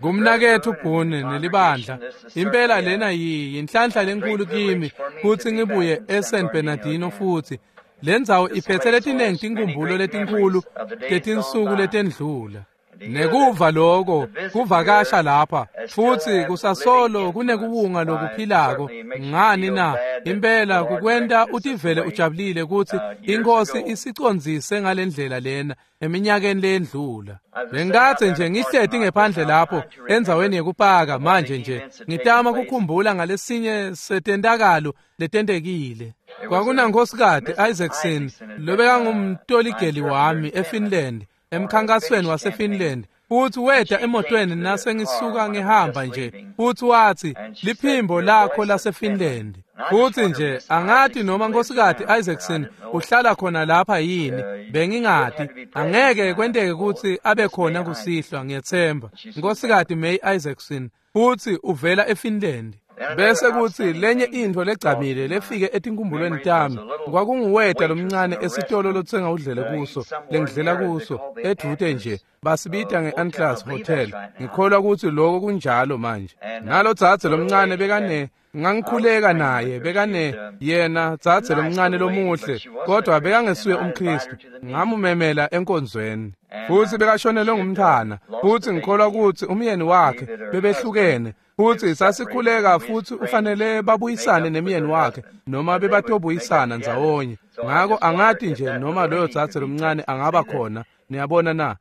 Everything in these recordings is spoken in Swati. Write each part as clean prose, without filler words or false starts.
Kumnaketfu Boone nelibandla, impela lena yinhlanhla lenkulu kimi kutsi ngibuye eSan Bernardino futhi. Lendzawo iphethe letinengi tinkhumbulo letinkhulu tetinsuku letendlula. Nekuva lokho kuvakasha lapha futhi kusasolo kunekuwunga lokuphilako ngani na impela kukwenta utivele ujabulile ukuthi inkosi isicondzise ngalendlela lena eminyakeni leyendlula. Bengathe nje ngihleti ngephandle lapho endzaweni yekupaka manje nje ngitama kukhumbula ngalesinye setentakalo letentekile. Kwakunankhosikati Isaacson lobekangumtoligeli wami eFinland emkhankasweni waseFinland, futhi weta emotweni nasengisuka ngihamba nje, futhi wathi liphimbo lakho laseFinland. Futhi nje angathi noma nkhosikati Isaacson uhlala khona lapha yini, bengingati angeke kwenteke ukuthi abe khona kusihlwa, ngiyethemba. Nkhosikati May Isaacson futhi uvela eFinland. Bese kuthi lenye intfo legcamile lefike etinkumbulweni tami kwakunguweta lomncane esitolo lotsenga udlele kuso lengidlela kuso edvute nje, basibita nge-Anclas Hotel. Ngikholwa ukuthi lokho kunjalo manje. Nalo dzadze lomncane bekane ngangikhuleka naye, bekane yena dzadze lomncane lomuhle, kodwa bekangesuye umKristu. Ngamumemela enkonzweni futhi bekashonelwe ngumntwana, futhi ngikholwa ukuthi umyeni wakhe bebehlukene, futhi sasikhuleka futhi ufanele babuyisane nemyeni wakhe noma bebatobuyisana ndzawonye. Ngako angati nje noma loyo dzadze lomncane angaba khona, niyabona na?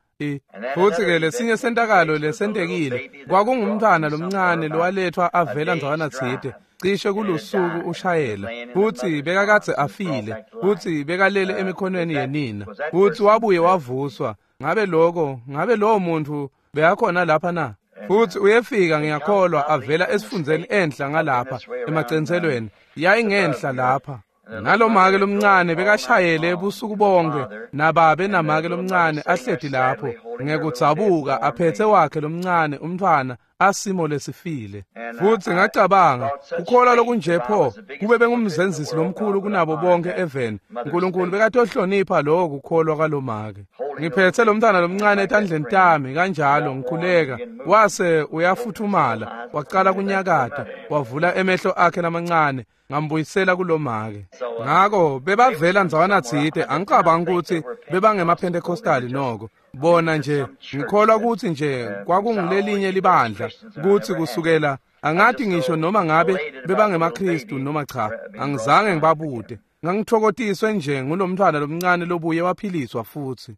Futhi-ke lesinye sentakalo lesentekile kwakungumntwana lomncane lowalethwa avela ndzawana tsite cishe kulusuku ushayela, futhi bekakadze afile, futhi bekalele emikhonweni yenina, futhi wabuye wavuswa. Ngabe lokho, ngabe lowo muntu bekakhona lapha na? Futhi uyefika ngiyakholwa avela esifundzeni enhla ngalapha emacenselweni, yayingenhla lapha. Nalomake lomncane bekashayele ebusuku bonke nababe namake lomncane ahleti lapho ngekudzabuka aphethe wakhe lomncane umntwana asimo lesifile. Futhi ngacabanga kukholwa lokunje pho kube bengumzenzisi lomkhulu kunabo bonke eveni, uNkulunkulu bekatohlonipha lokho kukholwa kwalomake. Ngiphethe lomntwana lomncane etandleni tami kanjalo ngikhuleka, wase uyafuthumala waqala kunyakata, wavula emehlo akhe lamancane, ngambuyisela kulomake. Ngako bebavela ndzawana tsite, angicabangi ukuthi bebangemaPentecostali noko. Bona nje ngikholwa ukuthi nje kwakungulelinye libandla, kuthi kusukela angathi ngisho noma ngabe bebangemaKristu noma cha, angizange ngibabute. Ngangithokotiswe nje ngulomntwana lomncane lobuye waphiliswa futhi.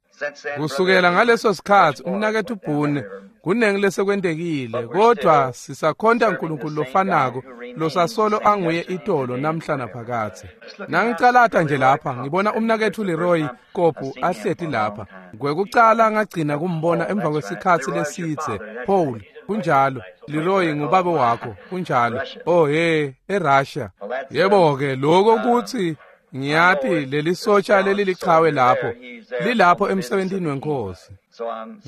Kusukela ngaleso sikhathi umnaketfu Boone kunengi lesekwentekile, kodwa sisakhonta uNkulunkulu lofanako losasolo anguye itolo namhla naphakathe. Nangicalata nje lapha ngibona umnaketfu Leroy Kopu ahleti lapha. Kwekucala ngagcina kumbona emva kwesikhatsi lesitse. Paul, kunjalo. Leroy ngubaba wakho, kunjalo. Oh hey, eRussia. Yebo-ke lokho kuthi ngiyati leli sotsha leli lichawe lapho lilapho emsebentini wenkosi.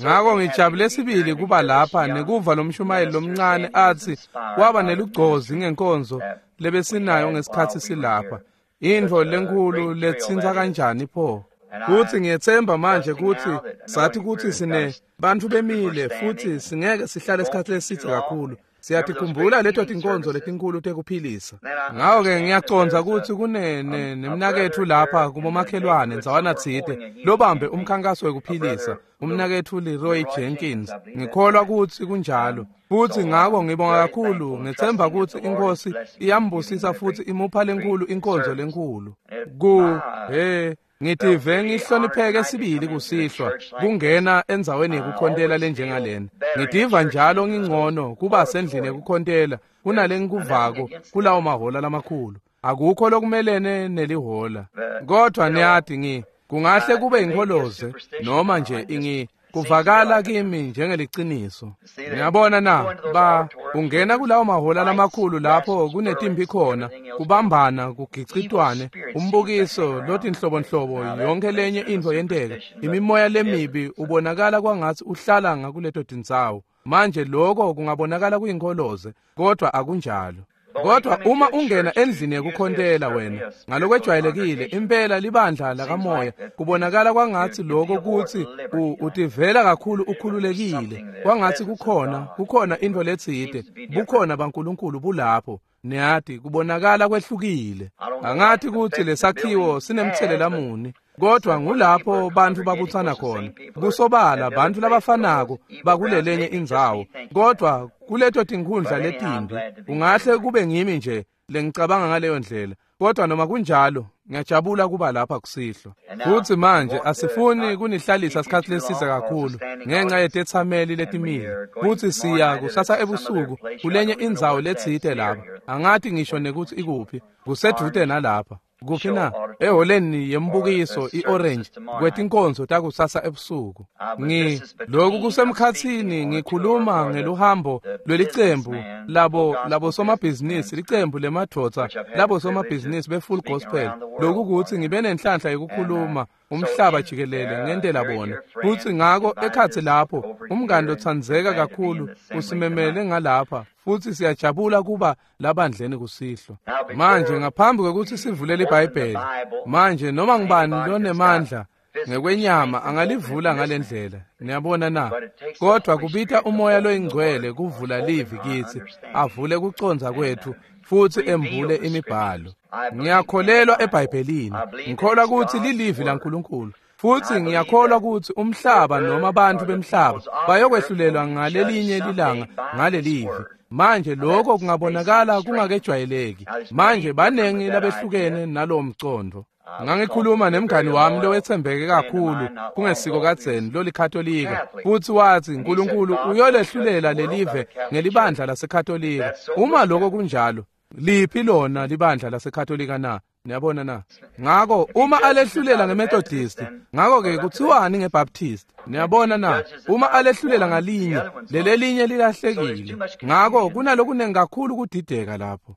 Ngako ngijabule sibili kuba lapha nekuva lomshumayeli lomncane athi waba nelugcozi ngenkonzo lebesinayo ngesikhatsi silapha. Intfo lenkulu letsintsa kanjani pho. Kuthi ngiyethemba manje kuthi sathi kuthi sine bantfu bemile futhi singeke sihlale isikhathi lesithe kakhulu. Siyatikhumbula leto tinkonzo letinkulu tekuphilisa. Ngako-ke ngiyacondza ukuthi kunene nemnaketfu lapha kubomakhelwane ndzawana tsite lobambe umkhankaso wekuphilisa, umnaketfu Leroy Jenkins. Ngikholwa ukuthi kunjalo. Futhi ngako ngibonga kakhulu, ngethemba ukuthi inkosi iyambusisa futhi imupha lenkulu inkonzo lenkulu. Ku ngitive ngihlonipheke sibili kusihlwa kungena endzaweni yekukhontela lenjengalena. Ngitiva njalo ngingcono kuba sendlini yekukhontela kunale ngikuvako kulawo mahola lamakhulu. Akukho lokumelene nelihola. Kodwa niyati kungahle kube inkholoze noma nje kuvakala kimi njengeliciniso. Ngiyabona na ba ungena kulawo mahola lamakhulu lapho kunetimpi khona, kubambana, kugicitwane, umbukiso lotinhlobonhlobo, yonke lenye intfo yenteka. Imimoya lemibi ubonakala kwangathi uhlala ngakuleto tindzawo. Manje lokho kungabonakala kuyinkoloze, kodwa akunjalo. Kodwa uma ungena endlini yekukhontela wena ngalokwejwayelekile impela libandla lakamoya kubonakala kwangathi lokho kuthi utivela kakhulu ukhululekile kwangathi kukhona into letsite bukhona baNkulunkulu bulapho. Niyati kubonakala kwehlukile. Angathi ukuthi lesakhiwo sinemthelela muni, kodwa ngulapho bantu babutsana khona. Kusobala bantu labafanako bakulelenye indzawo, kodwa kuleto tinkhundla letimbi. Ungahle kube ngimi nje lengicabanga ngaleyo ndlela, kodwa noma kunjalo ngiyajabula kuba lapha kusihlwa. Futhi manje asifuni kunihlalisa isikhathi leside kakhulu ngenxa yetethameli letimile. Futhi siya kusasa ebusuku kulenye indzawo letsite lapha. Angathi ngisho nekuthi ikuphi, kusedude nalapha. Kuphi na? Eholeni yembukiso i-Orange kwetinkonzo takusasa ebusuku. Lokhu kusemkhathini ngikhuluma ngeluhambo lwelicembu labo somabhizinisi, licembu lemadvodza labo somabhizinisi be-Full Gospel. Lokhu kuthi ngibe nenhlanhla yokukhuluma umhlaba jikelele ngentela bona. Futhi ngako ekhathi lapho umngani lotsandzeka kakhulu usimemele ngalapha, futhi siyajabula kuba labandleni kusihlwa. Manje ngaphambi kwekuthi sivulele iBhayibheli, manje noma ngibani lonemandla ngekwenyama angalivula ngalendlela, niyabona na? Kodwa kubita umoya loyingcwele kuvula livi kithi, avule kucondza kwethu futhi embule imibhalo. Ngiyakholelwa eBhayibhelini, ngikholwa ukuthi lilivi laNkulunkulu. Futhi ngiyakholwa ukuthi umhlaba noma abantu bemhlaba bayokwehlulelwa ngalelinye lilanga ngalelivi. Manje lokho kungabonakala kungakejwayeleki. Manje banengi labehlukene nalowo mcondo. Ngangikhuluma nemngani wami lowethembeke kakhulu kungesiko kadzeni lolikatolika, futhi wathi uNkulunkulu uyolehlulela lelive ngelibandla laseKatolika. Uma lokho kunjalo, liphi lona libandla laseKatolika na? Niyabona na? Ngako uma alehlulela ngeMethodist, ngako ke kuthiwani ngeBaptist? Niyabona na? Uma alehlulela ngalinye, lelelinye lilahlekile. Ngako kunalokunengi kakhulu kudideka lapho.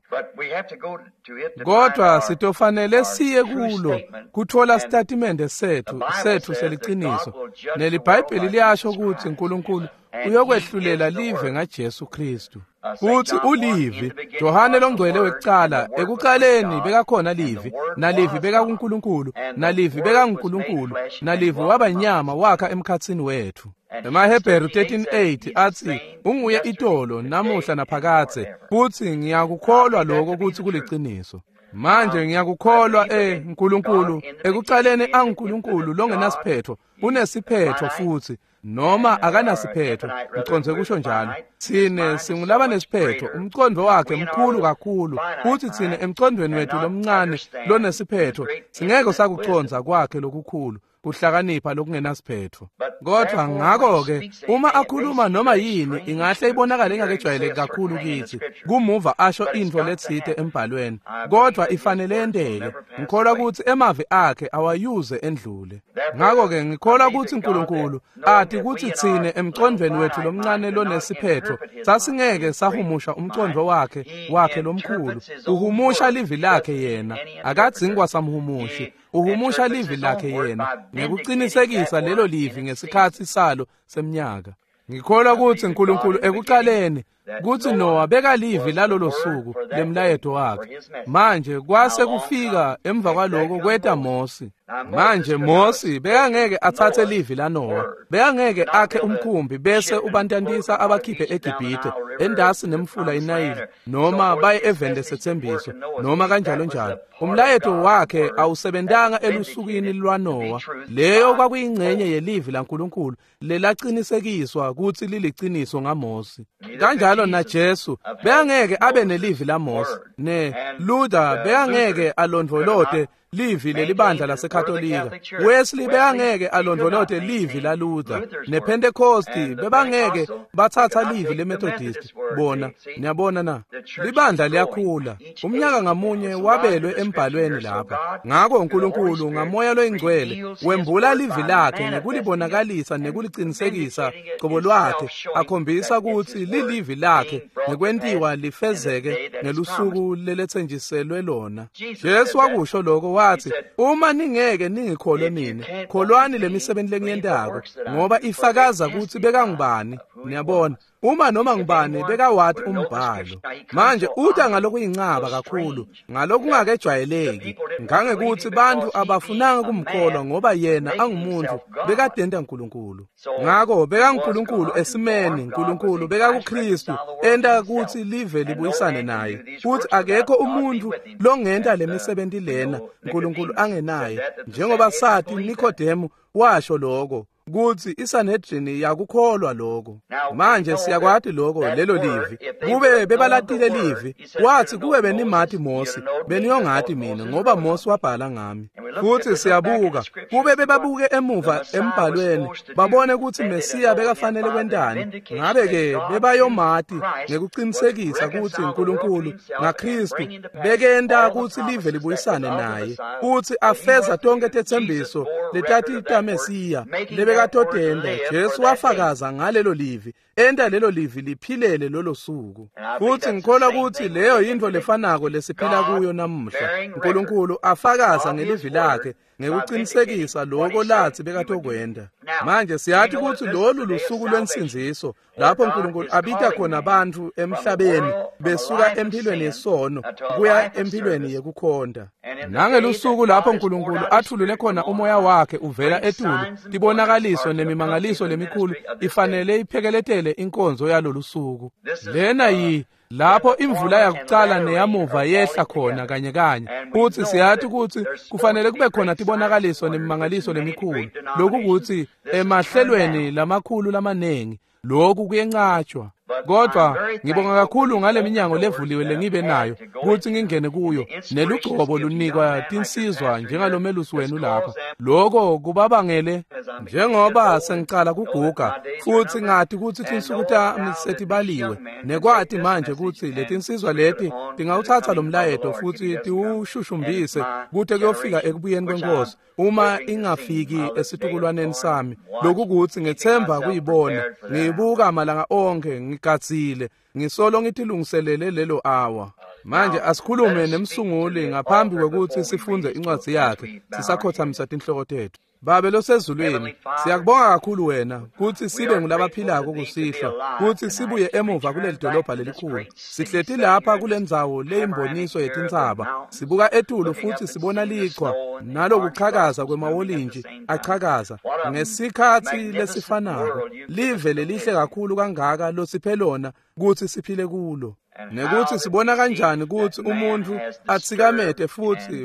Kodwa sitofanele siye kulo kuthola sitatimende sethu seliqiniso. NeliBhayibheli liyasho ukuthi uNkulunkulu uyokwehlulela live ngaJesu Kristu. Futhi ulivi, Johane longcwele wekucala, ekuqaleni bekakhona livi, nalivi bekakuNkulunkulu, nalivi bekanguNkulunkulu, nalivi waba nyama wakha emkhatsini wethu. EmaHebheru 13:8 athi unguye itolo namuhla naphakadze, futhi ngiyakukholwa lokho ukuthi kuliqiniso. Manje ngiyakukholwa uNkulunkulu ekuqaleni anguNkulunkulu longenasiphetho, unesiphetho futhi noma akanasiphetho, ngiconze kusho njalo. Thine singulaba nesiphetho, umcondo wakhe mkhulu kakhulu, futhi thine emcondweni wethu lomncane lonesiphetho singeke sakuconza kwakhe lokukhulu kuhlakanipha lokungenasiphetho. Kodwa ngakho-ke uma akhuluma noma yini ingahle ibonakale ingakejwayeleki kakhulu kithi, kumuva asho into letsite embhalweni, kodwa ifanele yenteke. Ngikholwa ukuthi emavi akhe awayuze endlule. Ngakho-ke ngikholwa ukuthi uNkulunkulu athi kuthi thine emcondweni wethu lomncane lonesiphetho sasingeke sahumusha umcondo wakhe lomkhulu. Uhumusha livi lakhe yena, akadzingi kwasamhumushi. Uhumusha livi lakhe yena ngekuqinisekisa lelo livi ngesikhathi salo semnyaka. Ngikholwa ukuthi uNkulunkulu ekuqaleni kuthi Noah bekalivi lalolo suku lemlayeto wakhe. Manje kwase kufika emva kwaloko kweta Mose. Manje Mose bekangeke athathe livi la Noah, bekangeke akhe umkhumbi bese ubantantisa abakhiphe eGibhithe endasi nemfula iNayili noma baye eveni lesethembiso noma kanjalo njalo. Umlayeto wakhe awusebentanga elusukwini lwaNoah. Leyo kwakuyingcenye yelivi laNkulunkulu lelaqinisekiswa ukuthi liliqiniso ngaMose. Kanjalo na Jesu bekangeke abe nelivi laMose, ne Luther bekangeke alondvolote livi lelibandla laseKatolika, Wesley bekangeke alondvolote livi la Luther, nePentecosti bebangeke bathatha livi leMethodist. Bona, niyabona na? Libandla liyakhula, umnyaka ngamunye wabelwe embhalweni lapha. Ngako uNkulunkulu ngamoya loyingcwele wembula livi lakhe ngekulibonakalisa nekuliqinisekisa qobo lwakhe, akhombisa ukuthi lilivi lakhe ngekwentiwa lifezeke ngelusuku lelethenjiselwe lona. Jesu wakusho lokho, wathi uma ningeke ningikholwe mina, kholwani lemisebenzi lengiyentako, ngoba ifakaza ukuthi bekangubani. Niyabona, Uma noma ngubani bekawati umbhalo. Manje uta ngalokuyincaba kakhulu, ngalokungakejwayeleki, ngangekuthi bantfu abafunanga kumkholwa ngoba yena angumuntu bekadenta uNkulunkulu. Ngako bekaNkulunkulu esimeni, uNkulunkulu bekakuKristu enta kutsi live libuyisane naye. Futhi akekho umuntu longenta lemisebenti lena uNkulunkulu angenaye. Njengoba sathi Nikodemu washo lokho kutsi iSanhedrin yakukholwa lokho. Manje siyakwati lokho lelo livi. Kube bebalatile livi, wathi kube benimati Mosi, beniyongati mina ngoba Mosi wabhala ngami. Futhi siyabuka, kube bebabuke emuva embhalweni, babone kutsi Mesiya bekafanele kwentani. Ngabe ke bebayomati ngekuqinisekisa kutsi uNkulunkulu ngaKristu bekenta kutsi live libuyisane naye, kutsi afeza tonke tetsembiso letati taMesiya lebekatotenda. Jesu wafakaza ngalelo livi, enta lelo livi liphilele lolo suku. Futhi ngikholwa kutsi leyo yintfo lefanako lesiphila kuyo namuhla. uNkulunkulu afakaza ngelivi lakhe ngekuqinisekisa lokho lathi bekatokwenta. Manje siyathi kutsi lolu lusuku lwensindziso lapho uNkulunkulu abita khona bantfu emhlabeni besuka empilweni yesono kuya empilweni yekukhonta. Nangelusuku lapho uNkulunkulu athulule khona umoya wakhe uvela etulu, tibonakaliso nemimangaliso lemikhulu ifanele iphekeletele inkonzo yalolu suku. Lena yi lapho imvula yakucala neyamuva yehla khona kanye kanye. Futhi siyathi kutsi kufanele kube khona tibonakaliso nemimangaliso lemikhulu, lokukuthi emahlelweni lamakhulu lamanengi lokhu kuyencatshwa. Kodwa ngibonga kakhulu ngale minyango levuliwe lengibe nayo kutsi ngingene kuyo, nelugcobo lunikwa tinsizwa njengalomelusi wenu lapha. Lokho kubabangele njengoba sengicala kuguga futhi ngati kutsi tinsuku tami setibaliwe, nekwati manje kutsi letinsizwa leti tingawuthatha lo mlayeto futhi tiwushushumbise kute kuyofika ekubuyeni kwenkosi, uma ingafiki esitukulwaneni sami. Lokukuthi ngethemba kuyibona, ngiyibuka malanga onke, ngigadzile, ngisolo ngitilungiselele lelo awa. Manje asikhulume nemsunguli ngaphambi kwekutsi sifunde incwadzi yakhe, sisakhothamisa tinhloko tetfu. Babe losezulwini, siyakubonga kakhulu wena kutsi sibe ngulabaphilako kusihlwa, kutsi sibuye emuva kuleli dolobha lelikhulu. Sihleti lapha kulendzawo leyimboniso yetintsaba, sibuka etulu futhi sibona liqhwa nalokuchakaza kwemawolintshi achakaza ngesikhatsi lesifanako. Live lelihle kakhulu kangaka losiphe lona kutsi siphile kulo. Nekuthi sibona kanjani kutsi umuntu atsikamete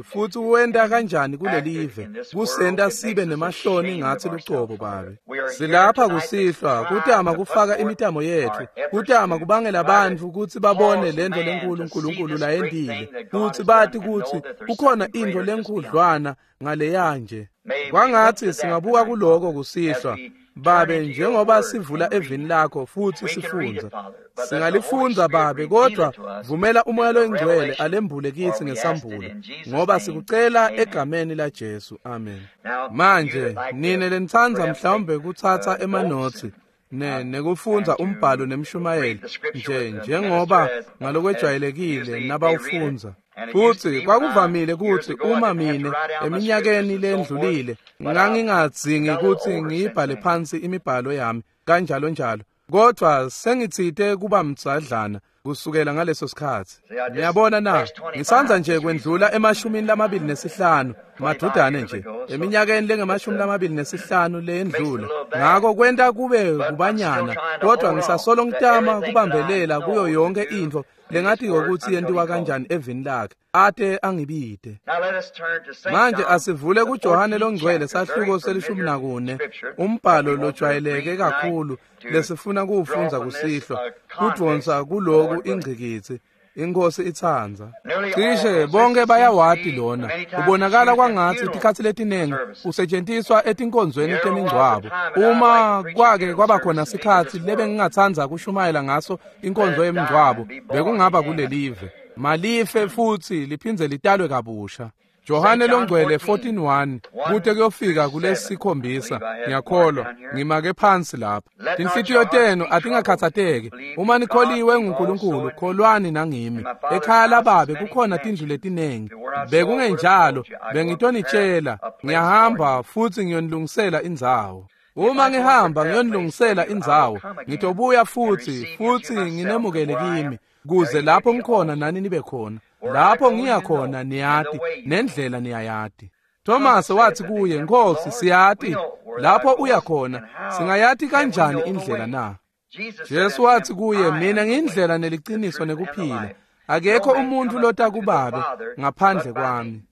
futhi wenta kanjani kulelive, kusenta sibe nemahloni ngathi lucobo. Babe, silapha kusihlwa kutama kufaka imitamo yetfu, kutama kubangela bantfu kutsi babone lento lenkulu uNkulunkulu layentile, kutsi bati kutsi kukhona intfo lenkhudlwana ngaleya nje. Kwangathi singabuka kuloko kusihlwa Babe, njengoba sivula evini lakho futhi sifundza. Singalifundza Babe, kodwa vumela umoya loyingcwele alembule kithi ngesambulo, ngoba sikucela egameni la Jesu. Amen. Manje nine lenitsandza mhlawumbe kuthatha emanothi nekufundza umbhalo nemshumayeli nje njengoba ngalokwejwayelekile nabawufundza. Futhi kwakuvamile kutsi uma mine eminyakeni lendlulile ngangingadzingi kutsi ngiyibhale phansi imibhalo yami kanjalo njalo, kodwa sengitsite kuba mdzadlana kusukela ngaleso sikhatsi. Niyabona na, ngisandza nje kwendlula e25 madudane nje eminyakeni lengama-25 leyendlula, ngako kwenta kube kubanyana, kodwa ngisasolo ngitama kubambelela kuyo yonke intfo lengatiko kutsi yentiwa kanjani evini lakhe ate angibide. Manje asivule kuJohane longcwele sahluko se-14, umbhalo lojwayeleke kakhulu lesifuna kuwufundza kusihlwa, kudvonsa kuloku ingcikitsi. Inkosi itsandza. Cishe bonke bayawati lona. Ubonakala kwangatsi tikhatsi letinengi usetjentiswa etinkonzweni temingcwabo. Uma kwake kwaba khona sikhatsi lebengingatsandza kushumayela ngaso inkonzo yemingcwabo, bekungaba kulelive. Malife futhi liphindze litalwe kabusha. Johane longcwele 14:1 kute kuyofika kulesikhombisa. Ngiyakholwa ngimake phansi lapha. Tinhlitiyo tenu atingakhathateki. Uma nikholiwe nguNkulunkulu, kholwani nangimi. Ekhaya lababe kukhona tindlu letinengi. Bekungenjalo bengitonitshela, ngiyahamba futhi ngiyonilungisela indzawo. Uma ngihamba ngiyonilungisela indzawo, ngitobuya futhi nginemukele kimi, kuze lapho ngikhona nani nibe khona. Lapho ngiya khona niyati, nendlela niyayati. Thomas wathi kuye, Nkosi, siyati lapho uya khona, singayati kanjani indlela na? Jesu wathi kuye, mina ngiyindlela neliqiniso nekuphila. Akekho umuntu lota kubabe ngaphandle kwami.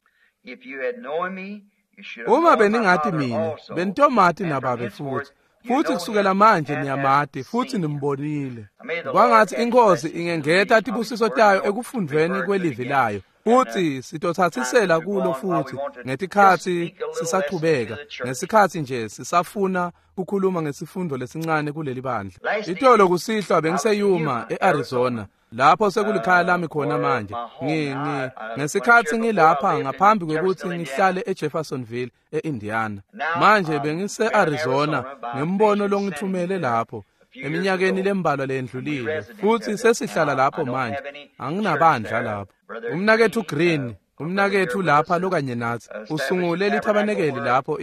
Uma beningati mina, benitomati nababe futhi. Futhi kusukela manje niyamati futhi nimbonile. Kwangathi inkosi ingengeta tibusiso tayo ekufundweni kwelivi layo. Futhi sitothathisela kulo futhi ngetikhathi sisachubeka, ngesikhathi nje sisafuna ukukhuluma ngesifundo lesincane kuleli bandla. Itolo kusihlwa bengiseyuma eArizona, lapho sekulikhaya lami khona manje. Ngesikhathi ngilapha ngaphambi kwekuthi ngihlale eJeffersonville eIndiana. Manje bengise-Arizona ngembono longithumele lapho eminyakeni lembalwa lendlulile, futhi sesihlala lapho manje. Anginabandla lapho. Umnakethu Green, umnakethu lapha lokanye nathi, usungule lithabanekeli lapho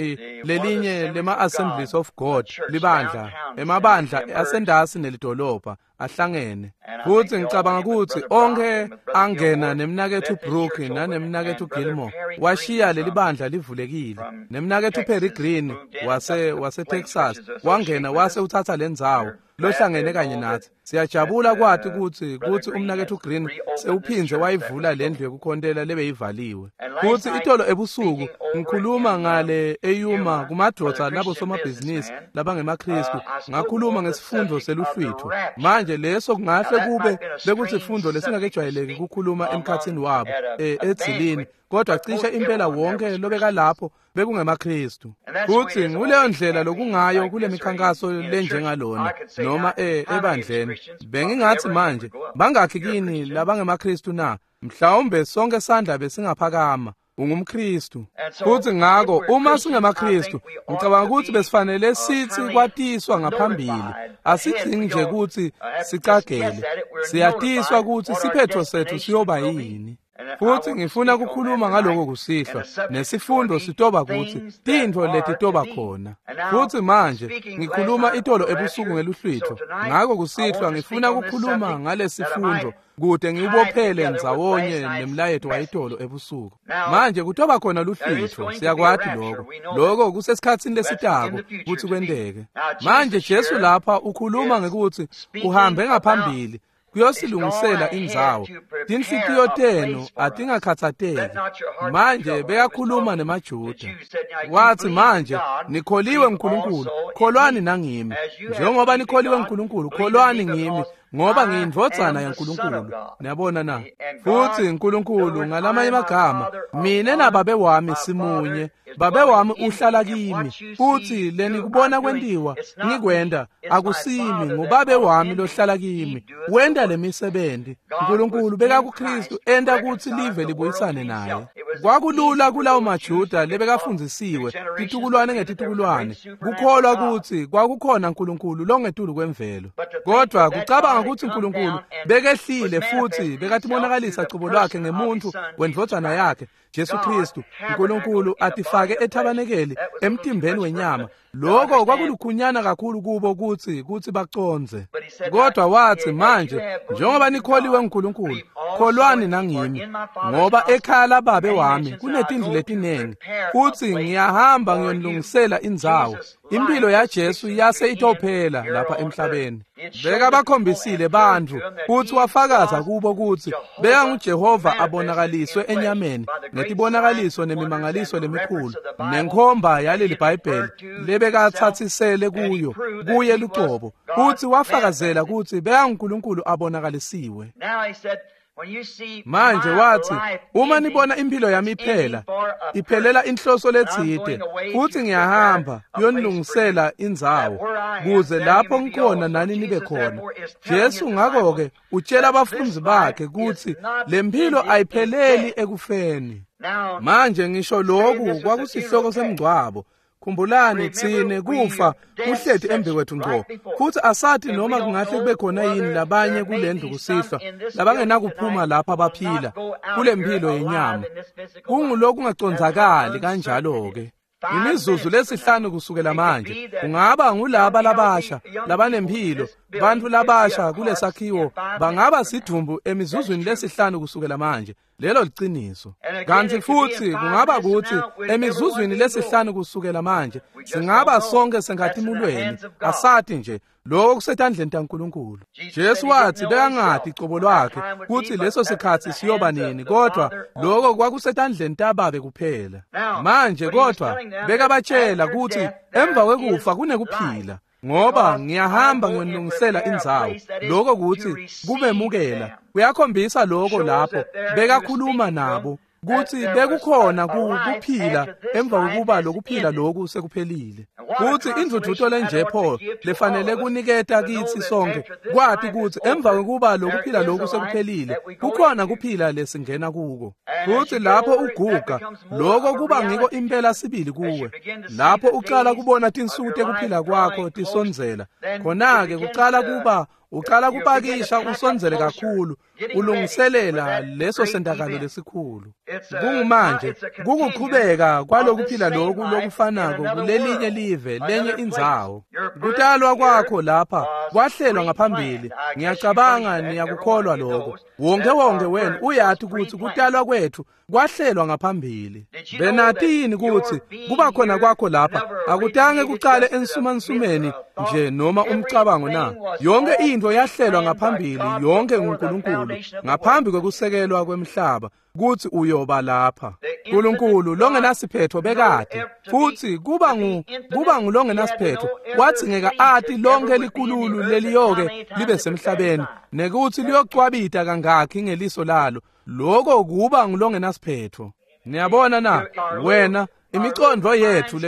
lelinye lema-Assemblies of God libandla, emabandla asendasi nelidolobha ahlangene. Futhi ngicabanga ukuthi onke angena nemnakethu Brook nanemnakethu Gilmore washiya leli bandla livulekile. Nemnakethu Perry Green wase Texas wangena wase uthatha lendzawo lohlangene kanye nathi. Siyajabula kwathi ukuthi umnakethu Green sewuphinze wayivula lendlu yokukhontela lebeyivaliwe. Futhi itolo ebusuku ngikhuluma ngale eYuma kumadoda labo somabhizinisi labangemaKristu, ngakhuluma ngesifundo seluhlwitho. Manje leso kungahle kube bekusifundo lesingakejwayeleki ukukhuluma emkhathini wabo edzilini, kodwa cishe impela wonke lobeka lapho bekungemaKristu. Futhi nguleyo ndlela lokungayo kule mikhankaso lenjengalona noma ebandleni. Bengingathi manje bangakhi kini labangemaKristu na? Mhlawumbe sonke sandla besingaphakama. UngumKristu. Futhi ngakho uma singemaKristu, ngicabanga ukuthi besifanele sithi kwatiswa ngaphambili. Asidzingi nje ukuthi sicagele. Siyatiswa ukuthi siphetho sethu siyoba yini. Futhi ngifuna ukukhuluma ngaloko kusihlwa, nesifundo sitoba ukuthi tintfo letitoba khona. Futhi manje ngikhuluma itolo ebusuku ngeluhlwitho, ngakho kusihlwa ngifuna ukukhuluma ngalesifundo kude ngiwubophele ndzawonye nemlayeto wayitolo ebusuku. Manje kutoba khona luhlwitho, siyakwati lokho. Lokho kusesikhatsini lesitako kutsi kwenteke. Manje Jesu lapha ukhuluma ngekuthi uhambe ngaphambili kuyosilungisela indzawo. Tinhlitiyo tenu atingakhathateki. Manje bekakhuluma nemaJuda. Wathi manje nikholiwe nguNkulunkulu, kholwani nangimi. Njengoba nikholiwe nguNkulunkulu, kholwani ngimi, ngoba ngiyindvodzana yaNkulunkulu. Niyabona na? Futhi uNkulunkulu ngalamanye amagama, mina nababe wami simunye. Babe wami uhlala kimi, futhi lenikubona kwentiwa ngikwenda akusimi, ngubabe wami lohlala kimi. Wenda lemisebenzi. uNkulunkulu beka kuKristu enta kutsi live libuyisane naye. Kwakulula kulawo maJuda lebekafundzisiwe titukulwane ngetitukulwane kukholwa kutsi kwakukhona uNkulunkulu longetulu kwemvelo. Kodwa kucabanga kutsi uNkulunkulu bekehlile futhi bekatibonakalisa cobo lwakhe ngemuntu wendvodzana yakhe Jesu Kristu, uNkulunkulu atifake ethabanekeli emtimbeni wenyama. Lokho kwakulukhunyana kakhulu kubo kutsi bacondze. Kodwa wathi manje njengoba nikholiwe nguNkulunkulu, kholwani nangimi, ngoba ekhaya lababe wami kunetindlu letinengi, futhi ngiyahamba ngiyonilungisela indzawo. Impilo yaJesu yase itophela lapha emhlabeni. Bekabakhombisile bantfu futhi wafakaza kubo kutsi bekanguJehova abonakaliswe enyameni ngetibonakaliso nemimangaliso lemikhulu nenkhomba yaleli Bhayibheli lebekathathisele kuyo kuye lucobo, futhi wafakazela kutsi bekanguNkulunkulu abonakalisiwe. Manje wathi uma nibona impilo yami iphela, iphelela inhloso letsite, futhi ngiyahamba kuyonilungisela indzawo, kuze lapho ngikhona nani nibe khona. Jesu ngakho-ke utshela abafundi bakhe kutsi lempilo ayipheleli ekufeni. Manje ngisho lokhu kwakusihloko semngcwabo. Khumbulani tsine kufa kuhleti embikwethu ngco, futhi asathi noma kungahle kube khona yini labanye kulendlu kusihlwa labangenakuphuma lapha baphila kule mpilo yenyama. Kungulokungacondzakali kanjalo-ke. Imizuzu lesihlanu kusukela manje kungaba ngulaba labasha labanemphilo, bantfu labasha kulesakhiwo bangaba sidvumbu emizuzwini lesihlanu kusukela manje. Lelo liciniso. Kanti futhi kungaba kuthi emizuzwini lesihlanu kusukela manje singaba sonke senkatimulweni, asati nje. Lokho kusetandleni taNkulunkulu. Jesu wathi bekangati cobo lwakhe kuthi leso sikhathi siyoba nini, kodwa lokho kwakusetandleni taBabe kuphela. Manje kodwa bekabatshela ukuthi emva kwekufa kunekuphila, ngoba ngiyahamba ngiyonilungisela indzawo. Lokho kuthi kubemukela kuyakhombisa lokho lapho bekakhuluma nabo kuthi bekukhona kuphila emva kokuba lokuphila lokhu sekuphelile. Kuthi indvudvuto lenje Paul lefanele kuniketa kitsi sonke kwati kuthi emva kokuba lokuphila lokhu sekuphelile kukhona kuphila lesingena kuko. Kuthi lapho uguga lokho kuba ngiko impela sibili kuwe. Lapho uqala kubona tinsuku tekuphila kwakho tisondzela, khona-ke kuqala kuba uqala kupakisha usondzele kakhulu, ulungiselela leso sentakalo lesikhulu. Kungumanje kukuqhubeka kwalokuphila lokhu lokufanako kulelinye live, lenye indzawo. Kutalwa kwakho lapha kwahlelwa ngaphambili. Ngiyacabanga niyakukholwa lokho. Wonke wonke wenu uyati ukuthi kutalwa kwethu kwahlelwa ngaphambili. Benati yini ukuthi kuba khona kwakho lapha akutange kuqale ensumansumeni nje noma umcabango na? Yonke into yahlelwa ngaphambili, yonke nguNkulunkulu ngaphambi kwekusekelwa kwemhlaba kuthi uyoba lapha. uNkulunkulu longenasiphetho bekade futhi kuba ngulongenasiphetho kwadzingeka ati lonke likululu leliyoke libe semhlabeni nekuthi liyocwabita kangakhi ngeliso lalo. Lokho kuba ngulongenasiphetho. Niyabona na wena imicondvo yethu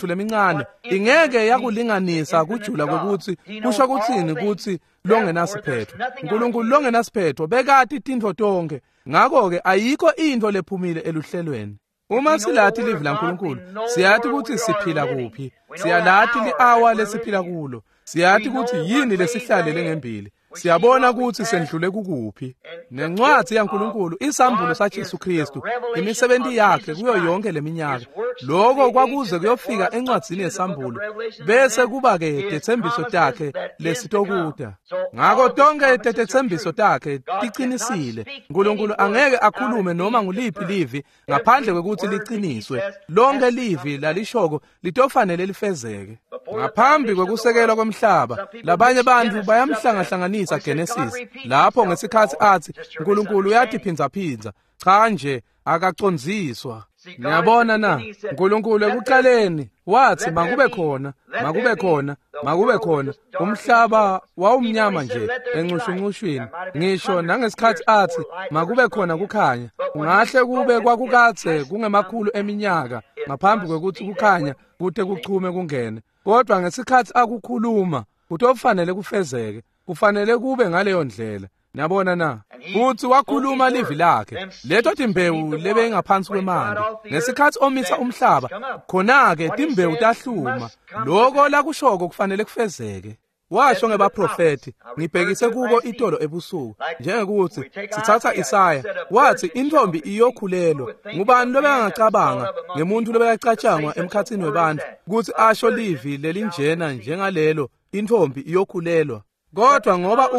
lemincane ingeke yakulinganisa kujula kokuthi kusho kuthini ukuthi longenasiphetho. uNkulunkulu longenasiphetho bekati tintfo tonke, ngakho-ke ayikho into lephumile eluhlelweni. Uma silathi livi laNkulunkulu siyati ukuthi siphila kuphi, siyalati li-awa lesiphila kulo, siyati ukuthi yini lesihlalele ngembili, siyabona ukuthi sendlule kukuphi. Nencwadi yaNkulunkulu isambulo saJesu Kristu, imisebenzi yakhe kuyo yonke leminyaka. Lokho kwakuze kuyofika encwadzini yesambulo, bese kuba ke tetsembiso takhe lesitokuta. Ngakho tonke tetsembiso takhe tiqinisile. uNkulunkulu angeke akhulume noma nguliphi livi ngaphandle kwekuthi liqiniswe. Lonke livi lalishoko litofanele lifezeke. Ngaphambi kwekusekelwa kwemhlaba, labanye bantu bayamhlangahlanganisa Genesis lapho ngesikhathi athi uNkulunkulu uyatiphindzaphindza. Cha nje akacondziswa. Niyabona na, uNkulunkulu ekuqaleni wathi makube khona, makube khona, makube khona. Umhlaba wawumnyama nje encushuncushwini. Ngisho nangesikhathi athi makube khona kukhanya, kungahle kube kwakukadze kungemakhulu eminyaka ngaphambi kwekuthi kukhanya kute kuchume kungene. Kodwa ngesikhathi akukhuluma kutofanele kufezeke, kufanele kube ngaleyo ndlela. Niyabona na, futhi wakhuluma livi lakhe, leto timbewu lebeyingaphansi kwemanti. Ngesikhathi omisa umhlaba, khona-ke timbewu tahluma. Lokho lakushoko kufanele kufezeke. Washo ngebaprofethi, ngibhekise kubo itolo ebusuku, njengekuthi sithatha Isaya, wathi intombi iyokhulelwa. Ngubani lobekangacabanga ngemuntu lobekacatshangwa emkhathini webantu ukuthi asho livi lelinjena njengalelo, intombi iyokhulelwa? Kodwa ngoba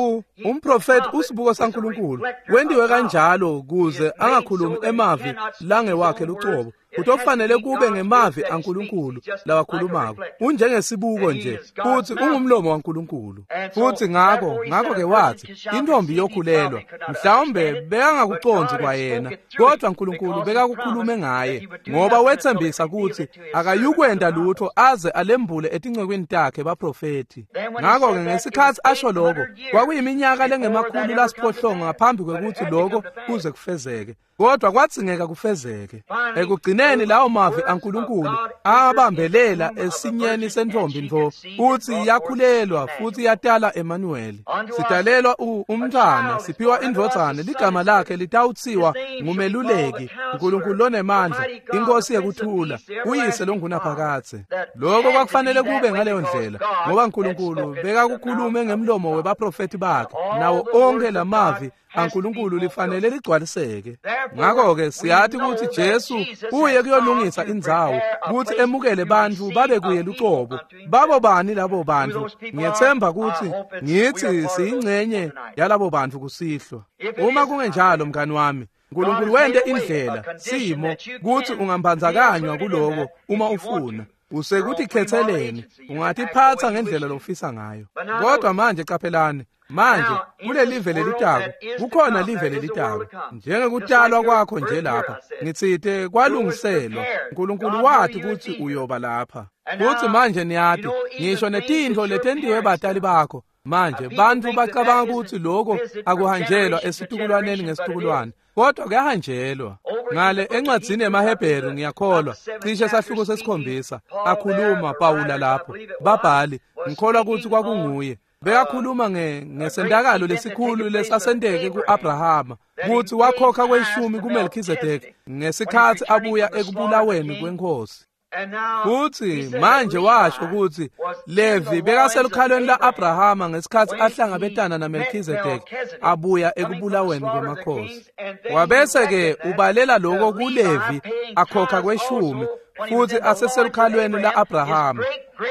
umprofethi usibuko saNkulunkulu wendiwe kanjalo kuze angakhulumi emavi langewakhe lucobo, kutofanele kube ngemavi aNkulunkulu lawakhulumako. Unjengesibuko nje futhi ungumlomo waNkulunkulu. Futhi ngakho-ke wathi intombi iyokhulelwa. Mhlawumbe bekangakucondzi kwayena, kodwa uNkulunkulu bekakukhulume ngaye, ngoba wethembisa ukuthi akayukwenda lutho aze alembule etincekweni takhe baprofethi. Ngakho-ke ngesikhathi asho lokho, kwakuyiminyaka lengemakhulu lasiphohlongo ngaphambi kwekuthi lokho kuze kufezeke. Kodwa kwadzingeka kufezeke. Ekugcineni lawo mavi aNkulunkulu abambelela esinyeni sentombi ntfo, uthi yakhulelwa futhi yatala Emmanuel. Sidalelwa umntwana, siphiwa indvodzana, ligama lakhe litawutsiwa ngumeluleki, uNkulunkulu lonemandla, inkosi yekuthula, uyise longunaphakadze. Lokho kwakufanele kube ngaleyo ndlela, ngoba uNkulunkulu bekakukhulume ngemlomo webaprofethi bakhe, nawo onke lamavi aNkulunkulu lifanele ligcwaliseke. Ngakho-ke siyati kutsi Jesu uye kuyolungisa indzawo kutsi emukele bantfu babe kuye lucobo. Babo bani labo bantfu? Ngiyetsemba kutsi ngitsi siyingcenye yalabo bantfu kusihlwa. Uma kungenjalo, mngani wami, Nkulunkulu wente indlela simo kutsi ungambandzakanywa kuloko uma ufuna. Usekutikhethseleni, ungatiphatsa ngendlela lofisa ngayo. Kodwa manje qaphelani, manje kulelive lelitako kukhona live lelitako. Njengekutalwa kwakho nje lapha, ngitsite kwalungiselwa. Nkulunkulu wati kutsi uyoba lapha. Futsi manje niyati, ngisho netintfo letentiwe batali bakho. Manje bantfu bacabanga kutsi lokho akuhanjelwa esitukulwaneni ngesitukulwane, kodwa kuyahanjelwa. Ngale encwadzini yemaHebheru ngiyakholwa cishe sahluko sesikhombisa akhuluma Pawula lapho. Babhali, ngikholwa kutsi kwakunguye. Bekakhuluma ngesentakalo lesikhulu lesasenteke ku-Abrahama kutsi wakhokha kweshumi kuMelkhizedeki ngesikhatsi abuya ekubulaweni kwenkosi. Futsi manje washo kutsi Levi bekaselukhalweni la-Abrahama ngesikhatsi ahlangabetana naMelkhizedeki abuya ekubulaweni kwemakhosi. Wabese-ke ubalela lokho kuLevi akhokha kweshumi futsi aseselukhalweni la-Abrahama,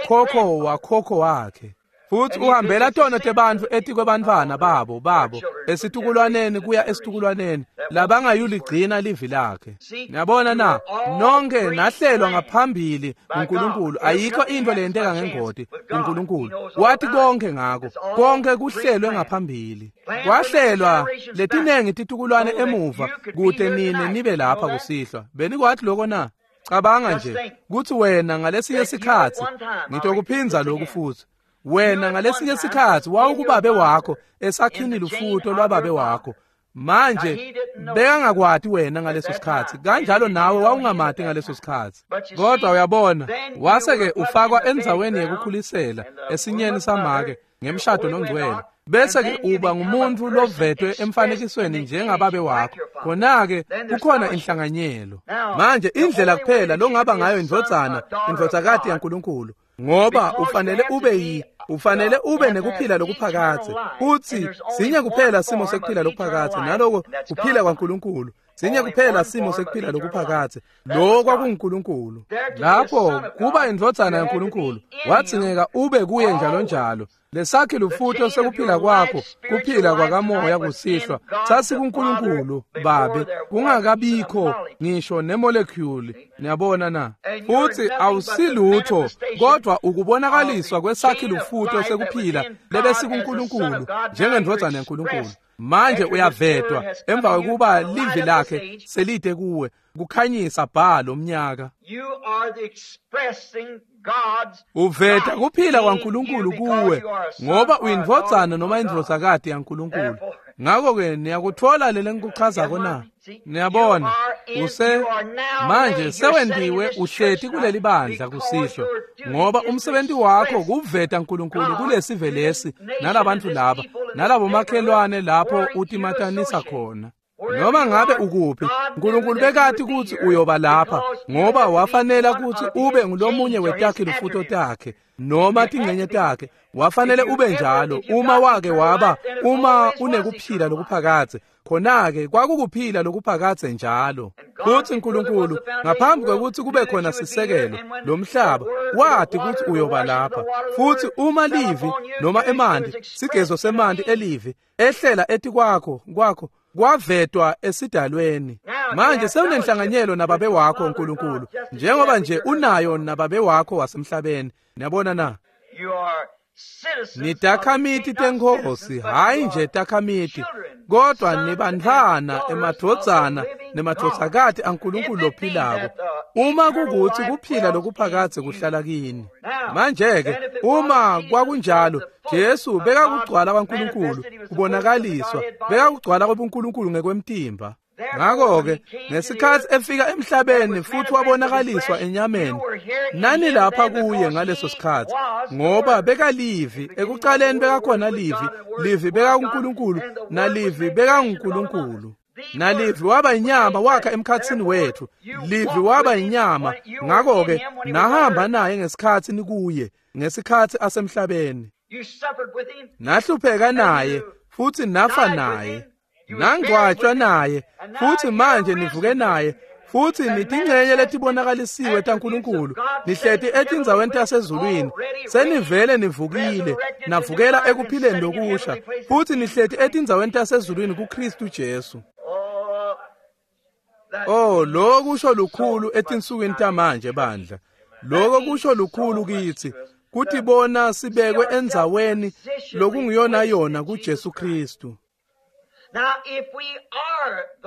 khokho wakhokho wakhe. Futsi uhambela tono tebantfu etikwebantfwana babo esitukulwaneni kuya esitukulwaneni labangayuligcina livi lakhe. Niyabona na, nonke nahlelwa ngaphambili uNkulunkulu. Ayikho into leyenteka ngengoti uNkulunkulu wati konke ngako, konke kuhlelwe ngaphambili. Kwahlelwa letinengi titukulwane emuva kute nine nibe lapha kusihlwa. Benikwathi lokho na? Cabanga nje kutsi wena ngalesinye sikhatsi, ngitokuphindza lokhu futsi, wena ngalesinye sikhatsi wawukubabe wakho esakhini lufuto lwababe wakho. Manje bekangakwati wena ngaleso sikhatsi, kanjalo nawe wawungamati ngaleso sikhatsi. Kodwa uyabona, wase-ke ufakwa endzaweni yekukhulisela esinyeni samake ngemshado longcwele, bese-ke uba ngumuntfu lovetwe emfanekisweni njengababe wakho. Khona-ke kukhona inhlanganyelo. Manje indlela kuphela longaba ngayo indvodzana, indvodzakati yaNkulunkulu, ngoba ufanele ube ufanele ube nekuphila lokuphakadze. Futsi sinye kuphela simo sekuphila lokuphakadze, naloko kuphila kwaNkulunkulu. Sinye kuphela simo sekuphila lokuphakadze, lokho kwakunguNkulunkulu. Lapho kuba indvodzana yaNkulunkulu, wadzingeka ube kuye njalo njalo. Lesakhi lufuto sekuphila kwakho, kuphila kwakamoya kusihlwa, sasikuNkulunkulu Babe, kungakabikho ngisho nemolecule. Niyabona na? Futsi awusilutho kodwa ukubonakaliswa kwesakhi lufuto sekuphila lebesikuNkulunkulu njengendvodzana yaNkulunkulu. Manje uyavetwa emva kwekuba livi lakhe selide kuwe kukhanyisa bha lomnyaka. Uveta kuphila kwaNkulunkulu kuwe ngoba uyindvodzana noma indvodzakati yaNkulunkulu. Ngakho-ke niyakutfola lele ngikuchazako na? Niyabona, use manje sewentiwe uhleti kuleli bandla kusihlwa, ngoba umsebenzi wakho kuveta uNkulunkulu kulesive lesi nalabantfu laba nalabomakhelwane lapho utimatanisa khona. Noma ngabe ukuphi, uNkulunkulu bekati kutsi uyoba lapha ngoba wafanela kutsi ube ngulomunye wetakhe lufuto takhe noma tingcenye takhe. Wafanele ube njalo uma wake waba, uma unekuphila lokuphakadze. Khona-ke kwakukuphila lokuphakadze njalo. Futsi uNkulunkulu ngaphambi kwekutsi kube khona sisekelo lomhlaba wati kutsi uyoba lapha. Futsi uma livi noma emanti, sigezo semanti elivi ehlela etikwakho kwakho kwavetwa esidalweni. Manje sewunenhlanganyelo nababe wakho uNkulunkulu, njengoba nje unayo nababe wakho wasemhlabeni. Niyabona na? Nitakhamiti tenkhosi, hhayi nje takhamiti, kodwa nibantfwana, emadvodzana nemadvodzakati aNkulunkulu lophilako. Uma kukuthi kuphila lokuphakadze kuhlala kini. Manje-ke uma kwakunjalo, Jesu bekakugcwala kwaNkulunkulu kubonakaliswa, bekakugcwala kwebuNkulunkulu ngekwemtimba. Ngakho-ke ngesikhatsi efika emhlabeni futhi wabonakaliswa enyameni, nani lapha kuye ngaleso sikhatsi, ngoba bekalivi. Ekuqaleni bekakhona livi, livi bekakuNkulunkulu, nalivi bekanguNkulunkulu. Nalivi waba inyama wakha emkhatsini wethu. Livi waba inyama. Ngakho-ke nahamba naye ngesikhatsi nikuye, ngesikhatsi asemhlabeni. Nahlupheka naye futhi nafa naye. Nangcwatshwa naye, futhi manje nivuke naye, futhi nitingcenye letibonakalisiwe taNkulunkulu, nihleti etindzaweni tasezulwini, senivele nivukile, navukela ekuphileni lokusha, futhi nihleti etindzaweni tasezulwini kuKristu Jesu. Oh, lokho kusho lukhulu etinsukwini tamanje bandla. Lokho kusho lukhulu kithi, kutibona sibekwe endzaweni lokungiyona yona kuJesu Kristu.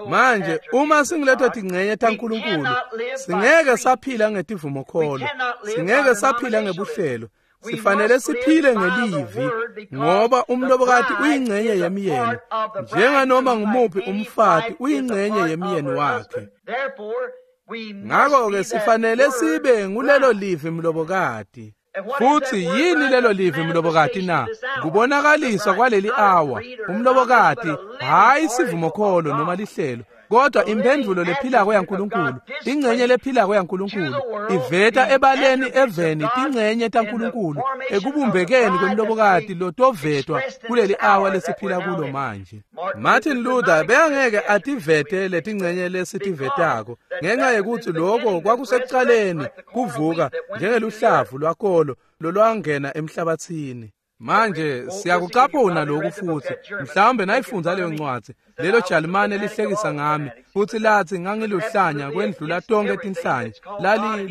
Manje uma singiletho tingcenye taNkulunkulu, singeke saphila ngetivumokholo, singeke saphila ngebuhlelo, sifanele siphile ngelivi, ngoba umlobokati uyingcenye yemyeni, njenganoma ngumuphi umfati uyingcenye yemyeni wakhe. Ngakho-ke sifanele sibe ngulelo livi mlobokati. Futhi yini lelo livi mlobokati na? Kubonakaliswa kwaleli awa umlobokati, hayi sivumokholo noma lihlelo, kodwa imphendvulo lephilako yaNkulunkulu, ingcenye lephilako yaNkulunkulu iveta ebaleni eveni tingcenye taNkulunkulu ekubumbekeni kwemlobokati lotovetwa kuleli awa lesiphila kulo manje. Martin Luther bekangeke ativete letingcenye lesitivetako ngenxa yekuthi lokho kwakusekuqaleni kuvuka njengeluhlavu lwakolo lolwangena emhlabathini. Manje siyakucaphuna lokhu futhi, mhlawumbe nayifundza leyo ncwadi, lelo Jalimane lihlekisa ngami, futhi lathi ngangiluhlanya kwendlula tonke tinhlanya,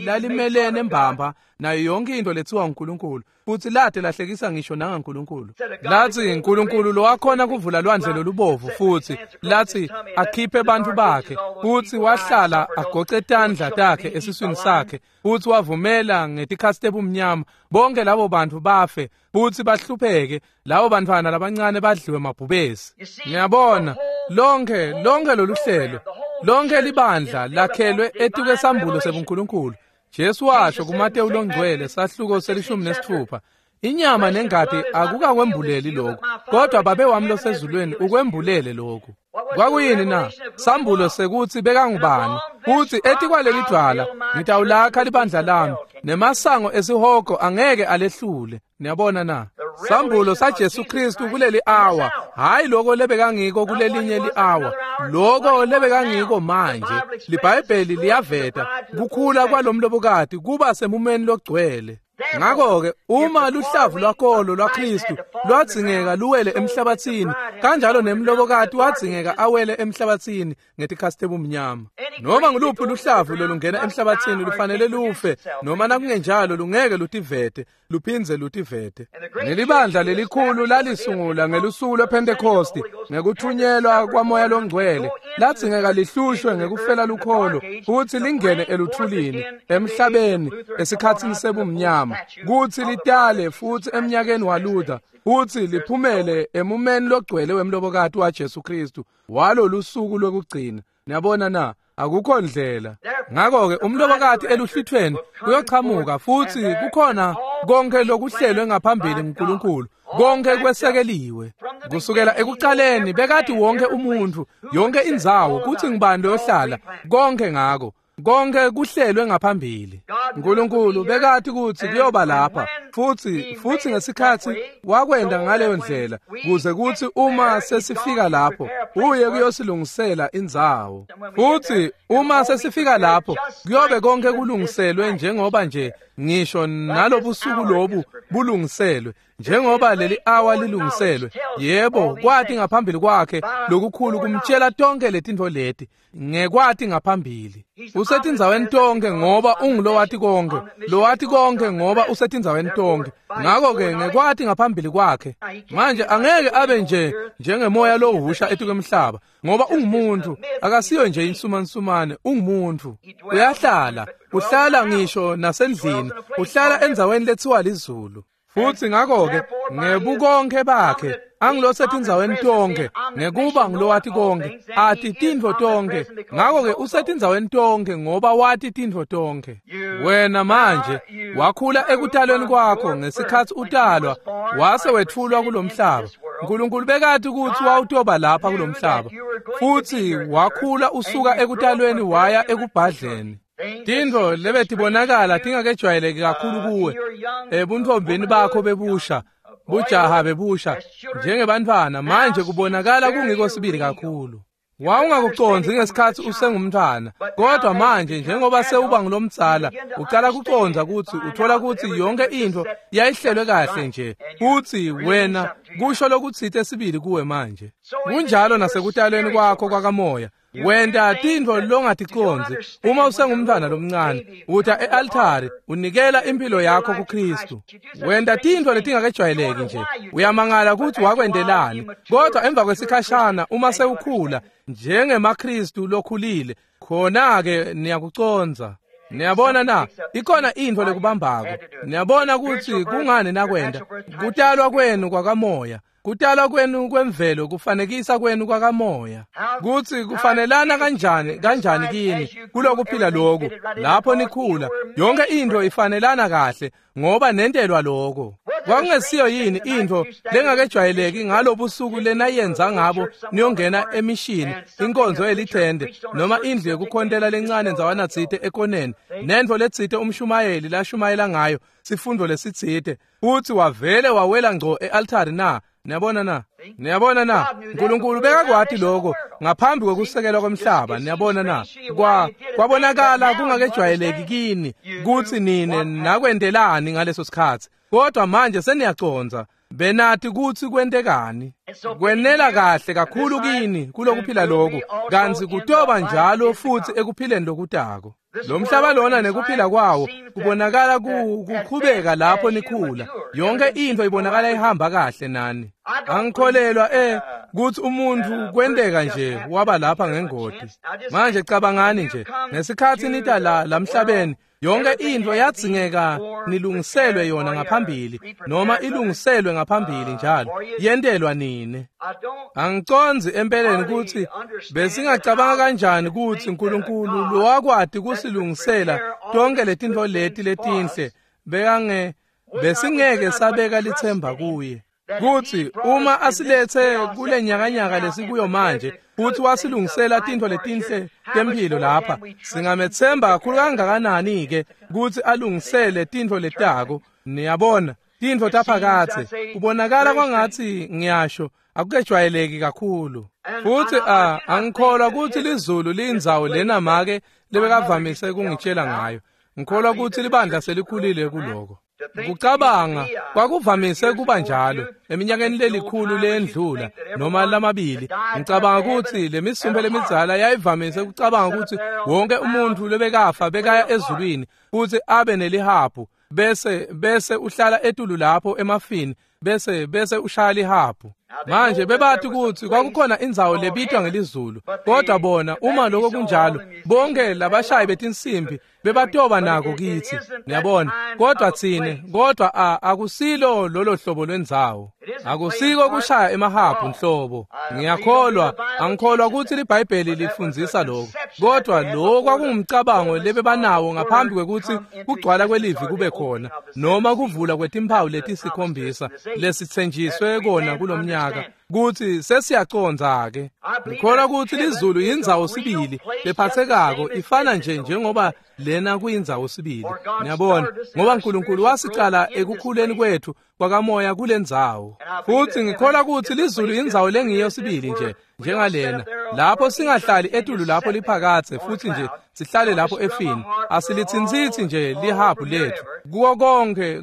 lalimelene mbamba nayo yonke into lethiwa uNkulunkulu, futhi lade lahlekisa ngisho nangaNkulunkulu. Lathi uNkulunkulu lo wakhona kuvula lwandle lolubovu, futhi lathi akhiphe abantu bakhe, futhi wahlala agoce tandla takhe esiswini sakhe, futhi wavumela ngetikhatsi tebumnyama bonke labo bantu bafe futhi bahlupheke, labo bantwana labancane badliwe mabhubesi. Ngiyabona lonke lolu hlelo, lonke libandla lakhelwe etikwesambulo sebuNkulunkulu. Jesu washo kuMateyu longcwele sahluko 16, inyama nengati akukakwembuleli lokhu, kodwa Babe wami losezulwini ukwembulele lokhu. Kwakuyini na? Sambulo sekuthi bekangubani, futhi etikwaleli dwala ngitawulakha libandla lami, nemasango esihogo angeke alehlule. Niyabona na? Sambulo saJesu Kristu kuleli awa, hayi lokho lebekangiko kulelinye li-awa, lokho lebekangiko manje. LiBhayibheli liyaveta kukhula kwalomlobokati kuba semumeni logcwele. Ngakho-ke uma luhlavu lwakolo lwaKristu lwadzingeka luwele emhlabathini, kanjalo nemlobokati wadzingeka awele emhlabathini ngetikhatsi tebumnyama. Noma nguluphi luhlavu lolungena emhlabathini lufanele lufe, noma nakungenjalo lungeke lutivete, luphindze lutivete. Nelibandla lelikhulu lalisungula ngelusuku lwePhentekosti ngekuthunyelwa kwaMoya loNgcwele, ladzingeka lihlushwe ngekufela lukholo futhi lingene eluthulini emhlabeni esikhatsini sebumnyama, kuthi litale futhi emnyakeni waLuther, futhi liphumele emumeni logcwele wemlobokati waJesu Kristu walolusuku lokugcina. Niyabona na? Akukho ndlela. Ngakho-ke umlobokati eluhlithweni uyochamuka, futhi kukhona konke lokuhlelwe ngaphambili nguNkulunkulu, konke kwesekeliwe kusukela ekuqaleni. Bekati wonke umuntu, yonke indzawo, kuthi ngibani loyohlala, konke ngako konke kuhlelwe ngaphambili. uNkulunkulu bekati ukuthi kuyoba lapha, futhi ngesikhathi wakwenda ngaleyo ndlela, kuze kuthi uma sesifika lapho uye kuyosilungisela indzawo. Futhi uma sesifika lapho kuyobe konke kulungiselwe, njengoba nje ngisho nalobusuku lobu bulungiselwe, njengoba leli awa lilungiselwe. Yebo, kwathi ngaphambili kwakhe lokukhulu kumtshela tonke letintfo leti, ngekwati ngaphambili. Usetindzaweni tonke ngoba ungulowati konke, lowati konke ngoba usetindzaweni tonke. Ngakho-ke ngekwati ngaphambili kwakhe. Manje angeke abe nje njengemoya lohusha etukwemhlaba, ngoba ungumuntu, akasiyo nje insumansumane, ungumuntu. Uyahlala, uhlala ngisho nasendlini, uhlala endzaweni lethiwa lizulu. Futhi ngakho-ke ngebukonke bakhe angilosetindzaweni tonke, ngekuba ngilowati konke, ati tintfo tonke. Ngakho-ke usetindzaweni tonke ngoba wati tintfo tonke. Wena manje wakhula ekutalweni kwakho ngesikhatsi utalwa, wase wetfulwa kulomhlaba. uNkulunkulu bekati ukuthi wawutoba lapha kulomhlaba, futhi wakhula usuka ekutalweni waya ekubhadleni. Tintfo lebetibonakala tingakejwayeleki kakhulu kuwe ebuntfombini bakho bebusha, Bujaha bebusha njengebantfwana manje kubonakala kungiko sibili kakhulu. Wawungakucondzi ngesikhatsi usengumntfwana, kodwa manje njengoba sewuba ngulomdzala ucala kucondza kutsi uthola kutsi yonke intfo yayihlelwe kahle nje, kutsi wena kusho lokutsite sibili kuwe manje. Kunjalo nasekutalweni kwakho kwakamoya. Wenta tintfo longaticondzi uma usengumntfwana lomncane, uta e-altari unikela impilo yakho kuKristu. Wenta tintfo letingakejwayeleki nje, uyamangala kutsi wakwentelani, kodwa emva kwesikhashana uma sewukhula njengemaKristu lokhulile, khona-ke niyakucondza. Niyabona na, ikhona intfo lekubambako. Niyabona kutsi kungani nakwenta. Kutalwa kwenu kwakamoya, kutalwa kwenu kwemvelo kufanekisa kwenu kwakamoya. Kutsi kufanelana kanjani kini kulokuphila loku lapho nikhula, yonke intfo ifanelana kahle ngoba nentelwa lokho. Kwakungesiyo yini intfo lengakejwayeleki ngalobusuku lenayenza ngabo niyongena emishini, inkonzo yelithende noma indlu yekukhontela lencane ndzawana tsite ekoneni, nentfo letsite umshumayeli lashumayela ngayo sifundo lesitsite, futsi wavele wawela ngco e-altari na? Niyabona na? Niyabona na? Nkulunkulu bekakwati lokho ngaphambi kwekusekelwa kwemhlaba. Niyabona na? Kwabonakala kungakejwayeleki kini kutsi nine nakwentelani ngaleso sikhatsi, kodwa manje seniyacondza. Benati kutsi kwentekani. Kwenela kahle kakhulu kini kulokuphila lokhu, kantsi kutoba njalo futsi ekuphileni lokutako. Lo mhlaba lona nekuphila kwawo kubonakala kuqhubeka lapho nikhula. Yonke intfo ibonakala ihamba kahle nani. Angikholelwa kutsi umuntfu kwenteka nje waba lapha ngengoti. Manje cabangani nje, ngesikhatsi nita la lamhlabeni, yonke intfo yadzingeka nilungiselwe yona ngaphambili, noma ilungiselwe ngaphambili njalo, yentelwa nine. Angicondzi empeleni kutsi besingacabanga kanjani kutsi Nkulunkulu lowakwati kusilungisela tonke letintfo leti letinhle besingeke sabeka lithemba kuye. Kutsi uma asiletse kule nyakanyaka lesikuyo manje, futsi wasilungisela tintfo letinhle temphilo lapha, singametsemba kakhulu kangakanani-ke kutsi alungisele tintfo letako. Niyabona, tintfo taphakadze kubonakala kwangatsi ngiyasho akukejwayeleki kakhulu. Futsi angikholwa kutsi lizulu liyindzawo lena make lebekavamise kungitshela ngayo. Ngikholwa kutsi libandla selikhulile kuloko. Kucabanga kwakuvamise kuba njalo eminyakeni lelikhulu lendlula noma lamabili. Ngicabanga kutsi lemisumbe lemidzala yayivamise kucabanga kutsi wonke umuntfu lobekafa bekaya ezulwini futsi abe nelihabhu, bese uhlala etulu lapho emafini, bese ushaya lihabhu. Manje bebati kutsi kwakukhona indzawo lebitwa ngelizulu, kodwa bona uma lokho kunjalo, bonke labashayi betinsimbi bebatoba nako kitsi. Niyabona, kodwa tsine, kodwa akusilo lolo hlobo lwendzawo. Akusiko kushaya emahabhu nhlobo. Ngiyakholwa, angikholwa kutsi liBhayibheli lifundzisa lokho, kodwa lo kwakungumcabango lebebanawo ngaphambi kwekutsi kugcwala kwelivi kube khona, noma kuvula kwetimphawu letisikhombisa lesitsenjiswe kona kulomnyaka, kutsi sesiyacondza-ke. Ngikholwa kutsi lizulu yindzawo sibili lephatsekako, ifana nje njengoba lena kuyindzawo sibili. Niyabona, ngoba Nkulunkulu wasicala ekukhuleni kwethu kwakamoya kulendzawo. Futsi ngikholwa kutsi lizulu yindzawo lengiyo sibili nje njengalena, lapho singahlali etulu lapho liphakadze futsi nje sihlale lapho efini. Asilitsintsitsi nje lihabhu lethu kuwo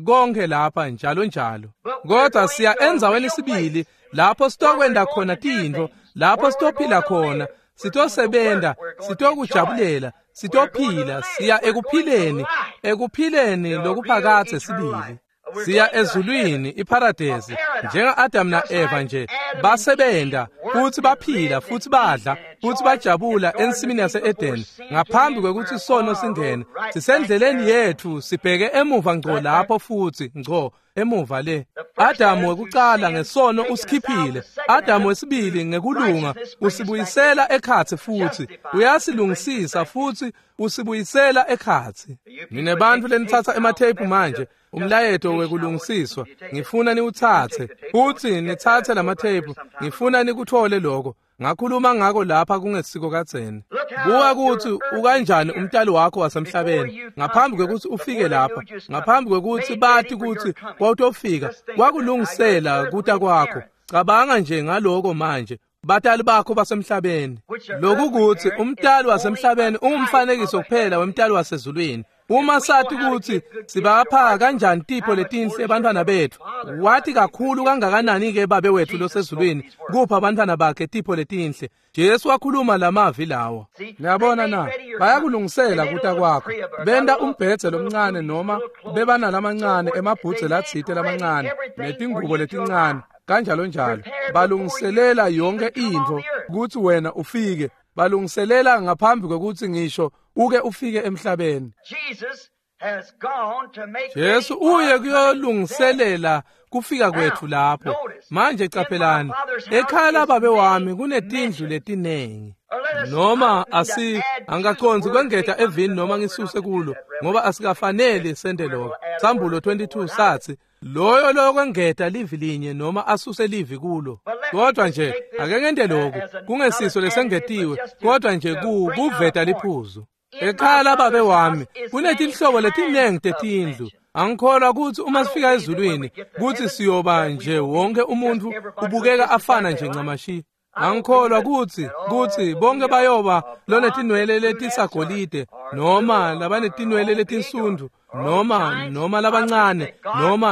konke lapha njalo njalo, kodwa siya endzaweni sibili lapho sitokwenda khona tintfo, lapho sitophila khona, sitosebenta, sitokujabulela, sitophila, siya ekuphileni, ekuphileni lokuphakadze sibili. Siya ezulwini, iparadesi, njenga-Adam na-Eva nje basebenta futsi baphila futsi badla futsi bajabula ensimini yase-Edeni ngaphambi kwekutsi sono singene. Sisendleleni yetfu sibheke emuva ngco lapho futsi ngco emuva le. Adamu wekucala ngesono usikhiphile, Adamu wesibili ngekulunga usibuyisela ekhatsi futsi uyasilungisisa futsi usibuyisela ekhatsi. Nine bantfu lenitsatsa ematheyiphu manje, umlayeto wekulungisiswa, ngifuna niwutsatse futsi nitsatse lamatheyiphu, ngifuna nikuthole lokho. Ngakhuluma ngako lapha kungesiko kadzeni. Buka kutsi ukanjani umtali wakho wasemhlabeni ngaphambi kwekutsi ufike lapha, ngaphambi kwekutsi bati kutsi wawutofika, kwakulungisela kuta kwakho. Cabanga nje ngaloko manje. Batali bakho basemhlabeni. Lokhu kutsi umtali wasemhlabeni ungumfanekiso kuphela wemtali wasezulwini. Uma sathi kutsi sibapha kanjani tipho letinhle abantwana bethu, wathi kakhulu kangakanani-ke babe wethu losezulwini kupha abantwana bakhe tipho letinhle. Jesu wakhuluma lamavi lawo. Niyabona na, bayakulungisela kuta kwakho. Benta umbhedze lomncane noma bebanalamancane emabhudze latsite lamancane netingubo letincane kanjalo njalo. Balungiselela yonke intfo kutsi wena ufike. Balungiselela ngaphambi kwekutsi ngisho uke ufike emhlabeni. Jesu uye kuyolungiselela kufika kwethu lapho. Manje caphelani, ekhaya lababe wami kunetindlu letinengi. Noma angikacondzi kwengeta evini noma ngisuse kulo, ngoba asikafaneli sente lokho. Sambulo 22 sathi loyo lokwengeta livi linye noma asuse livi kulo. Kodwa nje ake ngente lokhu kungesiso lesengetiwe, kodwa nje kuveta liphuzu. Ekhaya lababe wami kunetinhlobo letinengi tetindlu. Angikholwa kutsi uma sifika ezulwini kutsi siyoba nje wonke umuntu ubukeka afana nje ncamashi. Angikholwa kutsi bonke bayoba lonetinwele letisagolide noma labanetinwele letinsundu noma labancane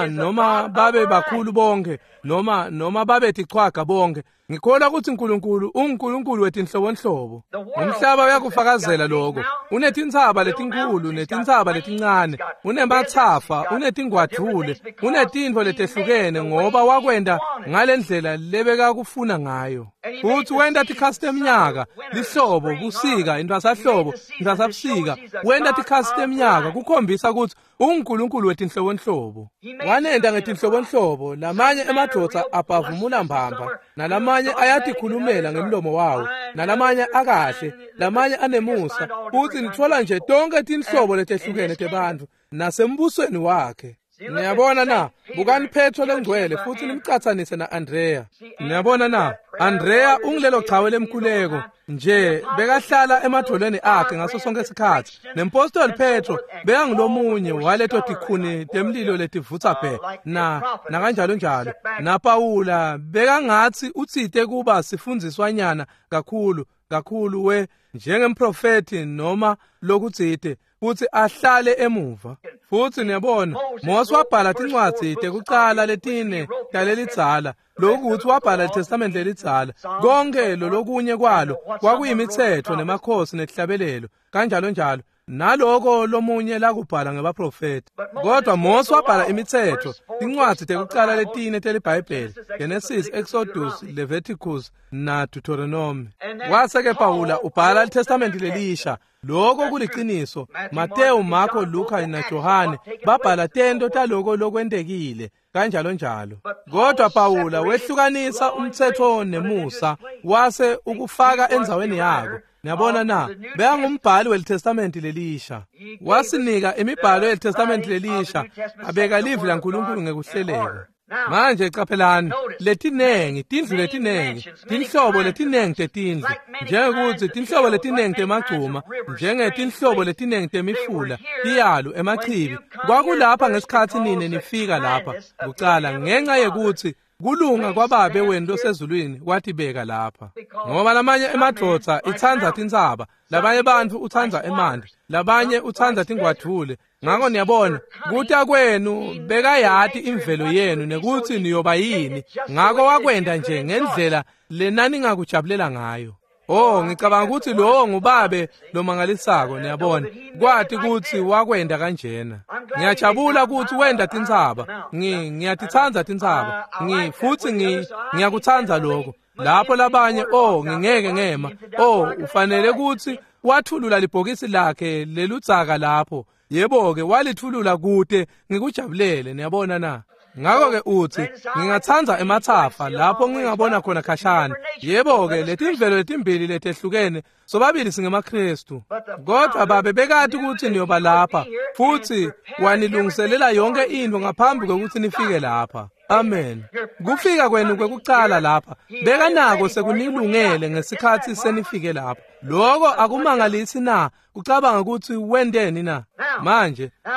noma babe bakhulu bonke noma babe tichwaga bonke. Ngikholwa kutsi uNkulunkulu unguNkulunkulu wetinhlobonhlobo. Umhlaba uyakufakazela lokho. Unetintsaba letinkhulu netintsaba letincane, unematsafa, unetingwadvule, unetintfo letehlukene ngoba wakwenta ngalendlela lebekakufuna ngayo. Futsi wenta tikhatsi teminyaka, lihlobo, busika, intfwasahlobo, intfwasabusika. Wenta tikhatsi teminyaka kukhombisa kutsi unguNkulunkulu wetinhlobonhlobo. Wanenta ngetinhlobonhlobo, lamanye emadvodza abhavumula mbamba, nalamanye ayatikhulumela ngemlomo wawo, nalamanye akahle, lamanye anemusa. Futsi nitfola nje tonke tinhlobo letehlukene tebantfu nasembusweni wakhe. Niyabona na, bukani Petro lengcwele futhi nimcatsanise na-Andrea. Niyabona na, Andrea ungilelo chawe lemkhuleko nje bekahlala emadvolweni akhe ngaso sonke isikhatsi. Nempostoli Petro bekangulomunye waleto tikhuni temlilo letivutsa bhe na nakanjalo njalo. Na Pawula bekangatsi utsite kuba sifundziswanyana kakhulu kakhulu we njengemprofeti noma lokutsite futsi ahlale emuva. Futsi niyabona, Mose wabhala tincwadzi tekucala letine talelidzala, lokuthi wabhala iTestamente lelidzala. Konke lolokunye kwalo kwakuyimitsetfo nemakhosi netihlabelelo kanjalo njalo, naloko lomunye lakubhala ngebaprofeti. Kodwa Mose wabhala imitsetfo, tincwadzi tekucala letine teliBhayibheli, Genesis, Exodus, Leviticus na Deuteronomy. Wase-ke Pawula ubhala iTestamente lelisha. Lokho kuliciniso. Mateyu, Marko, Luka na Johane babhala tento taloko lokwentekile kanjalo njalo. Kodwa Pawula wehlukanisa umtsetfo nemusa wase ukufaka endzaweni yako. Niyabona na, bekangumbhali weliTestamente lelisha. Wasinika imibhalo yeliTestamente lelisha, abeka livi laNkulunkulu ngekuhleleka. Manje caphelani, letinengi tindlu letinengi, tinhlobo letinengi tetindlu, njengekutsi tinhlobo letinengi temagcuma, njengetinhlobo letinengi temifula, tiyalu, emachibi. Kwakulapha ngesikhatsi nine nifika lapha kucala, ngenxa yekutsi kulunga kwababe wenu losezulwini kwatibeka lapha. Ngoba lamanye emadvodza itsandza tintsaba, labanye bantfu utsandza emanti, labanye utsandza tingwadvule. Ngako niyabona, kuta kwenu bekayati imvelo yenu nekutsi niyoba yini. Ngako wakwenta nje ngendlela lenaningakujabulela ngayo. Oh, ngicabanga ukuthi lowo ngubabe lomangalisako, niyabona, kwati kutsi wakwenta kanjena. Ngiyajabula kutsi wenta tintsaba. Ngiyatitsandza tintsaba. Futhi ngiyakutsandza lokho. Lapho labanye, oh, ngingeke ngema. Oh, ufanele kutsi wathulula libhokisi lakhe leludzaka lapho. Yebo-ke, walithulula kude ngikujabulele, niyabona na. Ngakho-ke uthi, ngingatsandza emathafa lapho ngingabona khona khashana. Yebo-ke, letimvelo letimbili letehlukene, sobabili singemaKristu. Kodwa babe bekati ukuthi niyoba lapha, futhi wanilungiselela yonke into ngaphambi kokuthi nifike lapha. Amen. Kufika kwenu kwekucala lapha, bekanako sekunilungele ngesikhathi senifike lapha. Lokho akumangalisi na kucabanga ukuthi wenteni na?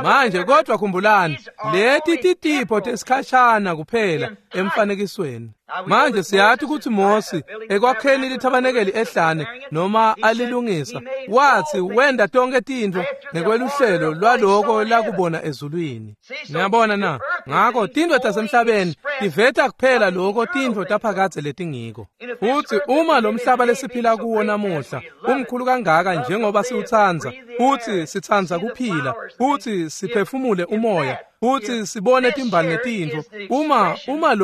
Manje kodwa khumbulani, leti titipho tesikhashana kuphela emfanekisweni. Manje siyathi ukuthi Mose ekwakheni lithabanekeli ehlane noma alilungisa, wathi wenda tonke tintfo ngekweluhlelo lwaloko lakubona ezulwini. Niyabona na? Ngakho tintfo tasemhlabeni tiveta kuphela lokho tintfo taphakadze letingiko. Futhi uma lo mhlaba lesiphila kuwo namuhla umkhulu kangaka njengoba siwutsandza, futhi sitsandza kuphila, futhi siphefumule umoya, futhi sibone timbali netintfo, uma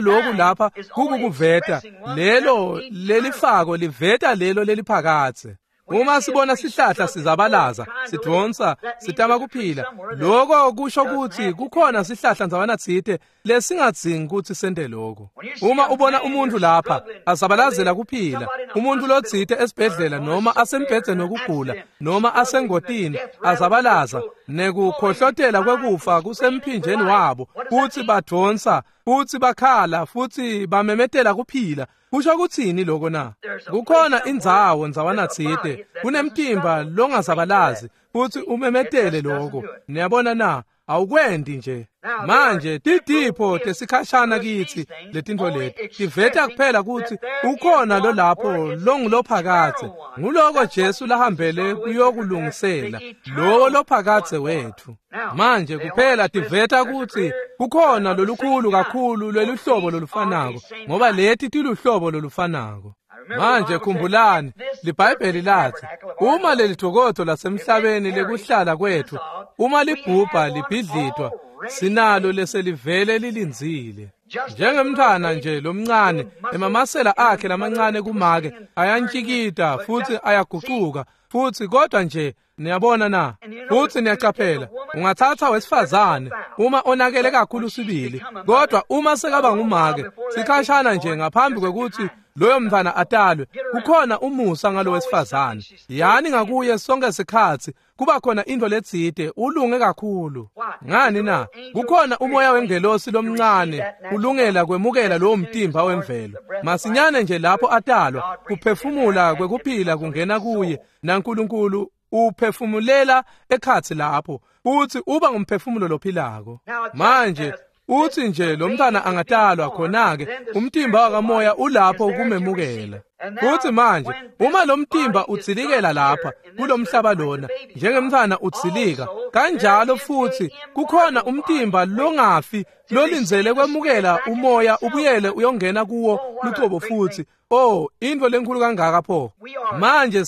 lokhu lapha kukukuveta, lelo lelifako liveta lelo leliphakadze. Uma sibona sihlahla sizabalaza, sidvonsa, sitama kuphila, lokho kusho ukuthi kukhona sihlahla ndzawana tsite lesingadzingi ukuthi sente lokho. Uma ubona umuntu lapha azabalazela kuphila, umuntu lotsite esibhedlela noma asembhedzeni wokugula noma asengotini azabalaza, nekukhohlotela kwekufa kusemphinjeni wabo, futhi badvonsa, futhi bakhala, futhi bamemetela kuphila. Kusho kuthini lokho na? Kukhona indzawo ndzawana tsite, kunemtimba longazabalazi, futhi umemetele lokho. Niyabona na? Awukwendi nje. Manje titipho tesikhashana kithi letintfo leti tiveta kuphela ukuthi ukhona lo lapho longulophakadze. Nguloko Jesu lahambele kuyokulungisela, lowo lophakadze wethu. Manje kuphela tiveta ukuthi kukhona lolukhulu kakhulu lweluhlobo lolufanako, ngoba leti tiluhlobo lolufanako. Manje khumbulani, liBhayibheli lathi, uma lelithokozo lasemhlabeni lekuhlala kwethu, uma libhubha libhidlitwa, sinalo leselivele lilindzile. Njengemntfwana nje lomncane, emamasela akhe lamancane kumake ayantshikita futhi ayagucuka, futhi kodwa nje niyabona na? Futhi niyacaphela, ungathatha wesifazane uma onakele kakhulu sibili, kodwa uma sekaba ngumake, sikhashana nje ngaphambi kwekuthi loyo mntfwana atalwe, kukhona umusa ngalo wesifazane. Yani ngakuye sonke sikhatsi kuba khona into letsite, ulunge kakhulu. Ngani na? Kukhona umoya wengelosi lomncane ulungela kwemukela lowo mtimba wemvelo. Masinyane nje lapho atalwa, kuphefumula kwekuphila kungena kuye, naNkulunkulu uphefumulela ekhatsi lapho, uthi uba ngumphefumulo lophilako. Manje uthi nje lo mntwana angatalwa, khona-ke umtimba wakamoya ulapho ukumemukela. Futhi manje uma lo mtimba utsilikela lapha kulomhlaba lona, njengemntwana utsilika, kanjalo futhi kukhona umtimba longafi lolindzele kwemukela umoya ubuyele uyongena kuwo lucobo futhi. Oh, into lenkulu kangaka pho. Manje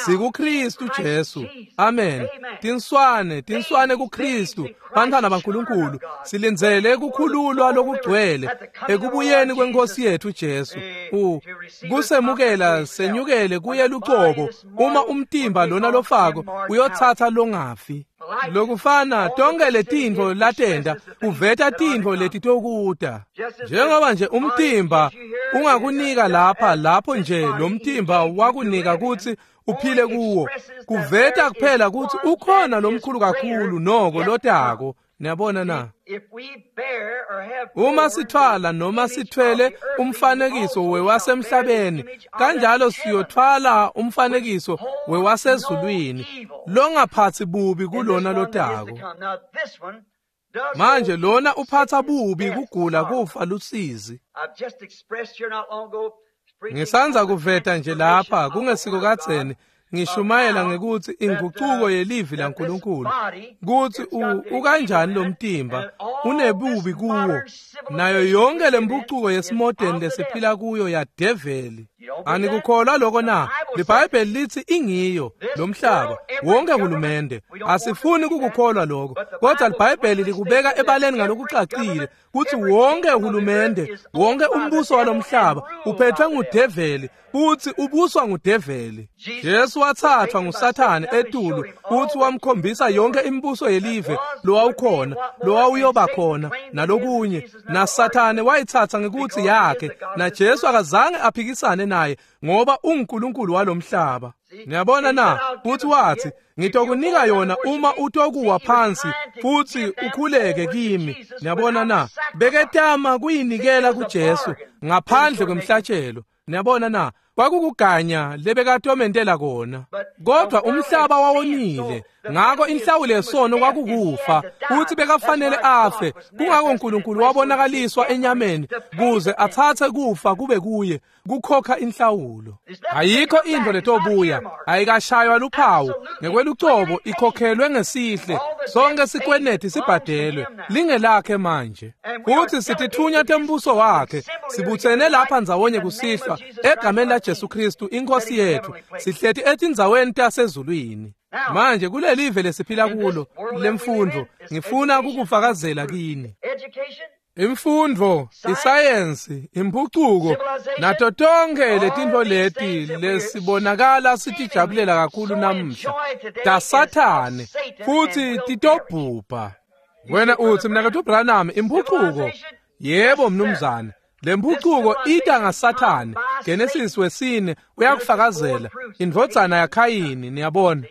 sikuKristu Jesu. Amen. Tinswane kuKristu, bantwana baNkulunkulu, silindzele kukhululwa lokugcwele ekubuyeni kwenkosi yethu Jesu. Kusemukela senyukele kuye lucobo, uma umtimba lona lofako uyothatha longafi. Lokufana tonke letintfo latenda uveta tintfo letitokuta. Njengoba nje umtimba ungakunika lapha, lapho nje lo mtimba wakunika ukuthi uphile kuwo, kuveta kuphela ukuthi ukhona lomkhulu kakhulu noko lotako. Niyabona na? Uma sithwala noma sithwele umfanekiso wewasemhlabeni, kanjalo siyothwala umfanekiso wewasezulwini longaphathi bubi kulona lotako. Manje lona uphatha bubi, kugula, kufa, lusizi. Ngisanza kuveta nje lapha kungesiko kadzeni, ngishumayela ngekuthi inguquko yelivi laNkulunkulu, kuthi ukanjani lo mtimba unebubi kuwo, nayo yonke lempucuko yesimodeni lesiphila kuyo yadeveli. Anikukholwa lokho na? LiBhayibheli lithi ingiyo lomhlaba wonke hulumende. Asifuni kukukholwa lokho, kodwa liBhayibheli likubeka ebaleni ngalokucacile kutsi wonke hulumende, wonke umbuso walomhlaba uphethwe ngudeveli futhi ubuswa ngudeveli. Jesu wathathwa nguSathane etulu futhi wamkhombisa yonke imibuso yelive lowawukhona, lowawuyoba khona nalokunye, naSathane wayithatha ngekuthi yakhe, naJesu akazange aphikisane naye ngoba unguNkulunkulu walomhlaba. Niyabona na? Futhi wathi, ngitokunika yona uma utokuwa phansi futhi ukhuleke kimi. Niyabona na? Beketama kuyinikela kuJesu ngaphandle kwemhlatshelo. Niyabona na? Kwakukuganya lebekatomentela kona. Kodwa umhlaba wawonile, ngakho inhlawulo yesono kwakukufa, futhi bekafanele afe. Kungako uNkulunkulu wabonakaliswa enyameni kuze athathe kufa kube kuye, kukhokha inhlawulo. Ayikho into letobuya, ayikashaywa luphawu, ngekwelucobo ikhokhelwe ngesihle, sonke sikweneti sibhadelwe, lingelakhe manje. Futhi sitithunya tembuso wakhe, sibuthene lapha ndzawonye kusihlwa egameni laJesu Kristu inkosi yethu, sihleti etindzaweni tasezulwini. Manje kulelive lesiphila kulo lemfundo, ngifuna kukufakazela kini. Imfundo, isayensi, impucuko nato tonke letintfo leti lesibonakala sitijabulela kakhulu namuhla taSathane futhi titobhubha. Wena uthi mnaketfu Branham, impucuko? Yebo mnumzane, lempucuko ita ngaSathane. Genesis 4 uyakufakazela, indvodzana yaKhayini. Niyabona,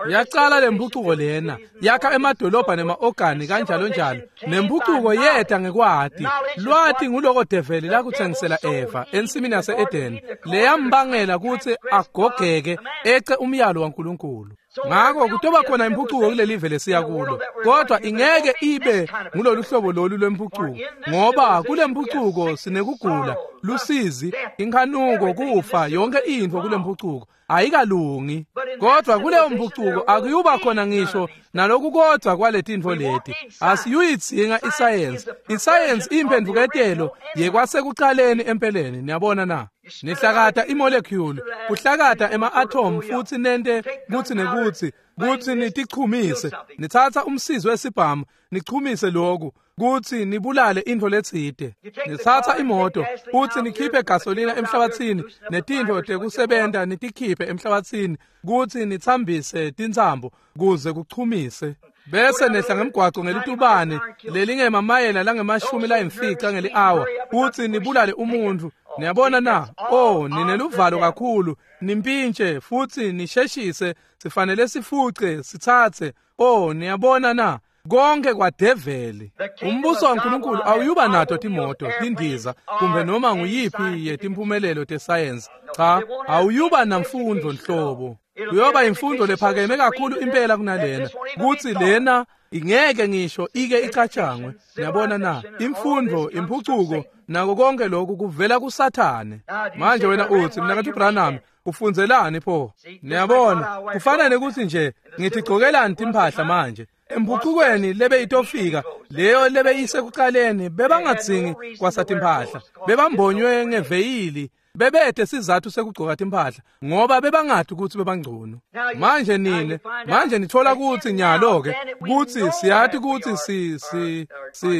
yacala lempucuko lena, yakha emadolobha nema-ogani kanjalo njalo. Nempucuko yeta ngekwati. Lwati nguloko develi lakutsengisela Eva ensimini yase-Edeni, leyambangela kutsi agogeke ece umyalo waNkulunkulu. Ngakho kutoba khona impucuko kulelive lesiya kulo, kodwa ingeke ibe ngulolu hlobo lolu lwempucuko, ngoba kulempucuko sinekugula, lusizi, inkhanuko, kufa, yonke intfo kulempucuko ayikalungi. Kodwa kuleyo mpucuko akuyuba khona ngisho naloku kodwa kwaletintfo leti. Asiyuyidzinga isayensi. Isayensi imphendvuketelo yekwasekucaleni empeleni. Niyabona na? Nihlakata imolecule, kuhlakata ema-atom futhi nente kutsi nekutsi, kutsi nitichumise. Nitsatsa umsizi wesibhamu, nichumise loku, kutsi nibulale intfo letsite. Nitsatsa imoto, futsi nikhiphe gasolina emhlabatsini, netintfo tekusebenta nitikhiphe emhlabatsini, kutsi nitsambise tintsambo kuze kuchumise. Bese nehla ngemgwaco ngelitubane lelingemamayela lange-50 ngeli-hour, kutsi nibulale umuntfu. Niyabona na? Oh, nineluvalo kakhulu, nimpintshe futhi nisheshise, sifanele sifuce, sitsatse. Oh, niyabona na? Konke kwadeveli. Umbuso waNkulunkulu awuyuba nato timoto, tindiza, kumbe noma nguyiphi yetimphumelelo tesayensi. Cha, awuyuba namfundo nhlobo. Kuyoba imfundo lephakeme kakhulu impela kunalena, kutsi lena ingeke ngisho ike icatshangwe. Niyabona na? Imfundo, impucuko, nako konke lokhu kuvela kuSathane. Manje wena uthi, mnaketfu Branham, ufundzelani pho? Niyabona, kufana nekuthi nje ngithi gcokelani timphahla manje. Empucukweni lebeyitofika, leyo lebeyisekucaleni, bebangadzingi kwasatimpahla, bebambonywe ngeveyili, bebete sizathu sekugcoka timphahla ngoba bebangati kutsi bebangcono. Manje nine, manje nithola kutsi nyalo-ke kutsi siyati kutsi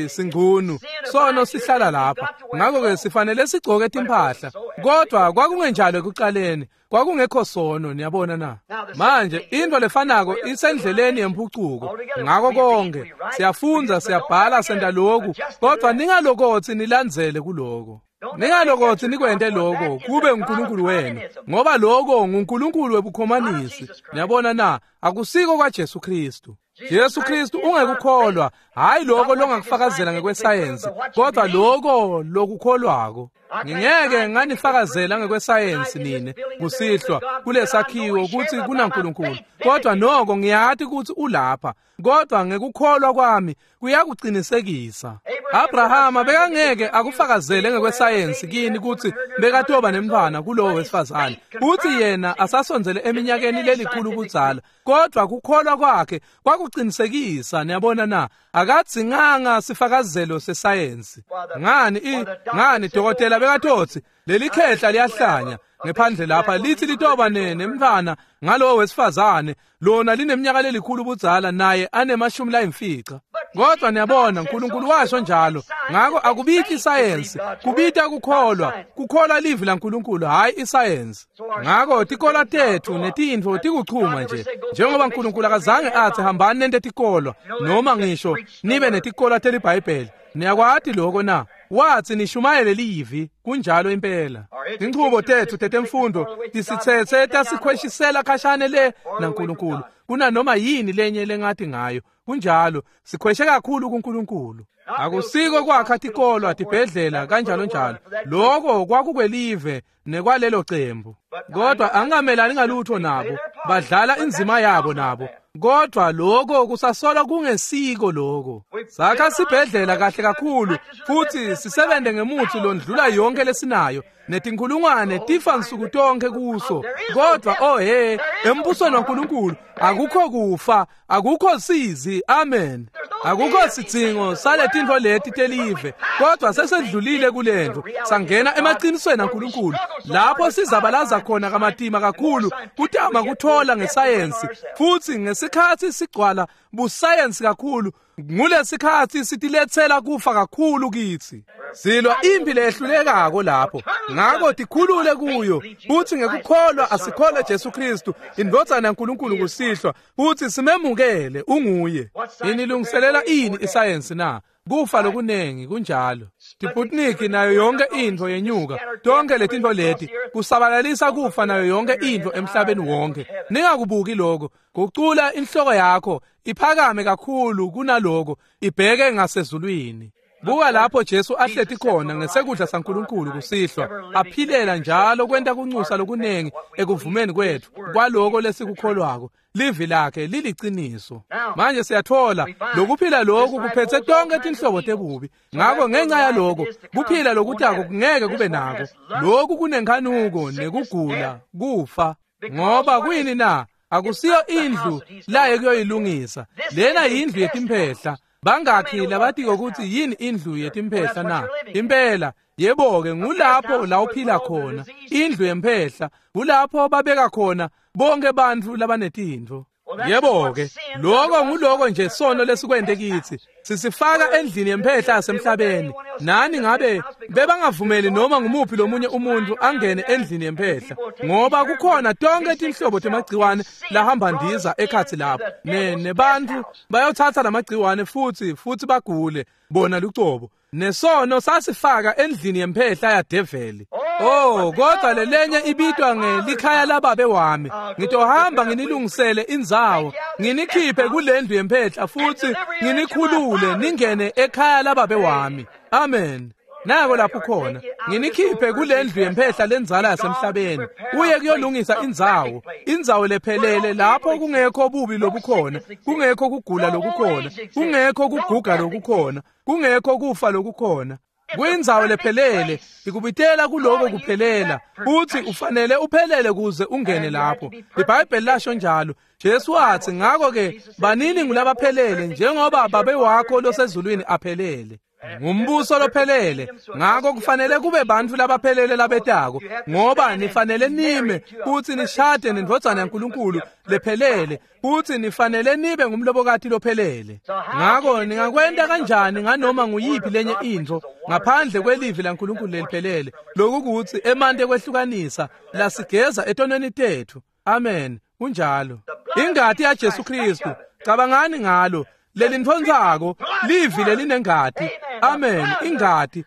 singcunu, sono sihlala lapha, ngakho-ke sifanele sigcoke timphahla. Kodwa kwakungenjalo ekucaleni, kwakungekho sono. Niyabona na? Manje intfo lefanako isendleleni yempucuko. Ngako konke siyafundza, siyabhala, senta loku, kodwa ningalokotsi nilandzele kuloko. Ningalokotsi nikwente lokho kube uNkulunkulu wenu, ngoba lokho nguNkulunkulu webukhomanisi. Niyabona na? Akusiko kwaJesu Kristu. Jesu Kristu ungekukholwa, hayi lokho longakufakazela ngekwesayensi, kodwa lokho lokukholwako. Ngingeke nganifakazela ngekwesayensi nine kusihlwa kulesakhiwo kutsi kunaNkulunkulu, kodwa noko ngiyati kutsi ulapha, kodwa ngekukholwa kwami kuyakucinisekisa. Abrahama bekangeke akufakazele ngekwesayensi kini kutsi bekatoba nemntfwana kulowo wesifazane, kutsi yena asasondzele eminyakeni lelikhulu kudzala, kodwa kukholwa kwakhe kwakucinisekisa. Niyabona na? Akadzinganga sifakazelo sesayensi. Ngani dokotela bekatotsi leli khehla liyahlanya. ngephandle lapha lithi litoba nemntfwana ngalowo wesifazane lona lineminyaka lelikhulu budzala naye anemashumi layimfica. Kodwa niyabona uNkulunkulu washo njalo. Ngako akubiti isayensi, kubita kukholwa, kukholwa livi laNkulunkulu hayi isayensi. Ngako tikolwa tethu netintfo tikuchuma nje. Njengoba uNkulunkulu akazange athi hambani nente tikolwa noma ngisho nibe netikolwa teliBhayibheli. Niyakwati lokho na? Wathi nishumayele livi, kunjalo impela. Inchubo tethu tetemfundo tisitsetse tasikhweshisela khashane le naNkulunkulu kunanoma yini lenye lengathi ngayo. Kunjalo, sikhweshe kakhulu kuNkulunkulu. Akusiko kwakha tikolwa, tibhedlela kanjalo njalo. Lokho kwakukwelive nekwalelo cembu. Kodwa angamelani ngalutho nabo, badlala inzima yabo nabo. Kodwa lokho kusasolwa kungesiko lokho. Sakha sibhedlela kahle kakhulu futhi sisebenze ngemuthi londlula yonke lesinayo netinkulungwane tifa nsuku tonke kuso. Kodwa oh he, embusweni waNkulunkulu akukho kufa, akukho sizi. Amen. Akukho sidzingo saletintfo leti telive, kodwa sesedlulile kulento sangena emaqinisweni aNkulunkulu lapho sizabalaza khona kamatima kakhulu kutama kuthola ngesayensi. Futhi ngesikhathi sigcwala busayensi kakhulu, ngulesikhathi sitiletsela kufa kakhulu kithi. Silwa impi lehlulekako lapho. Ngako tikhulule kuyo futhi ngekukholwa asikholwe Jesu Kristu indvodzana yaNkulunkulu kusihlwa futhi simemukele unguye. Inilungiselela ini isayensi na? Kufa lokunengi kunjalo. Tiputnik nayo yonke intfo yenyuka, tonke letintfo leti kusabalalisa kufa nayo yonke intfo emhlabeni wonke. Ningakubuki lokho, gucula inhloko yakho iphakame kakhulu kunaloko, ibheke ngasezulwini. Buka lapho Jesu ahleti khona ngesekudla saNkulunkulu kusihlwa, aphilela njalo kwenta kunxusa lokunengi ekuvumeni kwethu kwaloko lesikukholwako. Livi lakhe liliciniso. Manje siyathola lokuphila lokhu kuphethe tonke tinhlobo tebubi. Ngako ngenxa yaloko kuphila lokutako kungeke kube nako. Lokhu kunenkhanuko nekugula, kufa. Ngoba kuyini na? Akusiyo indlu laye kuyoyilungisa. Lena yindlu yetimphehla. Bangakhi labatiko ukuthi yini indlu yetimphehla na? Impela, yebo-ke ngulapho la uphila khona, indlu yemphehla, kulapho babeka khona bonke bantfu labanetintfo. Yebo-ke, lokho nguloko nje sono lesikwente kithi. Sisifaka endlini yemphehla yasemhlabeni. Nani ngabe bebangavumeli noma ngumuphi lomunye umuntu angene endlini yemphehla, ngoba kukhona tonke tinhlobo temagciwane lahamba ndiza ekhatsi lapho. Nebantu bayothatha lamagciwane futhi bagule bona lucobo. Nesono sasifaka endlini yemphehla yadeveli. Oh, kodwa lelenye ibitwa ngelikhaya lababe wami. Ngitohamba nginilungisele indzawo, nginikhiphe kulendlu yemphehla futhi nginikhulule ningene ekhaya lababe wami. Amen. Nako lapho khona, nginikhiphe kulendlu yemphehla lenzala yasemhlabeni, uye kuyolungisa indzawo, indzawo lephelele lapho kungekho bubi lobukhona, kungekho kugula lokukhona, kungekho kuguga lokukhona, kungekho kufa lokukhona. Kuyindzawo lephelele, ikubitela kuloko kuphelela, uthi ufanele uphelele kuze ungene lapho. IBhayibheli lasho njalo. Jesu wathi ngakho-ke banini ngulabaphelele njengoba babe wakho losezulwini aphelele. Ngumbuso lophelele, ngako kufanele kube bantfu labaphelele labetako, ngoba nifanele nime futhi nishade nendvodzana yaNkulunkulu lephelele, futhi nifanele nibe ngumlobokati lophelele. Ngako ningakwenta kanjani nganoma nguyiphi lenye intfo ngaphandle kwelivi laNkulunkulu leliphelele, lokukuthi emanti ekwehlukanisa lasigeza etonweni tethu. Amen. Kunjalo. Ingati yaJesu Kristu, cabangani ngalo. Lelintfontsako livi lelinengati. Amen. Ingati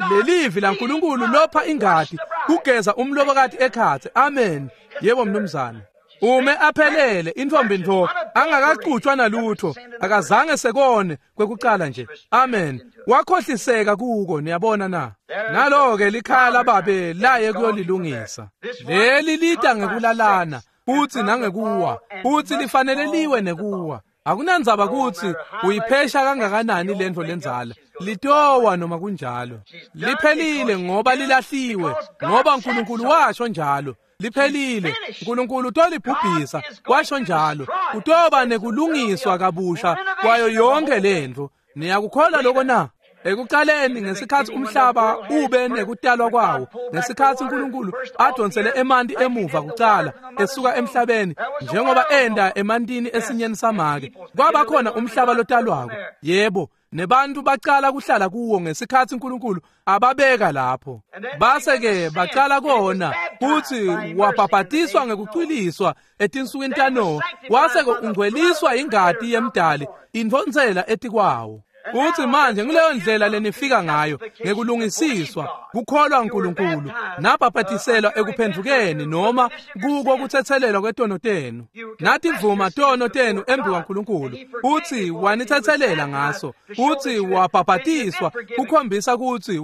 lelivi laNkulunkulu lopha ingati kugeza umlobokati ekhatsi. Amen. Yebo mnumzane. Ume aphelele intfombi ntfo angakacutshwa nalutho, akazange sekone kwekucala nje. Amen. Wakhohliseka kuko, niyabona na? Nalo-ke likhaya lababe laye kuyolilungisa. Leli lita ngekulalana futhi nangekuwa, futhi lifanele liwe nekuwa. Akunandzaba kutsi uyiphesha kangakanani lentfo lenzala, litowa noma kunjalo. Liphelile ngoba lilahliwe, ngoba uNkulunkulu washo njalo. Liphelile, uNkulunkulu utolibhubhisa, washo njalo. Utoba nekulungiswa kabusha kwayo yonke lentfo. Niyakukholwa lokho na? Ekuqaleni ngesikhathi umhlaba ube nekutalwa kwawo, ngesikhathi uNkulunkulu adonsele emanti emuva kuqala esuka emhlabeni njengoba enda emantini esinyeni samake, kwaba khona umhlaba lotalwako. Yebo, nebantu baqala kuhlala kuwo ngesikhathi uNkulunkulu ababeka lapho. Base-ke baqala kona futhi wabhabhatiswa ngekucwiliswa etinsukwini taNowa, wase-ke ungcweliswa ingati yemdali intfonsela etikwawo. Futhi manje nguleyo ndlela lenifika ngayo ngekulungisiswa kukholwa uNkulunkulu nabhabhatiselwa ekuphendvukeni noma kuko kuthethelelwa kwetono tenu. Nativuma tono tenu embi kwaNkulunkulu futhi wanithethelela ngaso, futhi wabhabhatiswa kukhombisa ukuthi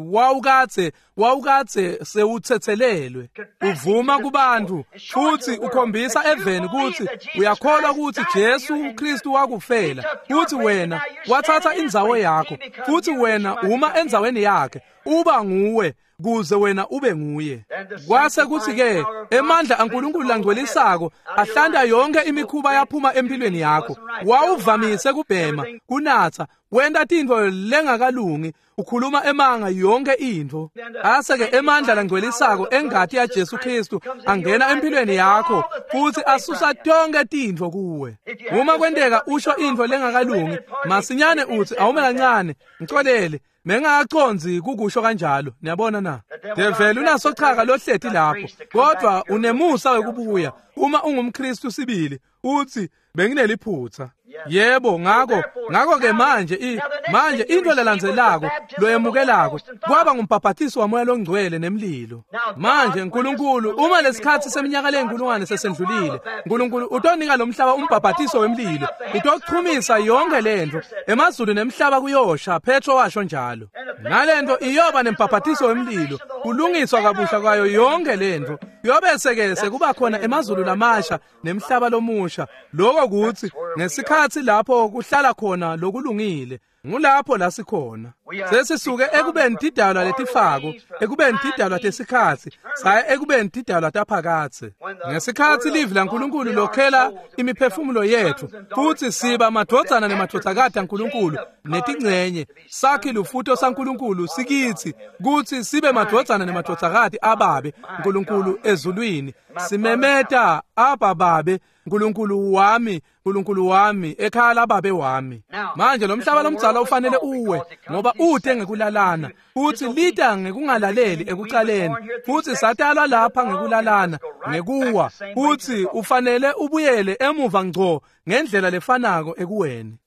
wawukadze sewuthethelelwe. Uvuma kubantu futhi ukhombisa eveni ukuthi uyakholwa ukuthi Jesu Kristu wakufela, futhi wena wathatha indzawo yakho, futhi wena uma endzaweni yakhe uba nguwe kuze wena ube nguye. Kwase kuthi-ke emandla aNkulunkulu langcwelisako ahlanda yonke imikhuba yaphuma empilweni yakho. Wawuvamise kubhema, kunatha, wenta tintfo lengakalungi, ukhuluma emanga, yonke intfo. Ase-ke emandla langcwelisako engati yaJesu Kristu angena empilweni yakho futhi asusa tonke tintfo kuwe. Uma kwenteka usho intfo lengakalungi, masinyane uthi awume kancane, ngicolele, mengakacondzi kukusho kanjalo. Niyabona na? Develi unasochaka lohleti lapho, kodwa unemusa wekubuya uma ungumKristu sibili uthi bengineliphutha. Yebo, ngakho-ke manje manje into lelandzelako loyemukelako kwaba ngumbhabhatiso waMoya loNgcwele nemlilo. Manje uNkulunkulu uma lesikhathi seminyaka leyinkulungwane sesendlulile, uNkulunkulu utonika lo mhlaba umbhabhatiso wemlilo, utochumisa yonke lento, emazulu nemhlaba kuyosha, Petro washo njalo. Nalento iyoba nembhabhatiso wemlilo, kulungiswa kabusha kwayo yonke lento. Kuyobese-ke sekuba khona emazulu lamasha nemhlaba lomusha. Lokho kuthi ngesikhathi lapho kuhlala khona lokulungile, ngulapho la sikhona. Sesisuke ekubeni tidalwa letifako, ekubeni tidalwa tesikhathi, saya ekubeni tidalwa taphakathe. Ngesikhathi livi laNkulunkulu lokhela imiphefumulo yethu, futhi siba madvodzana nemadvodzakati aNkulunkulu netingcenye, sakhi lufuto saNkulunkulu sikithi kutsi sibe madvodzana nemadvodzakati ababe Nkulunkulu ezulwini. Simemeta Abba Babe, Nkulunkulu wami, Nkulunkulu wami, ekhaya lababe wami. Manje lo mhlaba lomdzala ufanele uwe ngoba ute ngekulalana, futhi lita ngekungalaleli ekucaleni, futhi satalwa lapha ngekulalana, ngekuwa, futhi ufanele ubuyele emuva ngco ngendlela lefanako ekuweni.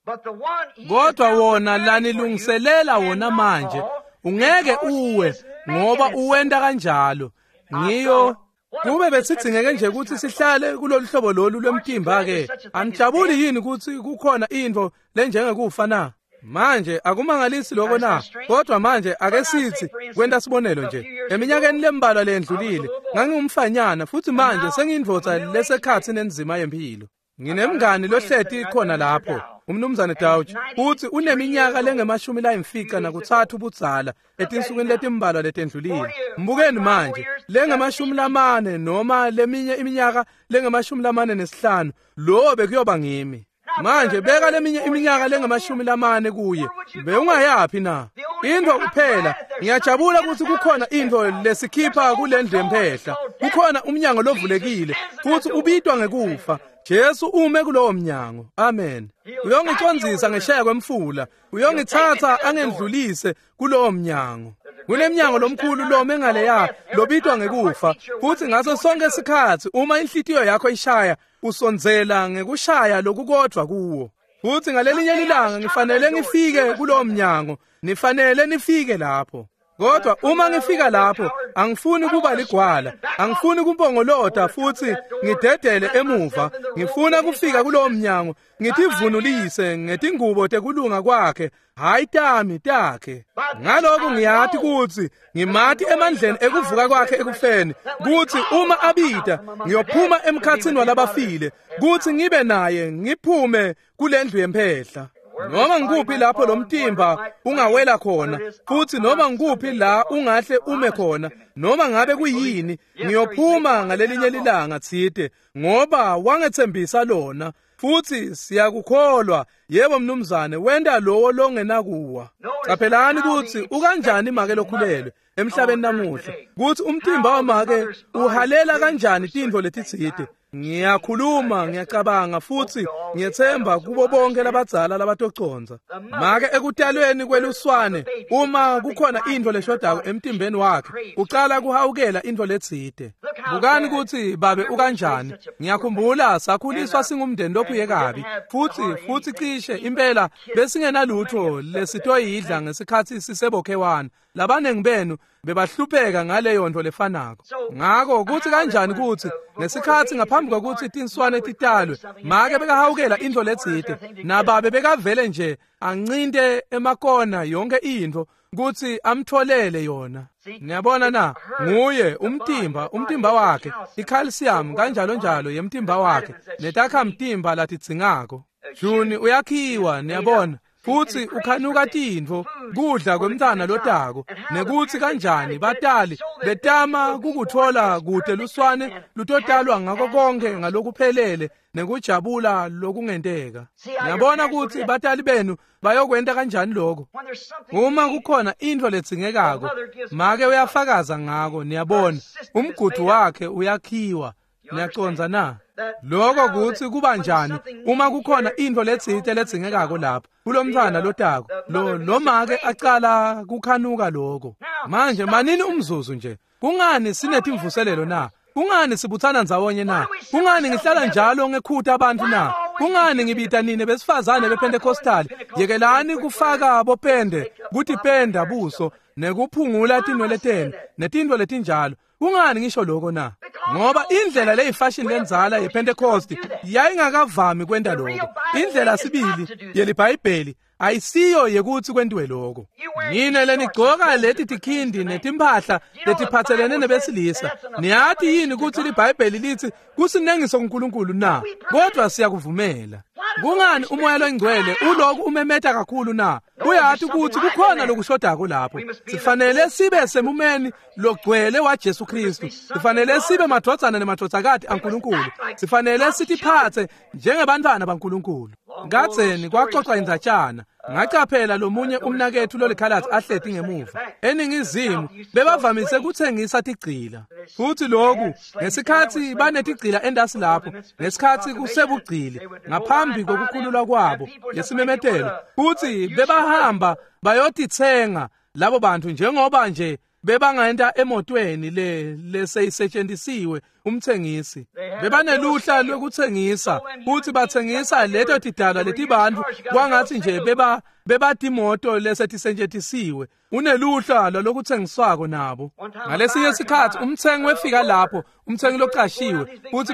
Kodwa wona lanilungiselela wona manje ungeke uwe ngoba uwenta kanjalo. Ngiyo kube besidzingeke nje ukuthi sihlale kulolu hlobo lolu lwemtimba-ke. Anijabuli yini ukuthi kukhona intfo lenjengekufa na? Manje akumangalisi lokho na? Kodwa manje ake sithi kwenta sibonelo nje, eminyakeni lembalwa lendlulile ngangingumfanyana, futhi manje sengiyindvodza lesekhathi nenzima yempilo. Nginemngani lohleti khona lapho, umnumzane Dauch, futhi uneminyaka lengemashumi layimfica nakutsatfu budzala etinsukwini letimbalwa letendlulile. Mbukeni manje, lengemashumi lamane noma leminye iminyaka lengemashumi lamane nesihlanu, lowo bekuyoba ngimi. Manje beka leminye iminyaka lengemashumi lamane kuye, bewungayaphi na? Intfo kuphela, ngiyajabula ukuthi kukhona intfo lesikhipha kulendlu yemphehla. Kukhona umnyango lovulekile futhi ubitwa ngekufa. Jesu ume kulowo mnyango. Amen. Uyongicondzisa ngesheya kwemfula, uyongithatha angendlulise kulowo mnyango. Kunemnyango lomkhulu lome ngaleya lobitwa ngekufa, futhi ngaso sonke isikhathi uma inhlitiyo yakho ishaya, usondzela ngekushaya lokukodvwa kuwo. Futhi ngalelinye ilanga ngifanele ngifike kulowo mnyango, nifanele nifike lapho. Kodwa uma ngifika lapho, angifuni kuba ligwala, angifuni kumpongolota futhi ngidedele emuva. Ngifuna kufika kulowo mnyango ngitivunulise ngetingubo tekulunga kwakhe, hayi tami, takhe. Ngalokho ngiyati kutsi ngimati emandleni ekuvuka kwakhe ekufeni, kutsi uma abita ngiyophuma emkhatsini walabafile, kutsi ngibe naye ngiphume kulendlu yemphehla. Noma ngikuphi lapho lo mtimba ungawela khona, futhi noma ngikuphi la ungahle ume khona, noma ngabe kuyini, ngiyophuma ngalelinye lilanga tsite, ngoba wangetsembisa lona. Futhi siyakukholwa, yebo mnumzane, wenta lowo longenakuwa. Caphelani kutsi ukanjani make lokhulelwe emhlabeni namuhla, kutsi umtimba wamake uhalela kanjani tintfo letitsite. Ngiyakhuluma, ngiyacabanga futhi ngiyethemba kubo bonke labadzala labatocondza. Make ekutalweni kweluswane, uma kukhona intfo leshodako emtimbeni wakhe, ucala kuhawukela intfo letsite. Bukani kutsi babe ukanjani. Ngiyakhumbula sakhuliswa singumndeni lophuye kabi, futhi cishe impela besingenalutho lesitoyidla ngesikhatsi sisebokhewana. Labanengi benu bebahlupheka ngaleyo nto lefanako. Ngako kutsi kanjani kutsi ngesikhatsi ngaphambi kwekutsi tinswane titalwe, make bekahawukela intfo letsite, nababe bekavele nje ancinte emakona yonke intfo kutsi amtholele yona. Niyabona na, nguye umtimba wakhe, ikhalsiyamu kanjalo njalo yemtimba wakhe, netakhamtimba latidzingako. Juni uyakhiwa, niyabona, futhi ukhanuka tintfo, kudla kwemntfwana lotako, nekutsi kanjani batali betama kukutfola kute luswane lutotalwa ngako konke ngalokuphelele nekujabula lokungenteka. Niyabona kutsi batali benu bayokwenta kanjani lokho. Uma kukhona intfo ledzingekako, make uyafakaza ngako, niyabona, umgudu wakhe uyakhiwa. Niyacondza na? Lokho kutsi kuba njani uma kukhona intfo letsite ledzingekako lapha kulomntfwana lotako, lo make acala kukhanuka lokho. Manje manini umzuzu nje. Kungani sinetimvuselelo na? Kungani sibuthana ndzawonye na? Kungani ngihlala njalo ngekhuta abantu na? Kungani ngibita nine besifazane bePentecostal? Yekelani kufaka bopende, kutipenda buso, nekuphungula tinwele tenu, netintfo letinjalo. Kungani ngisho lokho na? Ngoba indlela leyifashion lenzala yePentecost yayingakavami kwenta lokho. Indlela sibili yeliBhayibheli ayisiyo yekutsi kwentiwe lokho. Nine lenigcoka leti tikhindi netimphahla letiphatselene nebesilisa, niyati yini kutsi liBhayibheli litsi kusinengiso kuNkulunkulu na? Kodwa siyakuvumela. Kungani umoya longcwele uloku umemeta kakhulu na? Uyati kutsi kukhona lokushodako lapho. Sifanele sibe semumeni logcwele wa Jesu Kristu. Sifanele sibe madvodzana nemadvodzakati aNkulunkulu. Sifanele sitiphatse njengebantfwana baNkulunkulu. Kadzeni kwaxoxa indzatshana. Ngacaphela lomunye umnaketfu lolikhalatsi ahleti ngemuva. Eningizimu bebavamise kutsengisa tigcila. Futhi lokhu ngesikhatsi banetigcila endasi lapho, ngesikhatsi kusebugcili ngaphambi kokukhululwa kwabo lesimemetelo, futhi bebahamba bayotitsenga labo bantu njengoba nje bebangenta emotweni le leseyisetshenzisiwe umthengisi. Bebaneluhla lwekuthengisa futhi bathengisa leto tidalwa letibantu kwangathi nje bebatimoto lesetisetshenzisiwe. Uneluhla lolokuthengiswako nabo. Ngalesinye sikhatsi umthengi wefika lapho, umthengi locashiwe, futhi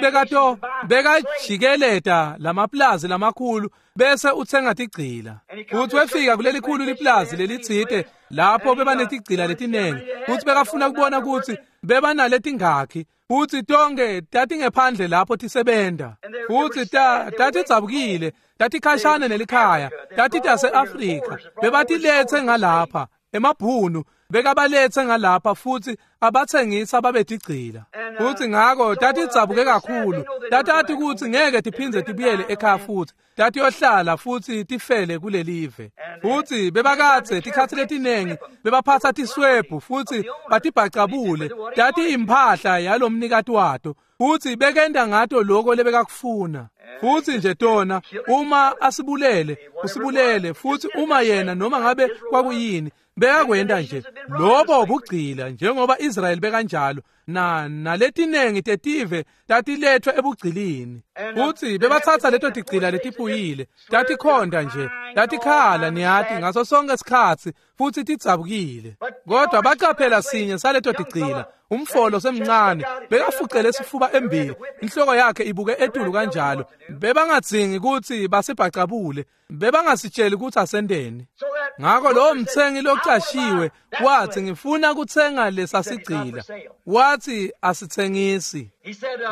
bekajikeleta lamaplazi lamakhulu bese uthenga tigcila. Futhi wefika kuleli khulu liplazi lelitsite lapho bebanetigcila letinengi, futhi bekafuna kubona kutsi bebanaletingakhi, futhi tonke tatingephandle lapho tisebenta. Futhi tatidzabukile, tatikhashane nelikhaya, tatitase-Afrika, bebatilethe ngalapha emabhunu, bekabalethe ngalapha futhi abathengisa babetigcila. Futhi ngako tatidzabuke kakhulu, tatati kutsi ngeke tiphindze tibuyele ekhaya futhi, tatiyohlala futhi tifele kulelive. Futhi bebakadze tikhatsi letinengi bebaphatsa tiswebhu futhi batibhacabule, tatiyimpahla yalomnikati wato, futhi bekenta ngato lokho lebekakufuna. Futhi nje tona uma asibulele, usibulele, futhi uma yena noma ngabe kwakuyini bekakwenta nje lobo bugcila njengoba Israel bekanjalo, na naletinengi tetive tatilethwe ebugcilini. Futhi bebathatha leto tigcila letiphuyile, tatikhonda nje, tatikhala niyati ngaso sonke isikhatsi futhi tidzabukile. Kodwa bacaphela sinye saleto tigcila, umfolo semncane bekafucele sifuba embili, inhloko yakhe ibuke etulu kanjalo. Bebangadzingi kutsi basibhacabule, bebangasitsheli kutsi asenteni. Ngako lowo mthengi locashiwe wathi, ngifuna kutsenga lesasigcila. Wathi asitsengisi.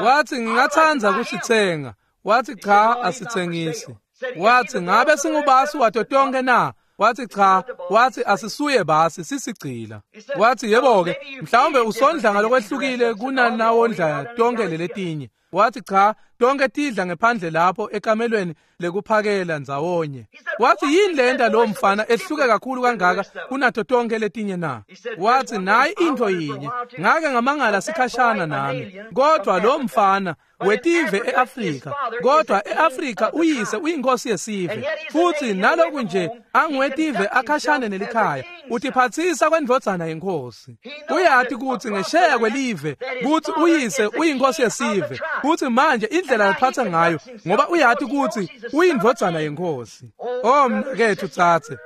Wathi ngingatsandza kusitsenga. Wathi cha, asitsengisi. Wathi, ngabe singubasi wato tonke na? Wathi, cha. Wathi, asisuye basi, sisigcila. Wathi, yebo-ke, mhlawumbe usondla ngalokwehlukile kunanawondla tonke leletinye. Wathi, cha, tonke tidla ngephandle lapho ekamelweni lekuphakela ndzawonye. Wathi, yini lenta lo mfana ehluke kakhulu kangaka kunato tonke letinye na? Wathi, nayi into yinye, ngake ngamangala sikhashana nami, kodwa lo mfana wetive eAfrika, kodwa eAfrika uyise uyinkosi yesive, futhi naloku nje angiwetive akhashane nelikhaya, utiphathisa kwendvodzana yenkosi. Uyati kutsi ngesheya kwelive kutsi uyise uyinkosi yesive, kutsi manje indlela laphatha ngayo, ngoba uyati kutsi uyindvodzana yenkosi. Oh mnaketfu tsatse,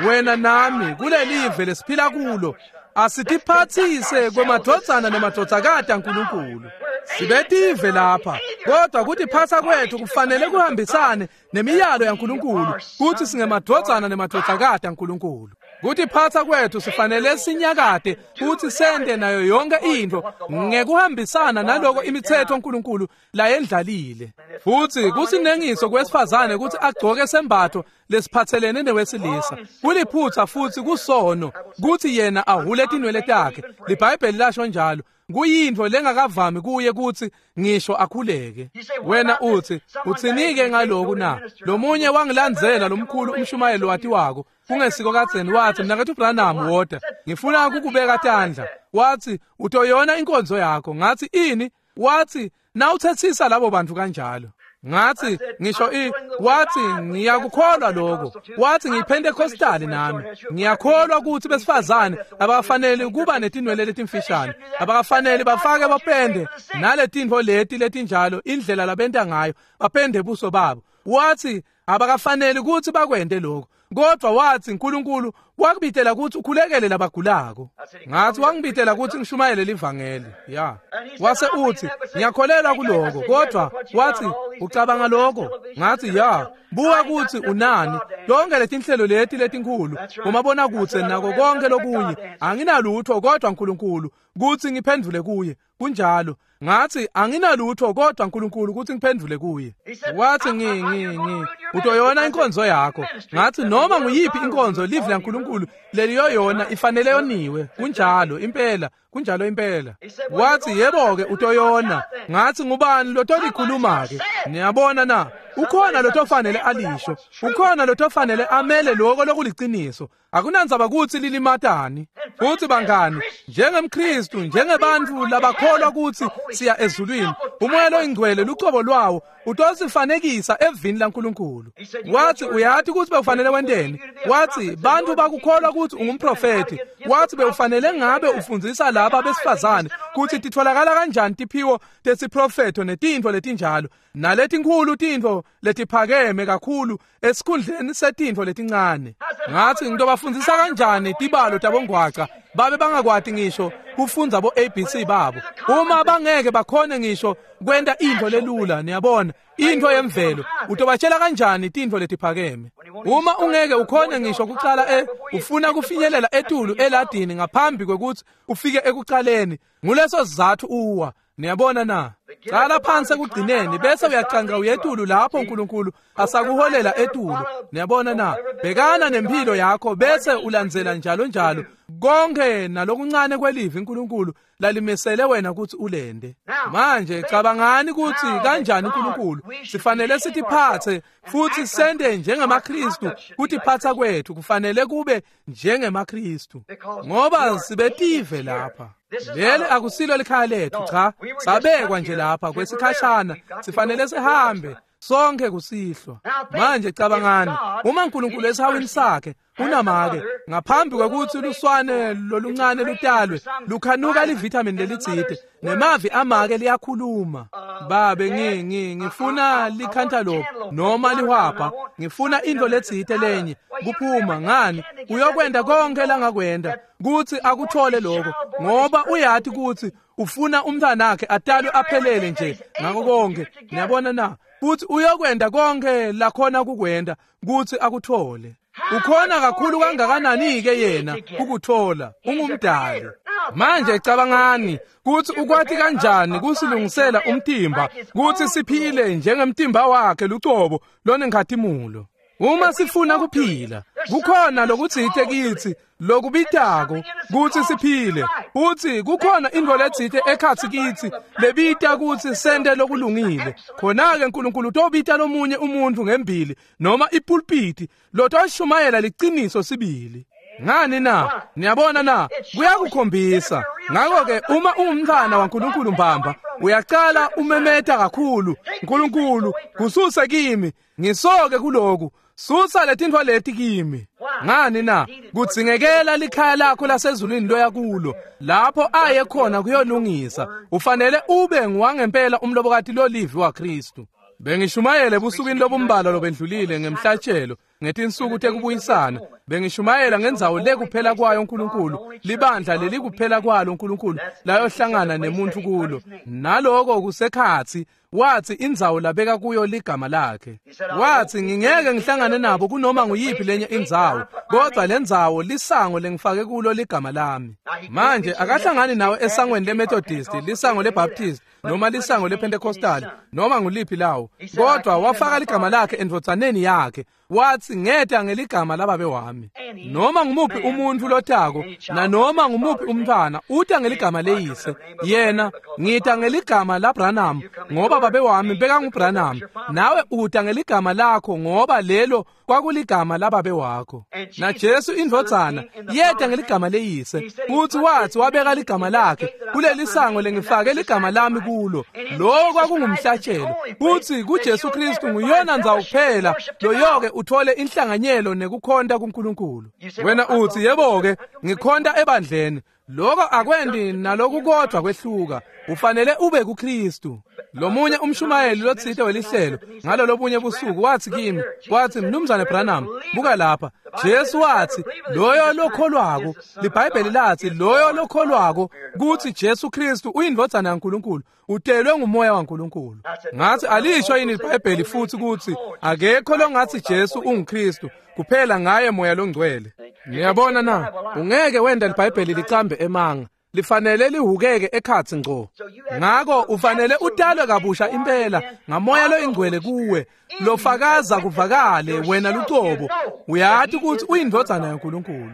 wena nami kulelive lesiphila kulo asitiphathise kwemadvodzana nemadvodzakati aNkulunkulu. Sibetive lapha, kodwa kutiphatsa kwethu kufanele kuhambisane nemiyalo yaNkulunkulu kutsi singemadvodzana nemadvodzakati aNkulunkulu. Kutiphatsa kwethu sifanele sinyakate kutsi sente nayo yonke intfo ngekuhambisana naloko imitsetfo uNkulunkulu layendlalile. Futsi kusinengiso kwesifazane kutsi agcoke sembatfo lesiphatselene newesilisa. Kuliphutsa futsi kusono kutsi yena ahule tinwele takhe. LiBhayibheli lasho njalo. Kuyintfo lengakavami kuye kutsi ngisho akhuleke. Wena uthi, utsinike ngaloku na? Lomunye wangilandzela lomkhulu umshumayeli watiwako kungesiko kadzeni, wathi, mnaketfu Branham, woda, ngifuna kukubeka tandla. Wathi, utoyona inkonzo yakho. Ngathi, ini? Wathi, nawuthethisa labo bantu kanjalo. Ngathi, ngisho wathi, ngiyakukholwa lokho. Wathi, ngiyiPentecostal nami. Ngiyakholwa ukuthi besifazane abafanele kuba netinwele letimfishane, abafanele bafake bapende naletintfo leti letinjalo, indlela labenta ngayo, bapende buso babo. Wathi, abakafanele ukuthi bakwente lokho. Kodwa wathi, uNkulunkulu wakubitela ukuthi ukhulekele labagulako. Ngathi, wangibitela ukuthi ngishumayele livangeli. Ya. Wase uthi, ngiyakholelwa kuloko, kodwa wathi, ucabanga lokho? Ngathi, ya. Buka ukuthi unani. Lonke letinhlelo leti letinkhulu, umabona kutse nako konke lokunye, anginalutho kodwa uNkulunkulu kuthi ngiphendvule kuye. Kunjalo. Ngathi, anginalutho kodwa uNkulunkulu kuthi ngiphendvule kuye. Wathi, ngi utoyona inkonzo yakho. Ngathi, noma nguyiphi inkonzo live laNkulunkulu leliyoyona ifanele yoniwe. Kunjalo impela, kunjalo impela. Wathi, yebo-ke utoyona. Ngathi, ngubani lotolikhuluma ke? Niyabona na? Ukhona lotofanele alisho. Ukhona lotofanele amele lokho lokuliciniso. Akunandzaba kutsi lilimatani. Futhi bangani, njengemKristu, njengebantfu labakholwa kutsi siya ezulwini, umoya loyingcwele lucobo lwawo utosifanekisa evini laNkulunkulu. Wathi, uyati kutsi bewufanele wenteni? Wathi, bantfu bakukholwa kutsi ungumprofethi. Wathi, bewufanele ngabe ufundzisa laba besifazane kutsi titfolakala kanjani tiphiwo tesiprofetho netintfo letinjalo, naletinkhulu tintfo letiphakeme kakhulu esikhundleni setintfo letincane. Ngathi, ngitobafundzisa kanjani tibalo tabongwaca babe bangakwati ngisho kufundza bo ABC babo, uma bangeke bakhone ngisho kwenta intfo lelula. Niyabona, intfo yemvelo, utobatshela kanjani tintfo letiphakeme uma ungeke ukhone ngisho kucala ufuna kufinyelela etulu eladini ngaphambi kwekutsi ufike ekucaleni? Nguleso sizatfu uwa. Niyabona na? Cala phansi ekugcineni bese uyacanca uyetulu lapho uNkulunkulu asakuholela etulu. Niyabona na? Bhekana nempilo yakho bese ulandzela njalo njalo konke nalokuncane kwelivi uNkulunkulu lalimisele wena kutsi ulende. Manje cabangani kutsi kanjani uNkulunkulu sifanele sitiphatse futhi sente njengemaKristu. Kutiphatsa kwethu kufanele kube njengemaKristu ngoba sibetive lapha. Leli akusilo likhaya lethu, cha, sabekwa nje lapha kwesikhashana, sifanele sihambe sonke kusihlwa. Manje cabangani, uma uNkulunkulu esihawini sakhe unamake ngaphambi kwekutsi luswane loluncane lutalwe lukhanuka livithamini lelitsite, nemavi amake liyakhuluma. Babe, ngifuna likhantalophu noma lihwabha, ngifuna intfo letsite lenye kuphuma. Ngani, uyokwenta konke langakwenta kutsi akuthole lokho, ngoba uyati kutsi ufuna umntwanakhe atalwe aphelele nje ngako konke. Niyabona na? Futhi uyokwenta konke lakhona kukwenta kutsi akuthole. Ukhona kakhulu kangakanani-ke yena ukuthola? Ungumdali. Manje cabangani kutsi ukwati kanjani kusilungisela umtimba kutsi siphile njengemtimba wakhe lucobo lonenkhatimulo. Uma sifuna kuphila, kukhona lokutsite kitsi lokubitako kutsi siphile, futsi kukhona intfo letsite ekhatsi kitsi lebita kutsi sente lokulungile. Khona-ke Nkulunkulu utobita lomunye umuntfu ngembili noma ipulpiti lotoshumayela liciniso sibili. Ngani na? Niyabona na? Kuyakukhombisa. Ngakho-ke uma ungumntfwana waNkulunkulu mbamba, uyacala umemeta kakhulu, Nkulunkulu, kususe kimi, ngisoke kuloku, susa letintfo leti kimi. Ngani na? Kudzingekela likhaya lakho lasezulwini loya kulo, lapho aye khona kuyolungisa. Ufanele ube nguwangempela umlobokati lolivi waKhristu. Bengishumayela ebusukwini lobumbalwa lobendlulile ngemhlatshelo ngetinsuku tekubuyisana. Bengishumayela ngendzawo lekuphela kwayo uNkulunkulu, libandla lelikuphela kwalo uNkulunkulu layohlangana nemuntu kulo. Naloko kusekhatsi wathi indzawo labeka kuyo ligama lakhe. Wathi ngingeke ngihlangane nabo kunoma nguyiphi lenye indzawo, kodwa lendzawo lisango lengifake kulo ligama lami. Manje akahlangani nawe esangweni leMethodist, lisango leBaptist, noma lisango lePentecostal, noma nguliphi lawo, kodwa wafaka ligama lakhe endvodzaneni yakhe. Wathi ngeta ngeligama lababe wami. Noma ngumuphi umuntfu lotako nanoma ngumuphi umntfwana uta ngeligama leyise. Yena ngita ngeligama laBranham ngoba babe wami bekanguBranham, nawe uta ngeligama lakho ngoba lelo kwakuligama lababe wakho. Na Jesu indvodzana yeta ngeligama leyise, futhi wathi wabeka ligama lakhe kuleli sango lengifake ligama lami kulo. Lokho kwakungumhlatshelo. Futhi kuJesu Kristu nguyona ndzawo kuphela loyoke uthole inhlanganyelo nekukhonta kuNkulunkulu. Wena uthi yebo-ke ngikhonta ebandleni. Lokho akwendi nalokukodwa kwehluka. Ufanele ube kuKristu. Lomunye umshumayeli lotsite welihlelo ngalolobunye busuku wathi kimi, wathi Mnumzane Branham, buka lapha. Jesu wathi loyo lokholwako, liBhayibheli lathi loyo lokholwako kuthi Jesu Kristu uyindvodzana yaNkulunkulu, utelwe ngumoya waNkulunkulu. Ngathi alisho yini iBhayibheli futhi kuthi akekho longathi Jesu unguKristu kuphela ngaye moya longcwele. Niyabona na? Ungeke wenda liBhayibheli licambe emanga. Lifanele lihukeke ekhatsi ngco. Ngako ufanele utalwe kabusha impela ngamoya loyingcwele kuwe, lofakaza kuvakale wena lucobo. Uyati ukuthi uyindvodzana yaNkulunkulu.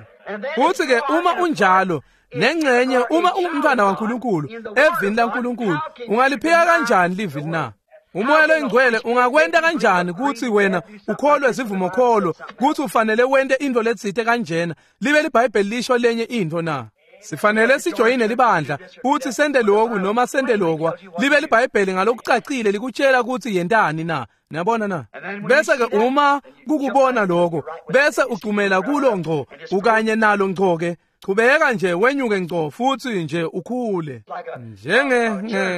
Futhi ke uma unjalo, nengcenye uma ungumntfwana waNkulunkulu evini laNkulunkulu, ungaliphika kanjani livi na? Umoya loyingcwele ungakwenta kanjani kutsi wena ukholwe sivumokholo kutsi ufanele wente intfo letsite kanjena libe liBhayibheli lisho lenye intfo na? Sifanele sijoyine libandla futhi sente lokhu noma sente lokwa, libe liBhayibheli ngalokucacile likutshela kutsi yentani na? Niyabona na? Bese ke uma kukubona lokho, bese ucumela kulo ngco ukanye nalo ngco ke. Chubeka nje wenyuke ngco futhi nje ukhule. Njenge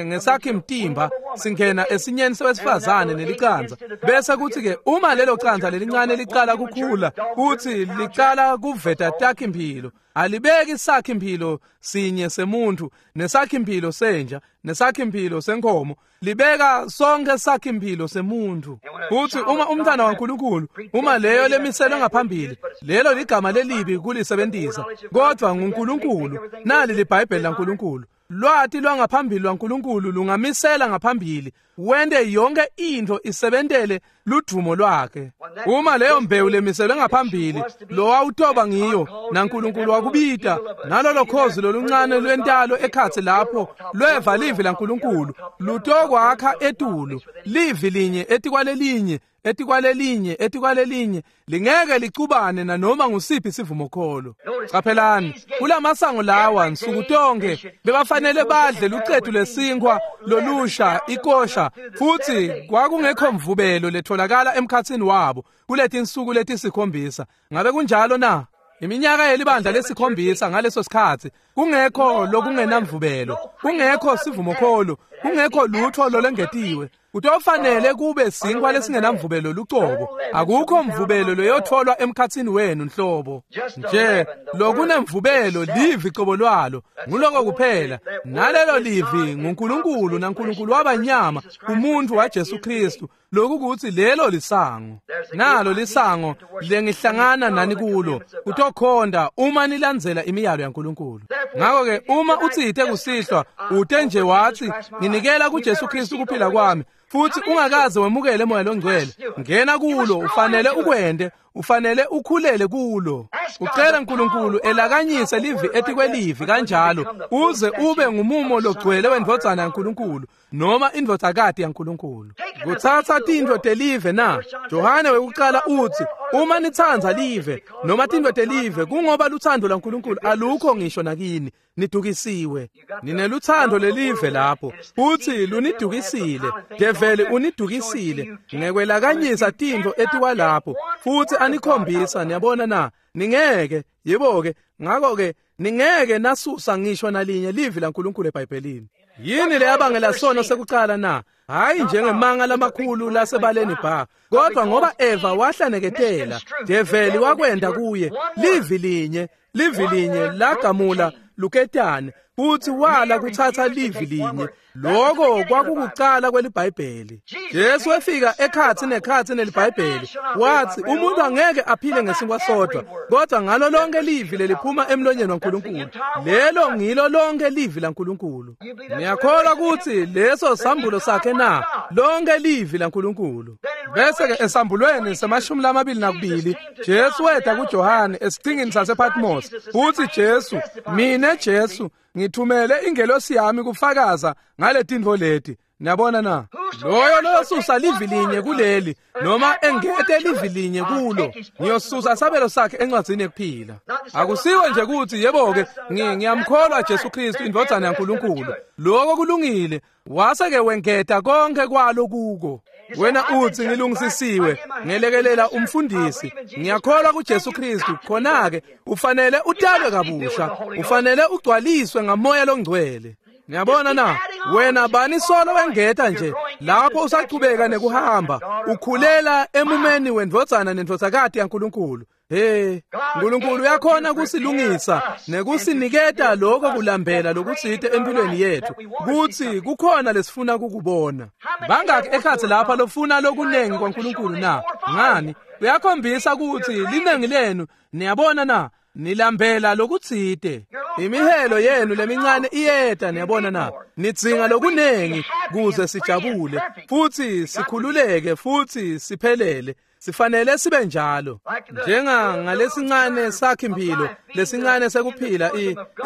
ngesakhi mtimba singena esinyeni sewesifazane nelicanza. Bese kuthi ke uma lelo canza lelincane licala kukhula, kuthi licala kuveta takhi impilo. Alibeki sakhi impilo sinye semuntu, nesakhi impilo senja, nesakhi impilo senkomo. Libeka sonke sakhi impilo semuntu. Futhi uma umntwana waNkulunkulu, uma leyo lemiselwe ngaphambili, lelo ligama lelibi kulisebenzisa, kodwa nguNkulunkulu. Nali liBhayibheli laNkulunkulu. Lwati lwangaphambili lwaNkulunkulu lungamisela ngaphambili, wente yonke intfo isebentele ludumo lwakhe. Uma leyo mbewu lemiselwe ngaphambili lowawutoba ngiyo, naNkulunkulu wakubita, nalolo khozi loluncane lwentalo ekhatsi lapho lweva livi laNkulunkulu, lutokwakha etulu, livi linye etikwalelinye, etikwalelinye, etikwalelinye, lingeke licubane nanoma ngusiphi sivumokholo. Caphelani, kulamasango lawa nsuku tonke bebafanele badle lucetu lesinkhwa lolusha ikosha, futhi kwakungekho mvubelo letholakala emkhatsini wabo kuletinsuku letisikhombisa. Ngabe kunjalo na? Iminyaka yelibandla lesikhombisa ngaleso sikhatsi kungekho lokungenamvubelo, kungekho sivumokholo, kungekho lutho lolengetiwe. Kutofanele kube sinkwa lesingenamvubelo lucobo. Akukho mvubelo loyotholwa emkhatsini wenu nhlobo. Nje lokunemvubelo livi cobo lwalo, nguloko kuphela. Nalelo livi nguNkulunkulu, naNkulunkulu wabanyama umuntu waJesu Kristu. Lokhu kuthi lelo lisango. Nalo lisango lengihlangana nani kulo. Utokhonda uma nilandzela imiyalo yaNkulunkulu. Ngakho-ke uma utsite kusihlwa ute nje wathi nginikela kuJesu Kristu kuphila kwami, futhi ungakaze wemukele moya longcwele, ngena kulo. Ufanele ukwende, ufanele ukhulele kulo. Ucela uNkulunkulu elakanyise livi etikwelivi kanjalo uze ube ngumumo logcwele wendvodzana yaNkulunkulu noma indvodzakati yaNkulunkulu. Kutsatsa tintfo telive na? Johane wekucala uthi uma nitsandza live noma tintfo telive, kungoba lutsandvo lwaNkulunkulu alukho ngisho nakini. Nidukisiwe. Ninelutsandvo lelive lapho, futhi lunidukisile. Develi unidukisile ngekwelakanyisa tintfo etikwalapho futhi anikhombisa. Niyabona na? Ningeke, yebo-ke, ngakho-ke ningeke nasusa ngisho nalinye livi laNkulunkulu eBhayibhelini. Yini leyabangela sono sekucala na? Hayi njengemanga lamakhulu lasebaleni bha, kodwa ngoba Eva wahlaneketela, Develi wakwenda kuye livi linye, livi linye lagamula luketane, futhi wala kuthatha livi linye. Lokho kwakukucala kweliBhayibheli. Jesu wefika ekhatsi nekhatsi neliBhayibheli, wathi umuntu angeke aphile ngesinkwa sodwa, kodwa ngalo lonke livi leliphuma emlonyeni waNkulunkulu. Lelo ngilo lonke livi laNkulunkulu. Niyakholwa ukuthi leso sambulo sakhe na? Lonke livi laNkulunkulu. Bese-ke esambulweni se-22 Jesu weta kuJohane esiqhingini sasePatmos. Uthi Jesu, mina Jesu ngithumele ingelosi yami kufakaza ngale tintfo leti. Niyabona na? Loyo loyosusa livi linye kuleli noma engete livi linye kulo, ngiyosusa sabelo sakhe encwadzini yekuphila. Akusiwo nje ukuthi yebo-ke ngiyamkholwa Jesu Kristu indvodzana yaNkulunkulu. Lokho kulungile. Wase-ke wengeta konke kwalo kuko. Wena uthi ngilungisisiwe, ngelekelela umfundisi, ngiyakholwa kuJesu Kristu. Khona-ke ufanele utalwe kabusha, ufanele ugcwaliswe ngamoya longcwele. Niyabona na? Wena bani solo wengeta nje lapho usachubeka nekuhamba, ukhulela emumeni wendvodzana nendvodzakati yaNkulunkulu. Hey, uNkulunkulu uyakhona kusilungisa nekusiniketa lokho kulambela lokutsite empilweni yethu, kuthi kukhona lesifuna kukubona. Bangaki ekhatsi lapha lofuna lokunengi kwaNkulunkulu na? Ngani? Uyakhombisa ukuthi linengi lenu, niyabona na, nilambela lokutsite. Imihelo yenu lemincane iyeta, niyabona na. Nidzinga lokunengi kuze sijabule futhi sikhululeke futhi siphelele. Sifanele sibe njalo. Njenga ngalesincane sakhe impilo, lesincane sekuphila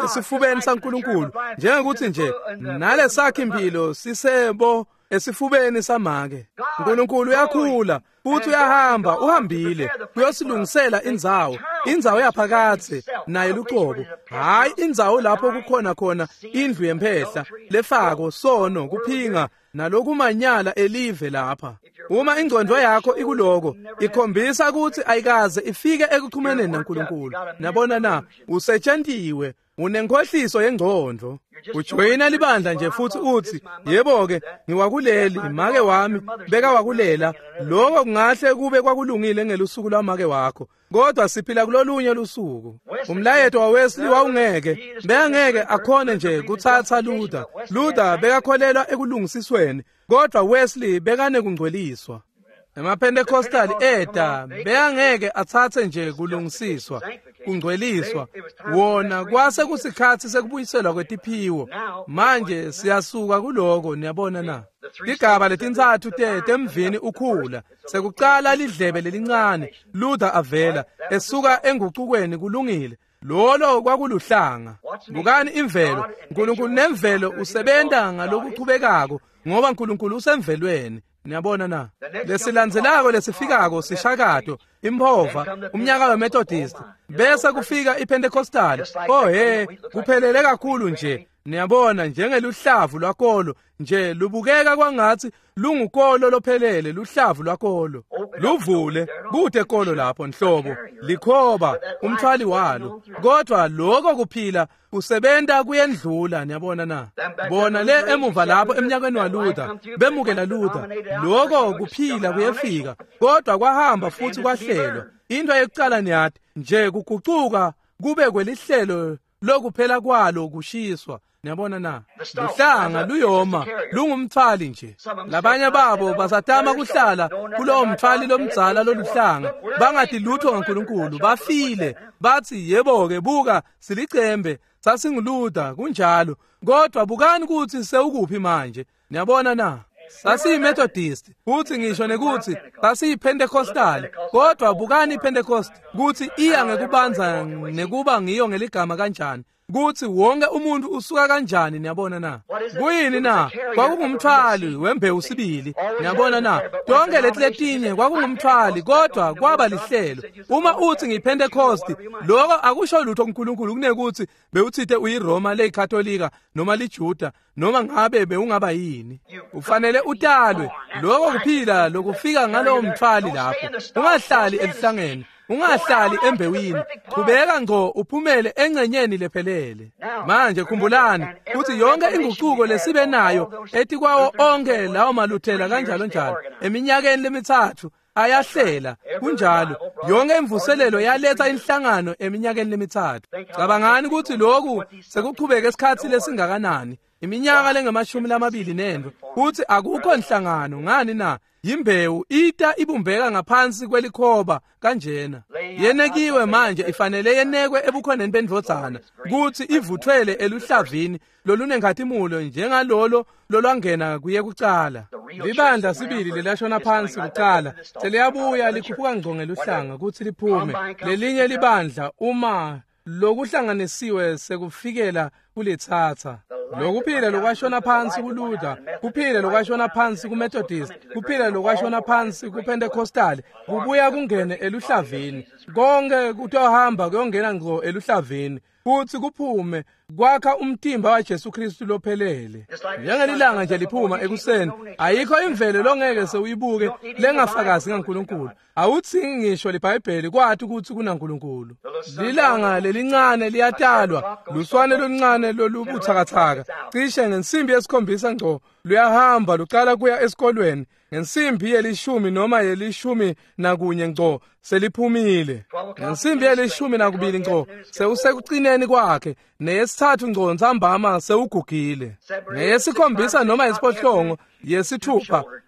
esifubeni saNkulunkulu, njengokuthi nje nalesakhe impilo sisebo esifubeni samake. uNkulunkulu uyakhula futhi uyahamba, uhambile kuyosilungisela indzawo, indzawo yaphakathe naye lucobo, hayi indzawo lapho kukhona khona indlu yemphehla lefako sono kuphinga nalokumanyala elive lapha. Uma ingcondvo yakho ikuloko, ikhombisa ukuthi ayikaze ifike ekuxhumaneni naNkulunkulu. Nabona na? Usetshentiwe, unenkhohliso yengcondvo. Ujoyina libandla nje futhi uthi yebo-ke ngiwakuleli, make wami bekawakulela. Lokho kungahle kube kwakulungile ngelusuku lwamake wakho, kodwa siphila kulolunye lusuku. Umlayeto waWesley wawungeke, bekangeke akhone nje kuthatha Luther. Luther bekakholelwa ekulungisisweni, kodwa Wesley bekanekungcweliswa. EmaPentecostal eta bekangeke atsatse nje kulungisiswa, kungcweliswa. Wona kwase kusikhatsi sekubuyiselwa kwetiphiwo. Manje siyasuka kuloko, niyabona na? Tigaba letintsatfu temvini ukhula. Sekucala lidlebe lelincane, Luther avela esuka engucukweni, kulungile. Lolo kwakuluhlanga. Bukani imvelo. uNkulunkulu nemvelo usebenta ngalokuchubekako, ngoba uNkulunkulu usemvelweni. Niyabona na? Lesilandzelako lesifikako sishakato, imphova, umnyaka weMethodist, bese kufika iPentecostal. Oh he, kuphelele kakhulu nje. Niyabona, njengeluhlavu lwakolo nje lubukeka kwangathi lungukolo lophelele, luhlavu lwakolo. Luvule, kude kolo lapho nhlobo, likhoba, umthwali walo. Kodwa lokho kuphila Kusebenta kuyendlula, niyabona na? Bona le emuva lapho emnyakeni waLuther, bemukela Luther. Lokho kuphila kuyefika, kodwa kwahamba futhi kwahlelwa. Into yokucala niyati, nje kugucuka kube kwelihlelo lokuphela kwalo kushiswa. Niyabona na? Luhlanga luyoma, lungumthwali nje. Labanye babo basatama kuhlala kulowo mthwali lomdzala loluhlanga, bangathi lutho ngaNkulunkulu, bafile. Bathi yebo-ke, buka silicembe, sasinguLuther, kunjalo. Kodwa bukani ukuthi sewukuphi manje. Niyabona na? SasiyiMethodist, futhi ngisho nekuthi sasiyiPentecostal, kodwa bukani iPentecost kuthi iya ngekubanza nekuba ngiyo ngeligama kanjani, kuthi wonke umuntu usuka kanjani. Niyabona na? Kuyini na? Kwakungumthwali wembewu sibili. Niyabona na? Tonke leti letinye kwakungumthwali, kodwa kwaba lihlelo. Uma uthi ngiyiPentecost, lokho akusho lutho kuNkulunkulu kunekuthi bewuthite uyiRoma leyiKatolika noma liJuda noma ngabe bewungaba yini. Ufanele utalwe. Lokho kuphila lokufika ngalowo mthwali lapho. Ungahlali elihlangeni, ungahlali embewini, qhubeka ngqo uphumele engcenyeni lephelele. Manje khumbulani ukuthi yonke inguquko lesibe nayo etikwawo onke lawo maluthela kanjalo njalo eminyakeni lemithathu ayahlela, kunjalo. Yonke imvuselelo yaletha inhlangano eminyakeni lemithathu. Cabangani ukuthi lokhu sekuqhubeke isikhathi lesingakanani, iminyaka lengamashumi 24, kuthi akukho nhlangano. Ngani na? Yimbewu ita ibumbeka ngaphansi kwelikhoba kanjena, yenekiwe manje, ifanele yenekwe ebukhoneni bendvodzana kuthi ivuthwele eluhlavini lolunenkhatimulo njengalolo lolwangena kuye kucala. Libandla sibili lelashona phansi kucala seliyabuya likhuphuka ngco ngeluhlanga kuthi liphume lelinye libandla uma lokuhlanganisiwe sekufikela kulitsatsa. Lokuphila lokwashona phansi kuLuther, kuphila lokwashona phansi kuMethodist, kuphila lokwashona phansi kuPentecostal, kubuya kungene eluhlavini. Konke kutohamba kuyongena ngqo eluhlavini futhi kuphume kwakha umtimba waJesu Kristu lophelele. Njengelilanga nje liphuma ekuseni, ayikho imvelo longeke sewuyibuke lengafakazi ngaNkulunkulu. Awuthingi ngisho liBhayibheli kwathi ukuthi kunaNkulunkulu. Lilanga lelincane liyatalwa, luswane loluncane lolubuthakathaka, cishe ngensimbi 7 ngco luyahamba lucala kuya esikolweni. Ngensimbi 10 noma 11 ngco seliphumile. Ngensimbi 12 ngco sewusekucineni kwakhe, neyesithathu ngco ntsambama sewugugile. 7 noma 8,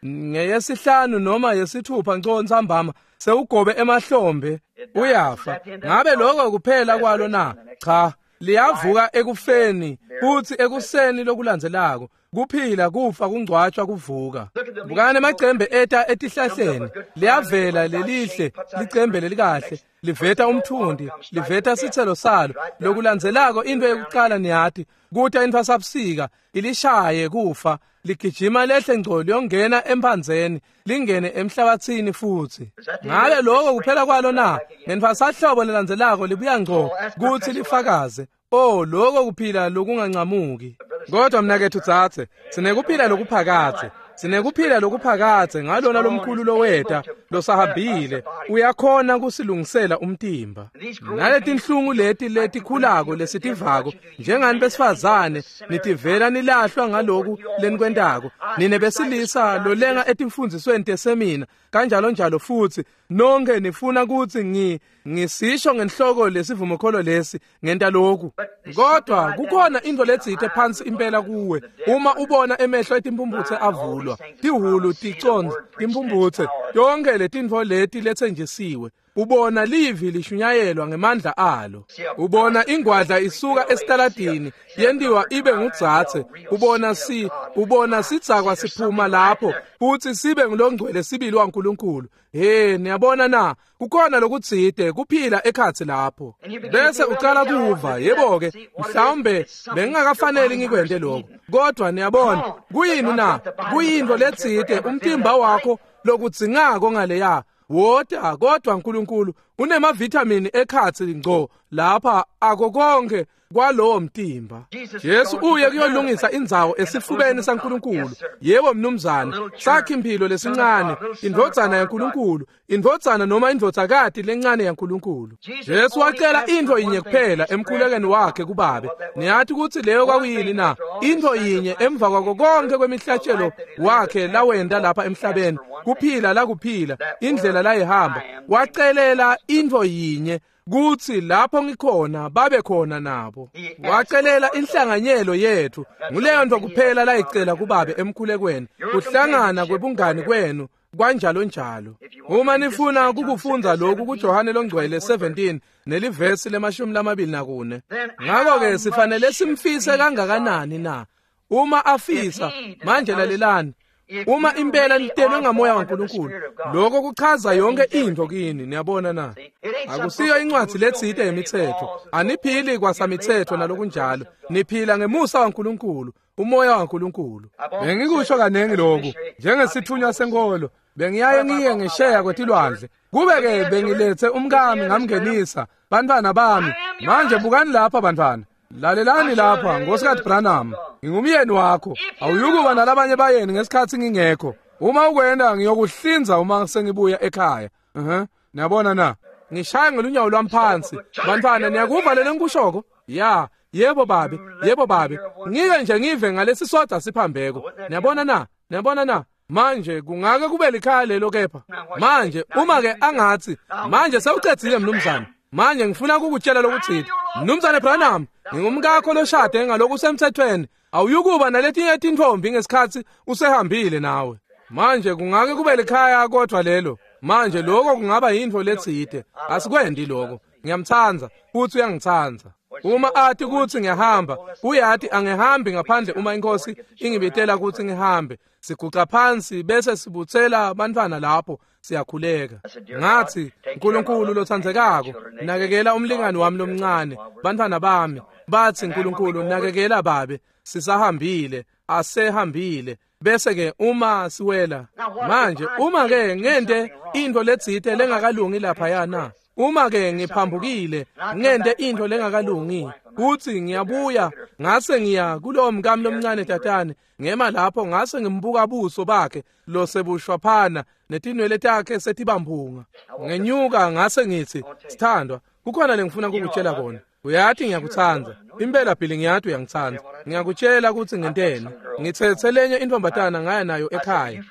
6, 5 noma 6 ngco ntsambama sewugobe emahlombe, uyafa. Ngabe lokho kuphela kwalo na? Cha, liyavuka ekufeni futhi ekuseni lokulandzelako. Kuphila, kufa, kungcwatshwa, kuvuka. Bukani amacembe eta etihlahleni, liyavela lelihle licembe lelikahle, liveta umthundi, liveta sithelo salo. Lokulandzelako into yokucala niyati, kuta intfwasabusika ilishaye kufa, ligijima lehle ngco liyongena emphandzeni, lingene emhlabathini futhi. Ngabe lokho kuphela kwalo na? Ngentfwasahlobo lelandzelako libuya ngco kuthi lifakaze. Oh, lokho kuphila lokungancamuki. Kodwa mnakethu tsatse, sinekuphila lokuphakathe. Sinekuphila lokuphakathe ngalona lomkhulu loweta losahambile, uyakhona kusilungisela umtimba. Naletinhlungu leti letikhulako lesitivako njengani besifazane nitivela nilahlwa ngaloku lenikwentako. Nine besilisa lolenga etimfundzisweni tesemina kanjalo njalo, futhi nonke nifuna kuthi ngisisho ngenhloko lesivumokholo lesi ngenta lokhu. Kodwa kukhona into letsite phansi impela kuwe uma ubona emehlo etimphumphutse avulwa, tihulu ticonza timphumphutse, yonke letintfo leti letsenjisiwe. Ubona livi lishunyayelwa ngemandla alo, ubona ingwadla isuka esitaladini yentiwa ibe ngudzatse, ubona sidzakwa siphuma lapho futhi sibe ngulongcwele sibili waNkulunkulu. He, niyabona na? Kukhona lokutsite kuphila ekhatsi lapho. Bese ucala kuva, yebo-ke, mhlawumbe bengingakafaneli ngikwente lokho. Kodwa niyabona, kuyini na? Kuyintfo letsite umtimba wakho lokudzingako ngaleya. Wota, kodwa uNkulunkulu Unemavithamini ekhatsi ngco lapha ako konke kwalowo mtimba. Jesu uye kuyolungisa indzawo esifubeni saNkulunkulu. Yebo mnumzane, sakhe impilo lesincane, indvodzana yaNkulunkulu, indvodzana noma indvodzakati lencane yaNkulunkulu. Jesu wacela intfo yinye kuphela emkhulekweni wakhe kubabe. Niyathi kutsi leyo kwakuyini na? Intfo yinye emva kwako konke kwemihlatshelo wakhe lawenta lapha emhlabeni, kuphila lakuphila, indlela layihamba, wacelela intfo yinye kutsi lapho ngikhona babe khona nabo. Wacelela inhlanganyelo yethu. Nguleyo nto kuphela layicela kubabe emkhulekweni, kuhlangana kwebungani kwenu kwanjalo njalo. Uma nifuna kukufundza lokhu kuJohane longcwele 17 nelivesi le-24. Ngakho-ke sifanele simfise kangakanani na? Uma afisa, manje lalelani, uma impela nitelwe ngamoya waNkulunkulu, lokho kuchaza yonke into kini. Niyabona na? Akusiyo incwadi letsite yemithetho. Aniphili kwasamithetho nalokunjalo. Niphila ngemusa waNkulunkulu, umoya waNkulunkulu. Bengikusho kanengi lokhu njengesithunywa senkolo. Bengiyaye ngiye ngesheya kwetilwandle. Kube-ke bengilethe umkami ngamngenisa, bantwana bami. Manje bukani lapha bantwana. Lalelani lapha, Nkosikazi Branham, ngingumyeni wakho. Awuyukuba nalabanye bayeni ngesikhathi ngingekho. Uma ukwenda ngiyokuhlinza uma sengibuya ekhaya. Niyabona na? Ngishaya ngelunyawo lwami phansi. Bantwana, niyakuva lelo ngikushoko? Ya, yebo babe, yebo babe. Ngike nje ngive ngalesi sodwa siphambeko. Niyabona na? Niyabona na? Manje kungake kube likhaya lelo kepha. Manje uma ke angathi, manje sewucedzile mnumzane. Manje ngifuna ukukutshela lokuthile. Mnumzane Branham, ngingumkakho loshade ngalokhu semthethweni. Awuyukuba naletinye tintfombi ngesikhathi usehambile nawe. Manje kungake kube likhaya kodwa lelo. Manje lokho kungaba yintfo letsite. Asikwendi lokho. Ngiyamtsandza futhi uyangitsandza. Uma athi kutsi ngiyahamba, uyati angihambi ngaphandle uma inkosi ingibitela kutsi ngihambe. Siguca phansi bese sibutsela bantwana lapho siyakhuleka. Ngathi, Nkulunkulu lotsandzekako, nakekela umlingani wami lomncane, bantwana bami. Bathi, Nkulunkulu nakekela babe, sisahambile, asehambile. Bese ke uma siwela manje, uma ke ngente intfo letsite lengakalungi lapha na, uma ke ngiphambukile ngente intfo lengakalungi, kuthi ngiyabuya ngase ngiya kulowo mkami lomncane tatane, ngema lapho ngase ngimbuka buso bakhe losebushwaphana netinwele takhe setibamphunga. Ngenyuka ngase ngithi, sithandwa, kukhona lengifuna kukutshela kona. Uyathi ngiyakutsandza. Impela Billy ngiyathi uyangitsandza. Ngiyakutshela kutsi ngenteni. Ngitsetse lenye intfombatana ngaya nayo ekhaya.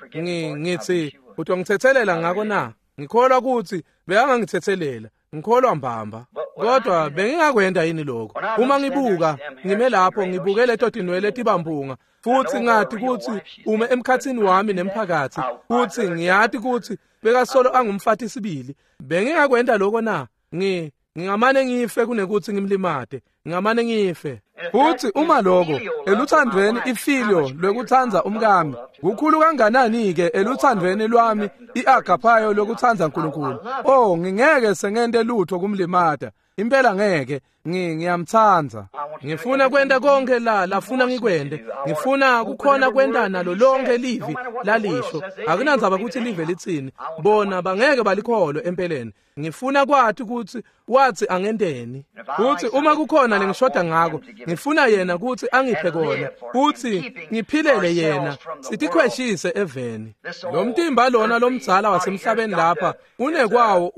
Ngithi utongitsetselela ngako na? Ngikholwa kutsi bekangangitsetselela. Ngikholwa mbamba. Kodwa bengingakwenda yini lokho? Uma ngibuka, ngime lapho ngibuke leto tinwele tibamphunga, futhi ngathi kutsi ume emkhatsini wami nemphakatsi, kutsi ngiyati kutsi bekasolo angumfati sibili. Bengingakwenda lokho na? Ngingamane ngife kunekuthi ngimlimate. Ngingamane ngife. Futhi uma lokho eluthandweni ifilio lwekutsandza umkami, kukhulu kanganani ke eluthandweni lwami iagaphayo lokutsandza uNkulunkulu. Oh, ngingeke sengente lutho kumlimata. Impela ngeke. Ngiyamtsandza. Ngifuna kwenta konke la lafuna ngikwente. Ngifuna kukhona kwenta nalo lonke livi lalisho. Akunandzaba kutsi live litsini. Bona bangeke balikholwe empeleni. Ngifuna kwathi kutsi wathi angenteni. Kutsi uma kukhona lengishoda ngako, ngifuna yena kutsi angiphe kona, kutsi ngiphilele yena, sitikhweshise eveni. Lo mtimba lona lomdzala wasemhlabeni lapha unekwawo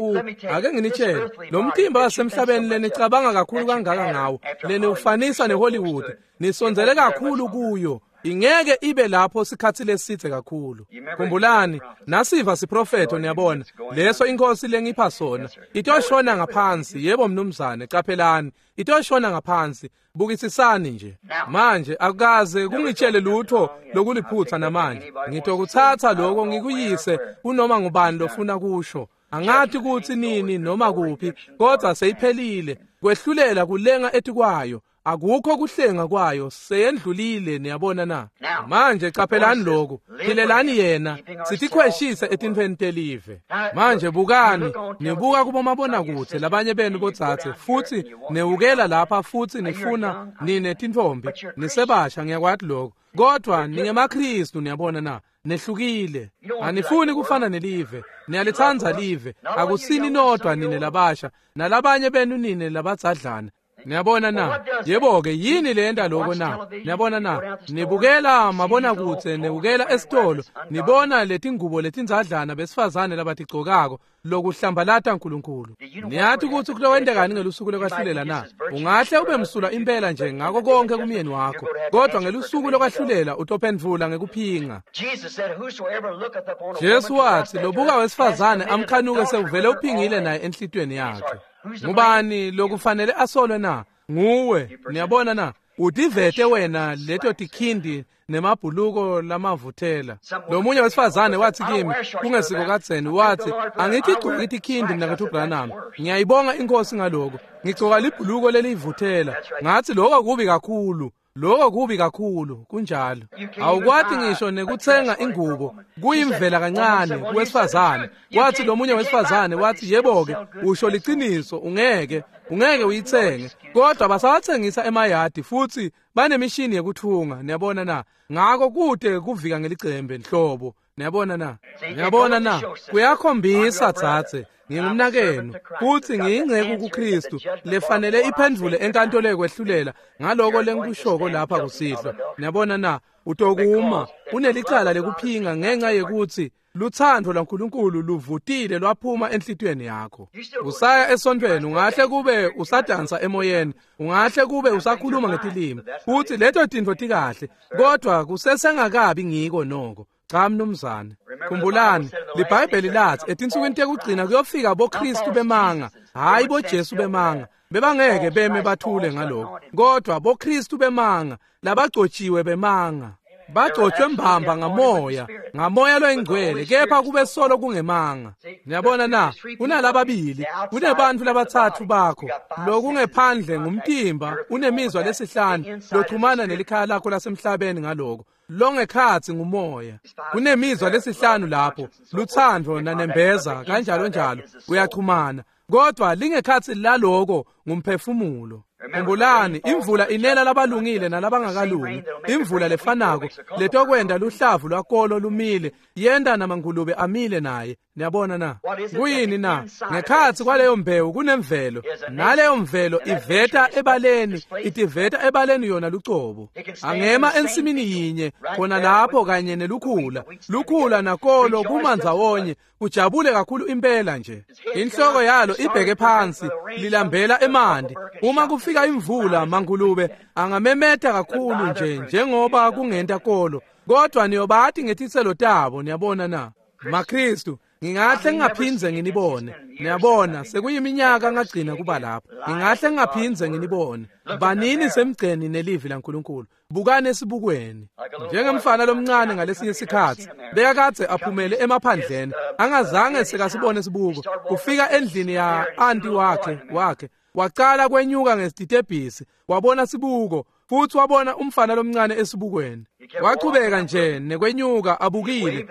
ake nginitshele, lo mtimba wasemhlabeni lenicabanga kakhulu kangaka ngawo, leniwufanisa neHollywood, nisondzele kakhulu kuyo. Ingeke ibe lapho sikhathi lesithe kakhulu. Khumbulani, nasiva siprofetho niyabona, leso inkosi lengipha sona, itoshona ngaphansi. Yebo mnumzane, qaphelani, itoshona ngaphansi. Bukisisani nje. Manje akukaze kungitshele lutho lokuliphutha namanje. Ngitokutsatsa lokho ngikuyise kunoma ngubani lofuna kusho. Angathi kutsi nini noma kuphi, kodwa seyiphelile. Kwehlulela kulenga etikwayo. Akukho kuhlenga kwayo, seyendlulile. Niyabona na? Manje caphelani lokhu, philelani yena, sitikhweshise etintfweni telive. Manje bukani, nibuka kubomabonakude labanye benu bodzadze, futsi newukela lapha futsi nifuna nine tintfombi, nisebasha, ngiyakwati lokho, kodwa ningemaKristu. Niyabona na? Nehlukile. Anifuni kufana nelive, niyalithanda live. Akusini nodwa nine labasha, nalabanye benu nine labadzadlana. Niyabona na? Yebo-ke, yini leyenta lokho na? Niyabona na? Nibukela mabonakudze, nibukela esitolo, nibona letingubo letindzadlana besifazane labatigcokako, lokuhlambalata Nkulunkulu. Niyati kutsi kulowentekani ngelusuku lokwahlulela na? Ungahle ube msulwa impela nje ngako konke kumyeni wakho, kodwa ngelusuku lokwahlulela utophendvula ngekuphinga. Jesu watsi, lobuka wesifazane amkhanuke sewuvele uphingile naye enhlitiyweni yakhe. Ngubani lokufanele asolwe na? Nguwe. Niyabona na? Utivete wena leto tikhindi nemabhuluko lamavuthela. Lomunye wesifazane wathi kimi kungesiko kadzeni, wathi, angitigcoki tikhindi mnaketfu Branham, ngiyayibonga inkosi ngaloko, ngigcoka libhuluko lelivuthela. Ngathi, lokho kubi kakhulu, lokho kubi kakhulu. Kunjalo. Awukwati ngisho nekutsenga ingubo, kuyimvela kancane kuwesifazane. Wathi lomunye wesifazane, wathi, yebo-ke, usho liciniso, ungeke uyitsenge, kodwa basawathengisa emayadi futhi banemishini yekuthunga. Niyabona na? Ngako kute kuvika ngelicembe nhlobo. Niyabona na? Niyabona na? Kuyakhombisa dzadze, ngingumnakenu futsi ngiyingceku kuKristu lefanele iphendvule enkantolo yekwehlulela ngaloko lengikushoko lapha kusihlwa. Niyabona na? Utokuma unelicala lekuphinga ngenxa yekutsi lutsandvo lwaNkulunkulu luvutile lwaphuma enhlitiyweni yakho. Usaya esontfweni, ungahle kube usadansa emoyeni, ungahle kube usakhuluma ngetilimi, futsi leto tintfo tikahle, kodwa kusesengakabi ngiko noko. Cha mnumzane. Khumbulani, liBhayibheli lathi etinsukwini tekugcina kuyofika boKristu bemanga, hayi boJesu bemanga. Bebangeke beme bathule ngaloko, kodwa boKristu bemanga, labagcotshiwe bemanga. Bagcotshwe mbamba ngamoya, ngamoya loyingcwele, kepha kube solo kungemanga. Niyabona na? Kunalababili, kunebantfu labatsatfu bakho. Lokungephandle ngumtimba, unemizwa lesihlanu lochumana nelikhaya lakho lasemhlabeni ngaloko. Longekhatsi ngumoya. Kunemizwa lesihlanu lapho, lutsandvo nanembeza kanjalo njalo, uyachumana. Kodwa lingekhatsi laloko ngumphefumulo. Khumbulani, imvula inela labalungile nalabangakalungi. Imvula lefanako letokwenda luhlavu lwakolo lumile, yenta namangulube amile naye. Niyabona na? Kuyini na? Ngekhatsi kwaleyo mbewu kunemvelo, naleyo mvelo iveta ebaleni, itiveta ebaleni yona lucobo. Angema ensimini yinye khona lapho kanye nelukhula, lukhula nakolo kumandzawonye, kujabule kakhulu impela nje. Inhloko yalo ibheke phansi, lilambela emanti. Uma kufika imvula, mangulube angamemeta kakhulu nje njengoba kungenta kolo, kodwa niyobati ngetitselo tabo. Niyabona na? MaKristu, ngingahle ngingaphindze nginibone. Niyabona, sekuyiminyaka ngagcina kuba lapho. Ngingahle ngingaphindze nginibone. Banini semgceni nelivi laNkulunkulu. Bukani esibukweni. Njengemfana lomncane ngalesinye sikhatsi, bekakadze aphumele emaphandleni, angazange sekasibone sibuko. Kufika endlini ya anti wakhe, wacala kwenyuka ngesitebhisi, wabona sibuko, futhi wabona umfana lomncane esibukweni. Wachubeka nje nekwenyuka abukile,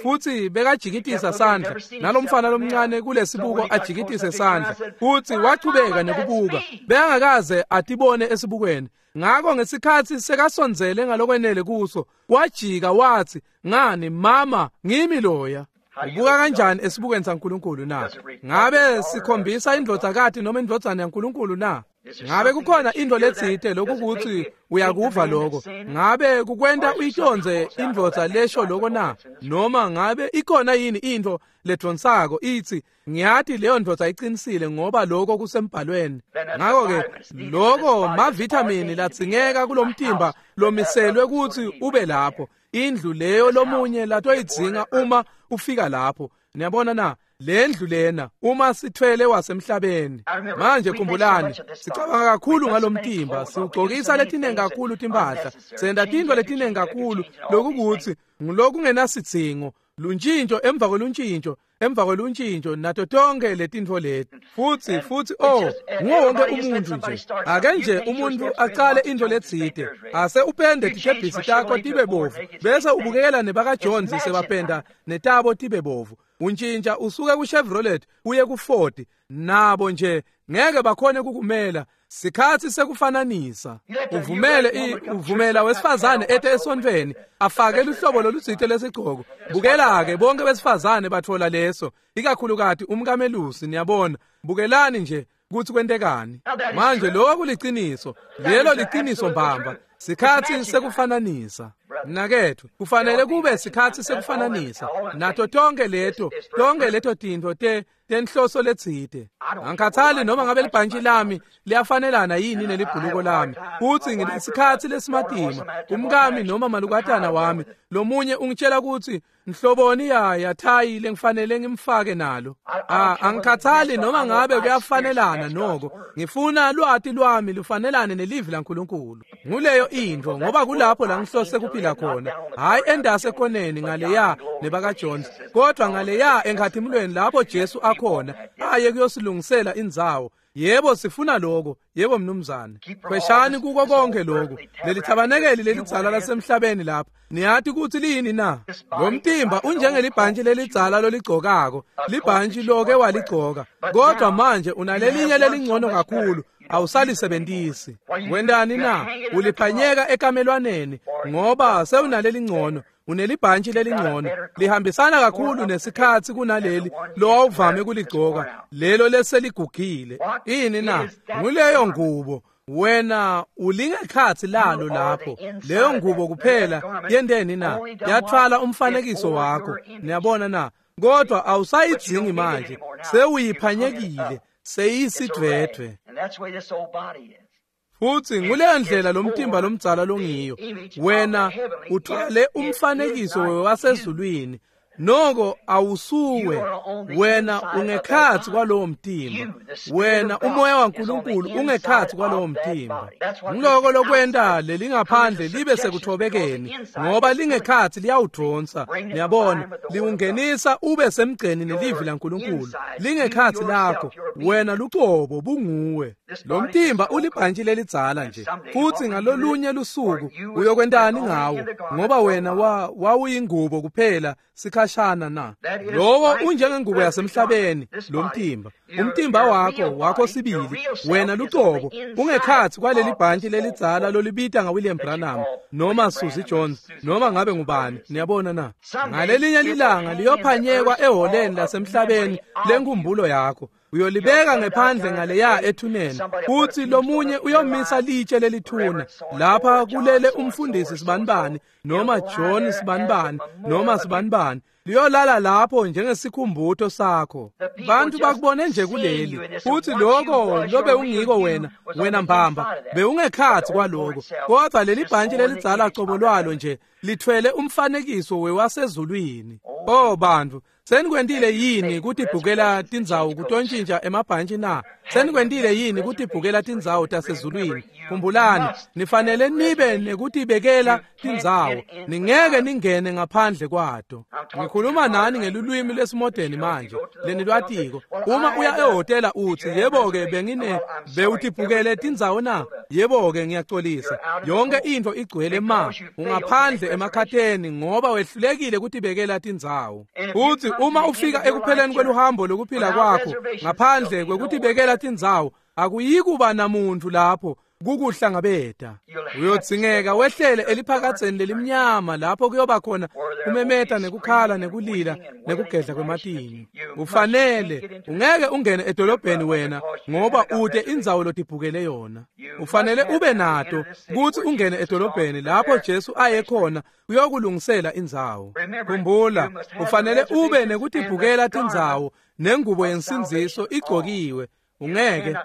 futhi bekajikitisa sandla nalomfana lomncane kulesibuko ajikitise sandla, futhi wachubeka nekubuka, bekangakaze atibone esibukweni. Ngako ngesikhatsi sekasondzele ngalokwenele kuso, wajika wathi, ngani mama, ngimi loya. Ubuka kanjani esibukweni saNkulunkulu na? Ngabe sikhombisa indvodzakati noma indvodzana yaNkulunkulu na? Ngabe kukhona intfo letsite lokukuthi uyakuva lokho? Ngabe kukwenta uyitondze indvodza lesho lokho na? Noma ngabe ikhona yini intfo ledvonsako ithi, ngiyati leyo ndvodza iqinisile ngoba lokho kusembhalweni? Ngako-ke lokho mavithamini ladzingeka kulomtimba lomiselwe kutsi ube lapho, indlu leyo lomunye latoyidzinga uma ufika lapho. Niyabona na? Lendlu lena uma sithwele wasemhlabeni. Manje khumbulani, sicabanga kakhulu ngalomtimba, siwugcokisa letinengi kakhulu timpahla, senta tintfo letinengi kakhulu lokukuthi ngulokungenasidzingo, luntshintsho emva kweluntshintjo. emva kweluntjintjo nato tonke letintfo leti. Futsi oh, nguwo wonke umuntfu nje. Ake nje umuntfu acale intfo letsite, ase upende titebhisi takho tibe bovu, bese ubukela nebakaJones sebapenda netabo tibe bovu. Untjintja usuke ku-Chevrolet uye ku-Ford, nabo nje ngeke bakhone kukumela. Sikhatsi sekufananisa. Uvumela wesifazane ete esontfweni afake luhlobo lolutsite lesigcoko. Bukela-ke bonke besifazane batfola leso, ikakhulukati umkamelusi, niyabona. Bukelani nje kutsi kwentekani. Manje lokho kuliciniso, lelo liciniso mbamba. Sikhatsi sekufananisa. Mnaketfu, kufanele kube sikhatsi sekufananisa nato tonke leto tintfo tenhloso letsite. Angikhathali noma ngabe libhantshi lami liyafanelana yini nelibhuluko lami, futsi nginesikhatsi lesimatima. Umkami noma malukatana wami lomunye ungitshela kutsi nhloboni ya thayi lengifanele ngimfake nalo. Angikhathali noma ngabe kuyafanelana noko, ngifuna lwati lwami lufanelane nelivi laNkulunkulu. Nguleyo intfo, ngoba kulapho la ngihlose kuphila khona, hhayi endase ekoneni ngaleya nebakaJones, kodwa ngaleya enkhatimulweni lapho Jesu akhona aye kuyosilungisela indzawo. Yebo, sifuna lokho. Yebo mnumzane. Khweshani kuko konke lokho. Leli thabanekeli lelidzala lasemhlabeni lapha, niyati kutsi liyini na? Lo mtimba unjengelibhantshi lelidzala loligcokako, libhantshi loke waligcoka, kodwa manje unalelinye lelingcono kakhulu, awusalisebentisi. Wendani na? Uliphanyeka ekamelwaneni ngoba sewunalelingcono. Unelibhantshi lelingcono, lihambisana kakhulu nesikhatsi kunaleli lowawuvame kuligcoka, lelo leseligugile. Ini na? Nguleyo ngubo. Wena ulingekhatsi lalo lapho. Leyo ngubo kuphela yenteni na? Yathwala umfanekiso wakho. Niyabona na? Kodwa awusayidzingi manje, sewuyiphanyekile, seyisidvwedvwe. Futsi nguleyo ndlela lomtimba lomdzala longiyo. Wena uthwale umfanekiso wasezulwini, noko awusuwe. Wena ungekhatsi kwalowo mtimba. Wena umoya waNkulunkulu ungekhatsi kwalowo mtimba. Ngiloko lokwenta lelingaphandle libe sekuthobekeni, ngoba lingekhatsi liyawudvonsa. Niyabona, liwungenisa ube semgceni nelivi laNkulunkulu. Lingekhatsi lakho, wena lucobo bunguwe. Lo mtimba ulibhantshi lelidzala nje, futsi ngalolunye lusuku uyokwentani ngawo? Ngoba wena wawuyingubo kuphela sikhashana na. Lowo unjengengubo yasemhlabeni, lo mtimba. Umtimba wakho sibili, wena lucobo, ungekhatsi kwaleli bhantshi lelidzala lolibita ngaWilliam Branham noma Susie Jones noma ngabe ngubani. Niyabona na? Ngalelinye lilanga liyophanyekwa eholeni lasemhlabeni lenkumbulo yakho. Uyolibeka ngephandle ngaleya ethuneni, futsi lomunye uyomisa litshe lelithuna lapha kulele umfundisi sibanibani noma John sibanibani noma sibanibani. Liyolala lapho njengesikhumbuto sakho. Bantu bakubone nje kuleli, futsi lokho lobe ungiko wena mbamba bewungekhatsi kwaloko, kodwa leli bhantshi lelidzala cobo lwalo nje lithwele umfanekiso wewasezulwini. Oh bantu, senikwentile yini kutibhukela tindzawo kutontjintja emabhantshi na? Senikwentile yini kutibhukela tindzawo tasezulwini? Khumbulani, nifanele nibe nekutibekela tindzawo, ningeke ningene ngaphandle kwato. Ngikhuluma nani ngelulwimi lesimodeni manje lenilwatiko. Uma uya ehhotela utsi, yebo-ke bewutibhukele tindzawo na? Yebo-ke ngiyacolisa, yonke intfo igcwele ma. Ungaphandle emakhatheni ngoba wehlulekile kutibekela tindzawo. Futsi uma ufika ekupheleni kweluhambo lokuphila kwakho ngaphandle kwekutibekela tindzawo, akuyikuba namuntu lapho kukuhlangabeta. Uyodzingeka wehlele eliphakadzeni lelimnyama lapho kuyoba khona kumemeta nekukhala nekulila nekugedla kwematinyo. Ufanele, ungeke ungene edolobheni wena ngoba ute indzawo lotibhukele yona. Ufanele ube nato kutsi ungene edolobheni lapho Jesu aye khona uyokulungisela indzawo. Khumbula, ufanele ube nekutibhukela tindzawo nengubo yensindziso igcokiwe. Ungeke.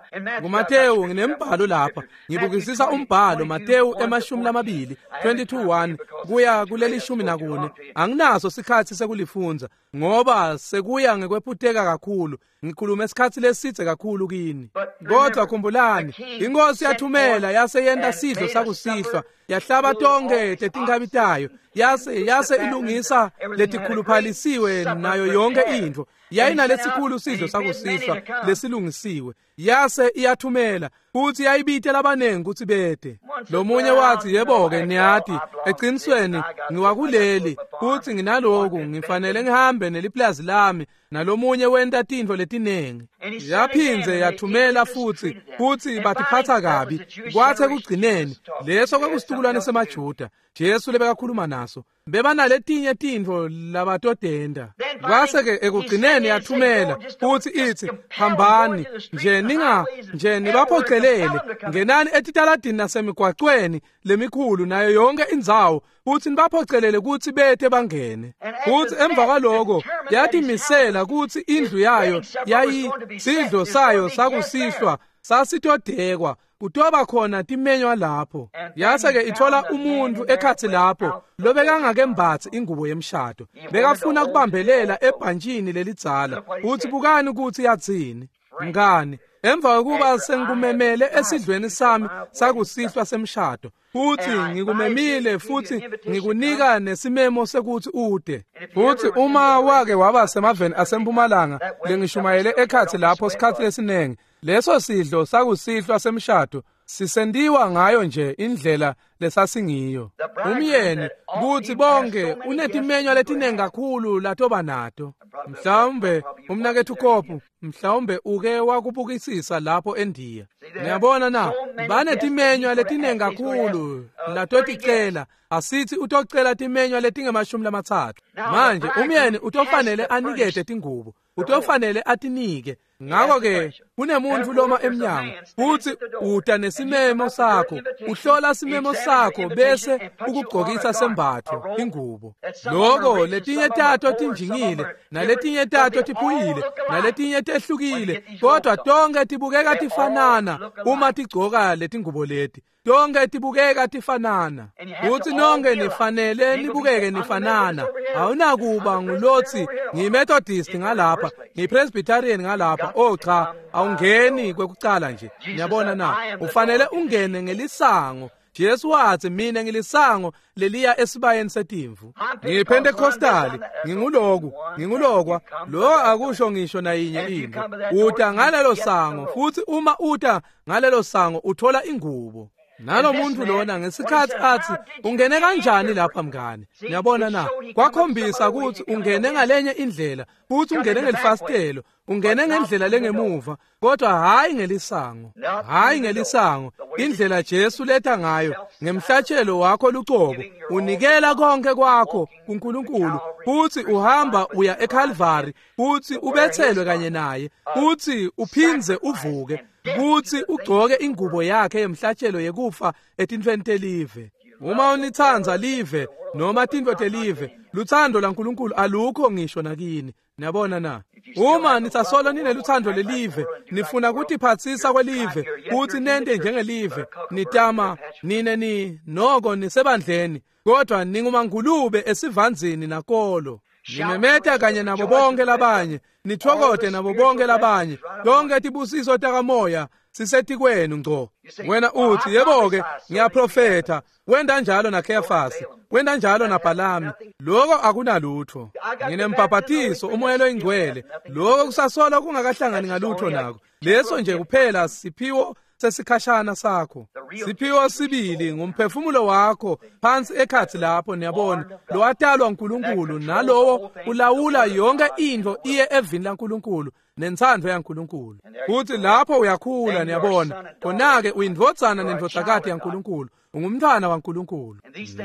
NguMatewu nginembhalo lapha. Ngibukisisa umbhalo Matewu 20 22:1 kuya kuleli 14. Anginaso sikhatsi sekulifundza ngoba sekuya ngekwephuteka kakhulu. Ngikhulume isikhatsi lesidze kakhulu kini. Kodwa khumbulani, inkosi yathumela yase yenta sidlo sakusihlwa, yahlaba tonke tetinkhabi tayo, Yase ilungisa letikhuluphalisiwe nayo yonke intfo. Yayinalesikhulu sidlo sakusihlwa lesilungisiwe. Yase iyathumela futhi yayibite labanengi kutsi bete. Lomunye wathi, yebo-ke niyati, eqinisweni ngiwakuleli futhi nginaloku, ngifanele ngihambe neliplazi lami. Nalomunye wenta tintfo letinengi. Yaphindze yathumela futhi batiphatsa kabi. Kwatsi ekugcineni leso kwakusitukulwane semaJuda Jesu lebekakhuluma naso. Bebanaletinye tintfo labatodenda. Kwase-ke ekugcineni yathumela futhi itsi, hambani nje nibaphocelele, ngenani etitaladini nasemigwacweni lemikhulu nayo yonke indzawo, futhi nibaphocelele kutsi bete bangene. Futhi emva kwaloko yatimisela kutsi indlu yayo yayisidlo sayo sakusihlwa sasitodekwa, kutoba khona timenywa lapho. Yase-ke ithola umuntu ekhatsi lapho lobekangakembatsi ingubo yemshado, bekafuna kubambelela ebhantshini lelidzala. Uthi bukani kutsi yatsini, mngani, emva kokuba sengikumemele esidlweni sami sakusihlwa semshado, futhi ngikumemile futhi ngikunika nesimemo sekuthi ude. Futhi uma wake waba semaveni asempumalanga lengishumayele ekhatsi lapho sikhatsi lesinengi, leso sidlo sakusihlwa semshado sisentiwa ngayo nje indlela lesasingiyo. Umyeni kutsi bonke unetimenywa letinengi kakhulu latoba nato. Mhlawumbe umnaketfu Kopu, mhlawumbe uke wakubukisisa lapho eNdiya. Niyabona na, banetimenywa letinengi kakhulu latoticela. Asithi utocela timenywa letingemashumi lamatsatfu. Manje umyeni utofanele anikete tingubo, utofanele atinike. Ngakho-ke kunemuntu loma emnyango futhi uta nesimemo sakho, uhlola simemo sakho bese ukugqokisa sembatfo ingubo. Loko letinye tato tinjingile, naletinye tato tiphuyile, naletinye tehlukile, kodwa tonke tibukeka tifanana uma tigcoka letingubo leti. Tonke tibukeka tifanana. Futhi nonke nifanele nibukeke nifanana. Awunakuba ngulotsi ngiyiMethodist ngalapha, ngiyiPresbyterian ngalapha. Oh cha, awungeni kwekucala nje. Niyabona na, ufanele ungene ngelisango. Jesu wathi, mina ngilisango leliya esibayeni setimvu. NgiyiPentecostali, nginguloku, ngingulokwa. Lo akusho ngisho nayinye into. Uta ngalelo sango, futhi uma uta ngalelo sango uthola ingubo. Nalomuntu lona ngesikhatsi athi, ungene kanjani lapha mngani? Niyabona na, kwakhombisa ukuthi ungene ngalenye indlela, futhi ungene ngelifasitelo, ungene ngendlela lengemuva, kodwa hayi ngelisango. Hayi ngelisango, indlela Jesu letha ngayo ngemhlatshelo wakho lucobo, unikela konke kwakho kuNkulunkulu, futhi uhamba uya eCalvary, futhi ubethelwe kanye naye, futhi uphindze uvuke, kutsi ugcoke ingubo yakhe yemhlatshelo yekufa etintfweni telive. Uma unitsandza live noma tintfo telive, lutsandvo laNkulunkulu alukho ngisho nakini. Niyabona na, uma nisasolo ninelutsandvo lelive, nifuna kutiphatsisa kwelive, kutsi nente njengelive, nitama nine ni noko nisebandleni, kodwa ningumangulube esivandzini nakolo. Nimemeta kanye nabo bonke labanye, nithokote nabo bonke labanye. Tonke tibusiso takamoya sisetikwenu ngco. Wena uthi, yebo-ke, ngiyaprofetha. Wenta njalo naKheyafasi, wenta njalo naBhalami. Loko akunalutho. Nginembhabhatiso umoya loyingcwele. Loko kusasola kungakahlangani ngalutho nako. Leso nje kuphela siphiwo sesikhashana sakho. Siphiwo sibili ngumphefumulo wakho phansi ekhatsi lapho, niyabona, lowatalwa uNkulunkulu, nalowo ulawula yonke intfo iye evini laNkulunkulu nentsandvo yaNkulunkulu. Futhi lapho uyakhula, niyabona, khona-ke uyindvodzana nendvodzakati yaNkulunkulu, ungumntfwana waNkulunkulu.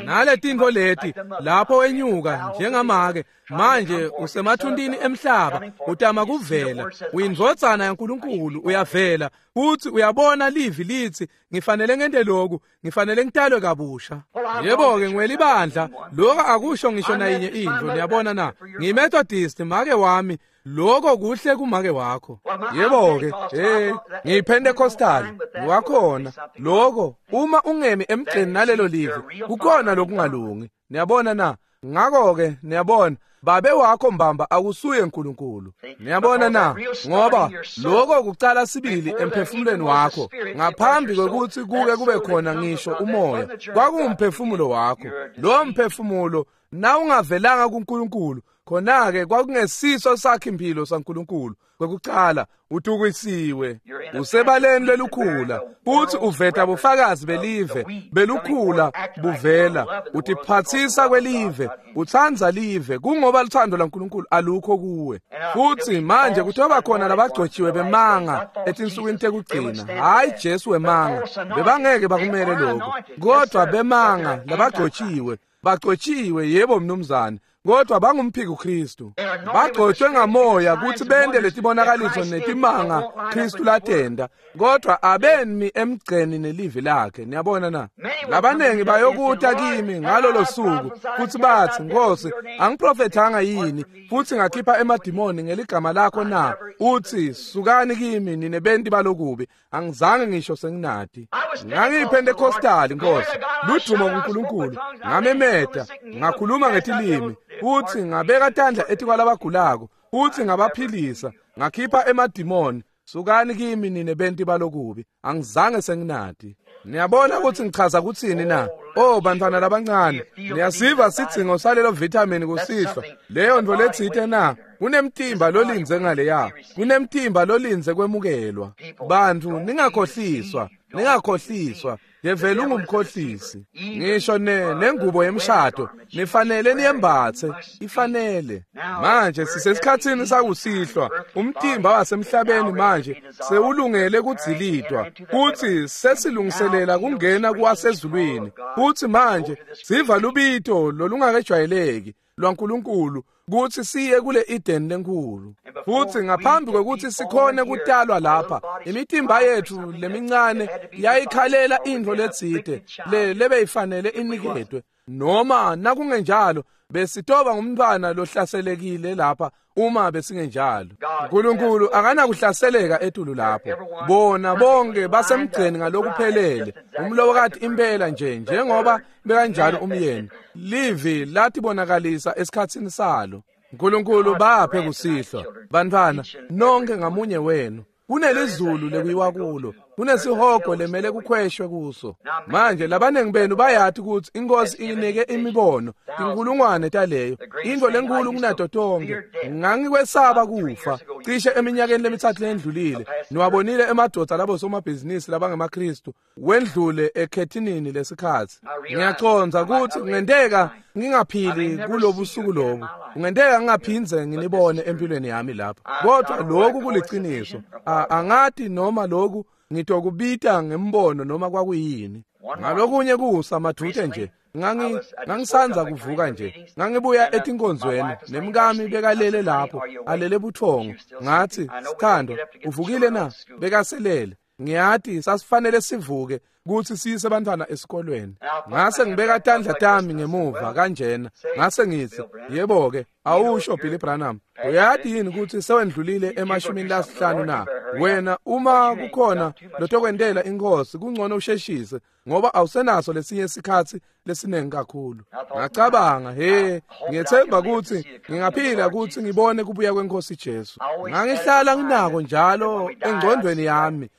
Naletintfo leti lapho wenyuka njengamake, manje usemathuntini emhlaba, utama kuvela, uyindvodzana yaNkulunkulu, uyavela, futhi uyabona livi litsi, ngifanele ngente lokhu, ngifanele ngitalwe kabusha. Yebo-ke, ngiwelibandla, lokho akusho ngisho nayinye intfo, niyabona na. NgiyiMethodist, make wami, lokho kuhle kumake wakho. Yebo-ke, ngiyiPentecostal, ngiwakhona. Lokho, uma ungemi emgceni nalelo livi, kukhona lokungalungi. Niyabona na? Ngakho-ke, niyabona, Babe wakho mbamba akusuye uNkulunkulu. Niyabona na? Ngoba lokho kucala sibili emphefumulweni wakho ngaphambi kwekuthi kuke kube khona ngisho umoya, kwakungumphefumulo wakho. Lo mphefumulo na ungavelanga kuNkulunkulu, khona-ke kwakungesiso sakhe impilo saNkulunkulu. Kwekucala utukisiwe, usebaleni lelukhula, futhi uveta bufakazi belive belukhula buvela, utiphatsisa kwelive, utsandza live, kungoba luthando laNkulunkulu alukho kuwe. Futhi manje kuthiwa khona labagcotshiwe bemanga etinsukwini tekugcina, hayi Jesu wemanga, bebangeke bakumele lokho, kodwa bemanga labagcotshiwe, bagcotshiwe, yebo mnumzane, kodwa bangumphiki uKristu. Bagcotshwe ngamoya kuthi bende letibonakaliso netimanga Kristu latenda, kodwa abemi emgceni nelivi lakhe. Niyabona na? Labanengi bayokuta kimi ngalolo suku futhi bathi, Nkosi, angiprofethanga yini futhi ngakhipha emadimoni ngeligama lakho na? Uthi, sukani kimi nine benti balokubi, angizange ngisho senginati. NgangiyiPentecostal, Nkosi, ludumo kuNkulunkulu, ngamemeta, ngakhuluma ngetilimi, futhi ngabeka tandla etikwalabagulako, futhi ngabaphilisa, ngakhipha emadimoni. Sukani kimi nine benti balokubi, angizange senginati. Niyabona ukuthi ngichaza kuthini na? Oh bantwana labancane, niyasiva sidzingo salelo vitamin kusihlwa. Leyo nto letsite na? Kunemtimba lolinze ngaleya, kunemtimba lolinze kwemukelwa. Bantu ningakhohliswa, ningakhohliswa. Yevele ungumkhohlisi. Ngisho nengubo yemshado nifanele niyembathe, ifanele. Manje sisesikhatsini sakusihlwa, umtimba wasemhlabeni manje sewulungele kudzilitwa, futhi sesilungiselela kungena kuwasezulwini. Futhi manje siva lubito lolungakejwayeleki lwaNkulunkulu kuthi siye kule Eden lenkulu. Futhi ngaphambi kwekuthi sikhone kutalwa lapha, imitimba yethu lemincane yayikhalela into letsite lebeyifanele iniketwe, noma nakungenjalo besitoba ngumntwana lohlaselekile lapha uma besingenjalo. uNkulunkulu akanakuhlaseleka etulu lapho. Bona bonke basemgceni ngalokuphelele, umlobokati impela nje njengoba bekanjalo umyeni. Livi latibonakalisa esikhatsini salo. uNkulunkulu baphe kusihlwa bantwana nonke ngamunye wenu. Kunelizulu lekuyiwa kulo, kunesihogo lemele kukhweshwe kuso. Manje labanengi benu bayati ukuthi inkosi inike imibono tinkulungwane taleyo, into lenkulu kunato tonke. Ngangikwesaba kufa cishe eminyakeni lemithathu lendlulile. Niwabonile emadoda labo somabhizinisi labangemaKristu wendlule ekhethinini lesikhathi. Ngiyacondza ukuthi kungenteka ngingaphili kulobusuku lobu, kungenteka ngingaphinze nginibone empilweni yami lapha, kodwa lokhu kuliciniso. Angati noma lokhu ngitokubita ngembono noma kwakuyini. Ngalokunye kusa madute nje ngangisanza kuvuka nje, ngangibuya etinkonzweni nemkami bekalele lapho alele buthongo. Ngathi, sithandwa, uvukile na? Bekaselele. Ngiyati sasifanele sivuke kuthi siyise abantwana esikolweni. Ngase ngibeka tandla tami ngemuva kanjena, ngase ngithi, yebo ke, awusho Billy Branham, uyati yini ukuthi sewendlulile emashumini lasihlanu na? Wena uma kukhona lotokwentela inkosi kungcono usheshise, ngoba awusenaso lesinye isikhathi lesinengi kakhulu. Ngacabanga, he, ngiyethemba ukuthi ngingaphila ukuthi ngibone kubuya kwenkosi Jesu. Ngangihlala nginako njalo engqondweni yami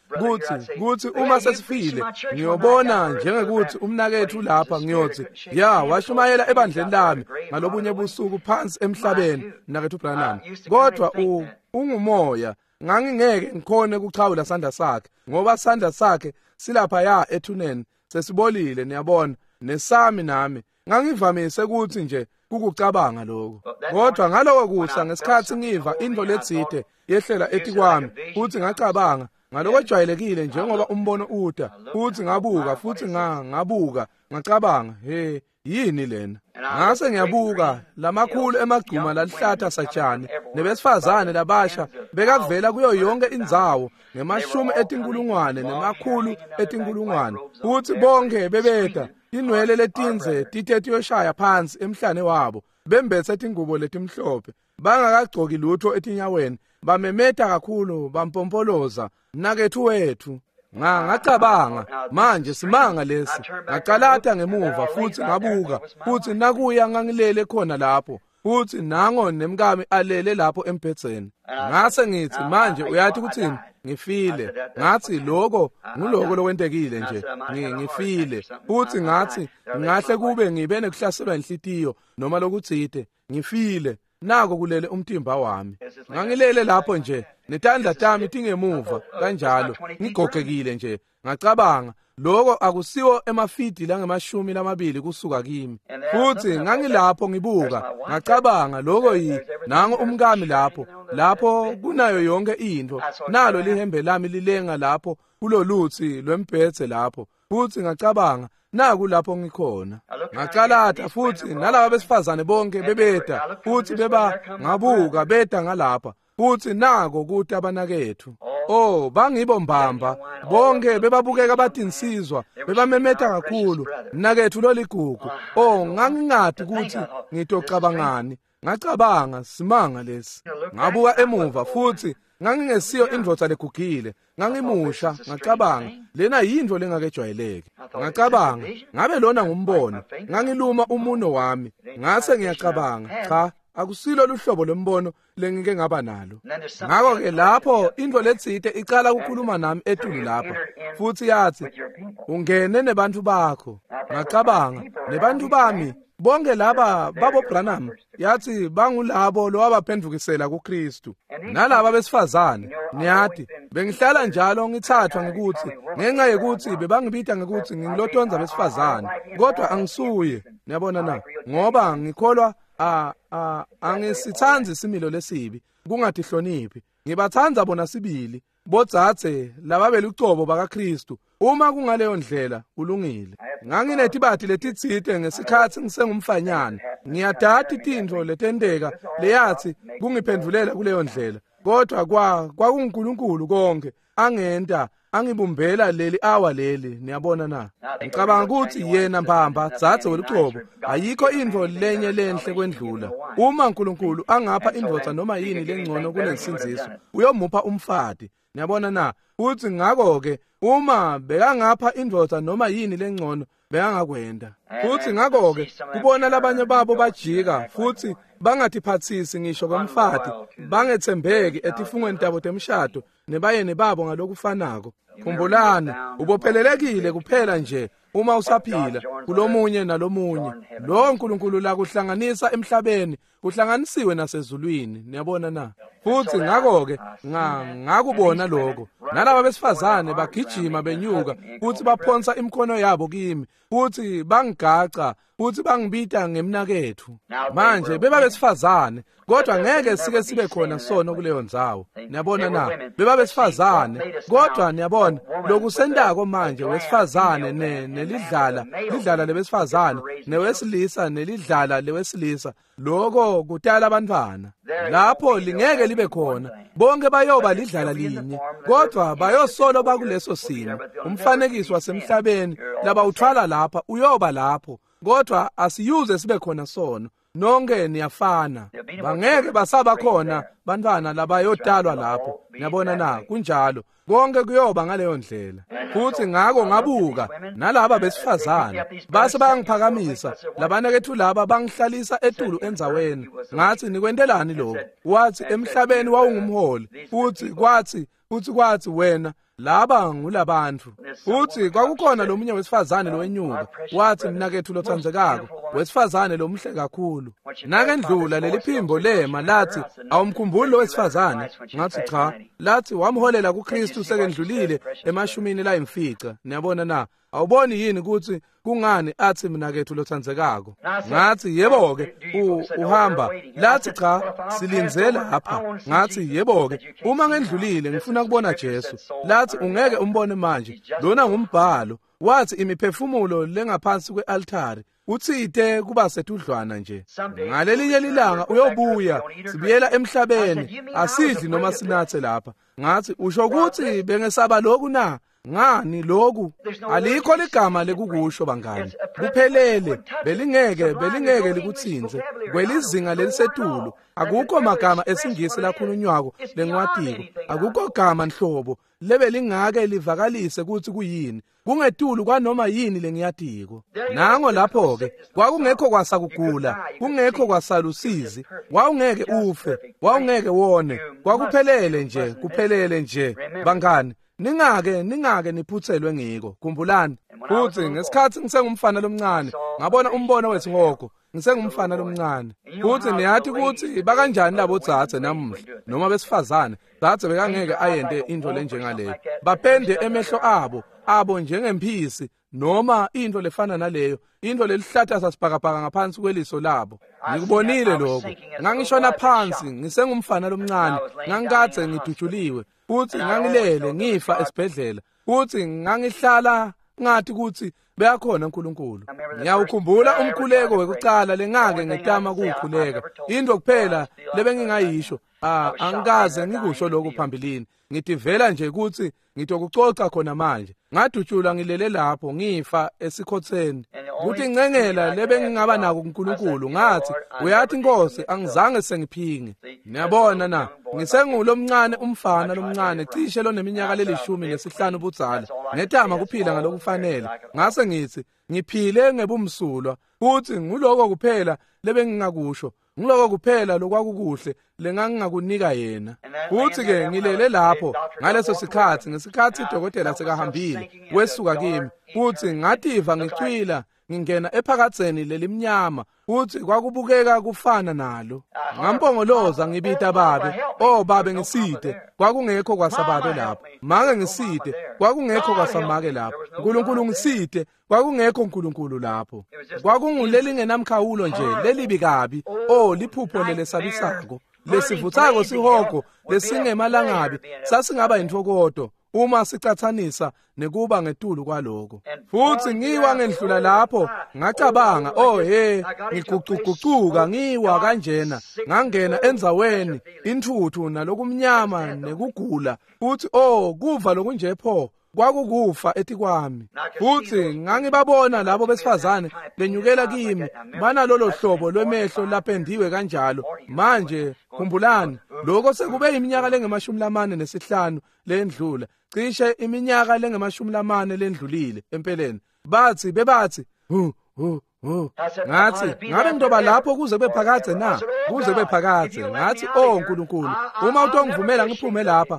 kuthi uma sesifile ngiyobona njengekuthi umnakethu lapha, ngiyothi ya washumayela ebandleni lami ngalobunye busuku phansi emhlabeni, mnakethu Branham, kodwa ungumoya. Ngangingeke ngikhone kuchawula sandla sakhe, ngoba sandla sakhe silapha ya ethuneni sesibolile, niyabona, nesami nami. Ngangivamise ukuthi nje kukucabanga lokho. Kodwa ngaloko kusa ngesikhathi ngiva into letsite yehlela etikwami, futhi ngacabanga ngaloko ejwayelekile njengoba umbono uta, futhi ngabuka futhi ngabuka ngacabanga, he, yini lena? Ngase ngiyabuka lamakhulu emagcuma lalihlata satshani nebesifazane labasha bekavela kuyo yonke indzawo ngemashumi etinkulungwane nemakhulu etinkulungwane, futhi bonke bebeda tinwele letinze tite tiyoshaya phansi emhlane wabo, bembethe tingubo letimhlophe, bangakagcoki lutho etinyaweni, bamemeta kakhulu, bampompoloza, mnakethu wethu. Ngacabanga, manje simanga lesi. Ngacalata ngemuva futhi ngabuka, futhi nakuya ngangilele khona lapho. Futhi nango nemkami alele lapho embhedzeni. Ngase ngithi, manje uyathi kuthini? Ngifile. Ngathi lokho nguloko lokwentekile nje. Ngifile. Futhi ngathi ngahle kube ngibe nekuhlaselwa inhlitiyo noma lokutsite. Ngifile. Nako kulele umtimba wami. Ngangilele lapho nje netandla tami tingemuva kanjalo, ngigogekile nje. Ngacabanga, lokho akusiwo emafidi langemashumi lamabili kusuka kimi. Futhi ngangilapho ngibuka, ngacabanga lokho yi nango umkami lapho, lapho kunayo yonke into, nalo lihembe lami lilenga lapho kuloluthi lwembhedze lapho. Futhi ngacabanga, naku lapho ngikhona. Ngacalata futhi nalaba besifazane bonke bebeda, futhi beba ngabuka beda ngalapha. Futhi nako kuthi abanakethu. Oh, bangibo mbamba. Bonke bebabukeka batinsizwa, bebamemeta kakhulu. Mnakethu loligugu. Oh, ngangingadi ukuthi ngitocabangani. Ngacabanga simanga lesi. Ngabuka emuva futhi ngangingesiyo indvodza legugile. Ngangimusha, ngacabanga lena yinto lengakejwayeleki. Ngacabanga ngabe lona ngumbono. Ngangiluma umuno wami. Ngase ngiyacabanga, cha, akusilo luhlobo lombono lengike ngaba nalo. Ngakho-ke lapho into letsite icala ukukhuluma nami etulu lapha, futhi yathi, ungene nebantu bakho. Ngacabanga, nebantu bami bonke laba babo Branham, yathi bangulabo lowabaphendukisela kuKristu. Nalaba besifazane, niyathi bengihlala njalo ngithathwa ngikuthi ngenxa yekuthi bebangibita ngekuthi ngingilotonza besifazane, kodwa angisuye. Niyabona na? Ngoba ngikholwa angisithandi isimilo lesibi, kungatihloniphi. Ngibathanda bona sibili bodzadze laba belucobo bakaKristu. Uma kungaleyo ndlela kulungile. Nganginetibati letitsite ngesikhathi ngisengumfanyana. Ngiyadati tintfo letenteka leyathi kungiphendulela kuleyo ndlela, kodwa kwakunguNkulunkulu konke angenta angibumbela leli awa leli. Niyabona na? Ngicabanga ukuthi yena mbamba dzadze welucobo ayikho intfo lenye lenhle kwendlula. Uma uNkulunkulu angapha indvodza noma yini lengcono kunensindziso, uyomupha umfati. Niyabona na? Futhi ngakho-ke uma bekangapha indvodza noma yini lengcono, bekangakwenda. Futhi ngakho-ke kubona labanye babo bajika futhi bangatiphathisi ngisho kwemfati, bangethembeki etifungweni tabo temshado nebayeni babo ngalokufanako. Khumbulani, ubophelelekile kuphela nje uma usaphila kulomunye nalomunye. Lo uNkulunkulu lakuhlanganisa emhlabeni kuhlanganisiwe nasezulwini. Niyabona na? Futhi ngakho-ke ngakubona lokho. Nalaba besifazane bagijima benyuka futhi baphonsa imikhono yabo kimi, futhi bangigaca futhi bangibita ngemnakethu. Manje beba besifazane, kodwa ngeke sike sibe khona sono kuleyo ndzawo. Niyabona na? Beba besifazane, kodwa niyabona lokusentako manje wesifazane nelidlala, lidlala lebesifazane, newesilisa nelidlala lewesilisa, lokho kutala abantwana. Lapho lingeke libe khona, bonke bayoba lidlala linye, kodwa bayosolo bakuleso simo. Umfanekiso wasemhlabeni labawuthwala lapha uyoba lapho, kodwa asiyuze sibe khona sono. Nonke niyafana, bangeke basaba khona bantwana labayotalwa lapho. Niyabona na? Kunjalo, konke kuyoba ngaleyo ndlela. Futhi ngako ngabuka nalaba besifazane base bayangiphakamisa, labanakethu laba bangihlalisa etulu endzaweni. Ngathi, nikwentelani lokho? Wathi, emhlabeni wawungumholi, futhi kwathi wena laba ngulabantu. Futhi kwakukhona lomunye wesifazane lowenyuka, wathi, mnakethu lothandzekako, wesifazane lomuhle kakhulu. Nakendlula leli phimbo lema lathi, awumkhumbuli lo wesifazane? Ngathi, cha. Lathi, wamholela kuKristu sekendlulile emashumini layimfica. Niyabona na? Awuboni yini ukuthi kungani athi mnakethu lothandzekako? Ngathi, yebo-ke, uhamba. Lathi, cha, silinze lapha. Ngathi, yebo-ke, uma ngendlulile ngifuna kubona Jesu. Lathi, ungeke umbone manje, lona ngumbhalo. Wathi, imiphefumulo lengaphansi kwe-altari utsite kuba setudlwana nje. Ngalelinye lilanga uyobuya, sibuyela emhlabeni, asidli noma sinathe lapha. Ngathi, usho ukuthi bengesaba lokhu na? Ngani lokhu alikho ligama lekukusho bangani. Kuphelele, belingeke likutsintse kwelizinga lelisetulu. Akukho magama esingisi lakhulunywako lengiwatiko. Akukho gama nhlobo lebelingake livakalise kutsi kuyini. Kungetulu kwanoma yini lengiyatiko. Nango lapho ke kwakungekho kwasakugula, kungekho kwasalusizi, wawungeke ufe, wawungeke wone. Kwakuphelele nje, kuphelele nje bangani. Ningake niphutselwe ngiko. Khumbulani. Futhi ngesikhathi ngisengumfana lomncane ngabona umbono wesihogo. Ngisengumfana lomncane. Futhi niyathi ukuthi bakanjani labo dzadze namuhla noma besifazane. Dzadze bekangeke ayente into lenjengaleyo. Bapende emehlo abo njengemphisi noma into lefana naleyo, into lelihlahla sasibhakabhaka ngaphansi kweliso labo. Ngikubonile lokho. Ngangishona phansi ngisengumfana lomncane, ngangikadze ngidutshuliwe futhi ngangilele ngifa esibhedlela. Futhi ngangihlala ngathi ukuthi beyakhona uNkulunkulu. Ngiyawukhumbula umkhuleko wekucala lengake ngetama kuwukhuleka. Into kuphela lebengingayisho, angikaze ngikusho lokhu phambilini. Ngitivela nje ukuthi ngitokucoca khona manje. Ngadutshulwa ngilele lapho ngifa esikhotheni. Kuthi ngcengela lebengingaba nako kuNkulunkulu, ngathi uyathi Nkosi angizange sengiphinge. Niyabona na, ngisengulomncane umfana lomncane cishe loneminyaka leli-15 ubudzala. Ngetama kuphila ngalokufanele. Ngase ngithi ngiphile ngebumsulwa, futhi nguloko kuphela lebengingakusho. Ngiloko kuphela lokwakukuhle lengangingakunika yena. Futhi ke ngilele lapho ngaleso sikhathi, ngesikhathi idokotela sekahambile wesuka kimi, futhi ngativa ngicwila ngingena ephakatheni lelimnyama, futhi kwakubukeka kufana nalo. Ngampongoloza ngibita babe, oh babe ngiside. Kwakungekho kwasababe lapho. Make ngiside. Kwakungekho kwasamake lapho. uNkulunkulu ngiside. Kwakungekho uNkulunkulu lapho. Kwakungulelingenamkhawulo nje lelibi kabi. Oh liphupho lelesabisako, lesivuthako sihogo lesingemalangabi sasingaba intokodo uma sicathanisa nekuba ngetulu kwaloko. Futhi ngiwa ngendlula lapho ngacabanga, oh he, ngigucugucuka ngiwa kanjena, ngangena endzaweni intuthu nalokumnyama nekugula. Futhi oh kuva lokunje pho kwakukufa etikwami. Futhi ngangibabona labo besifazane benyukela kimi banalolo hlobo lwemehlo lapendiwe kanjalo. Manje khumbulani lokho sekube iminyaka lengama-45 lendlula, cishe iminyaka lengama-40 lendlulile empeleni. Bathi bebathi hu hu hu. Ngathi ngabe ngidoba lapho kuze kube phakadze na? Kuze kube phakadze. Ngathi oh uNkulunkulu, uma utongivumela ngiphume lapha,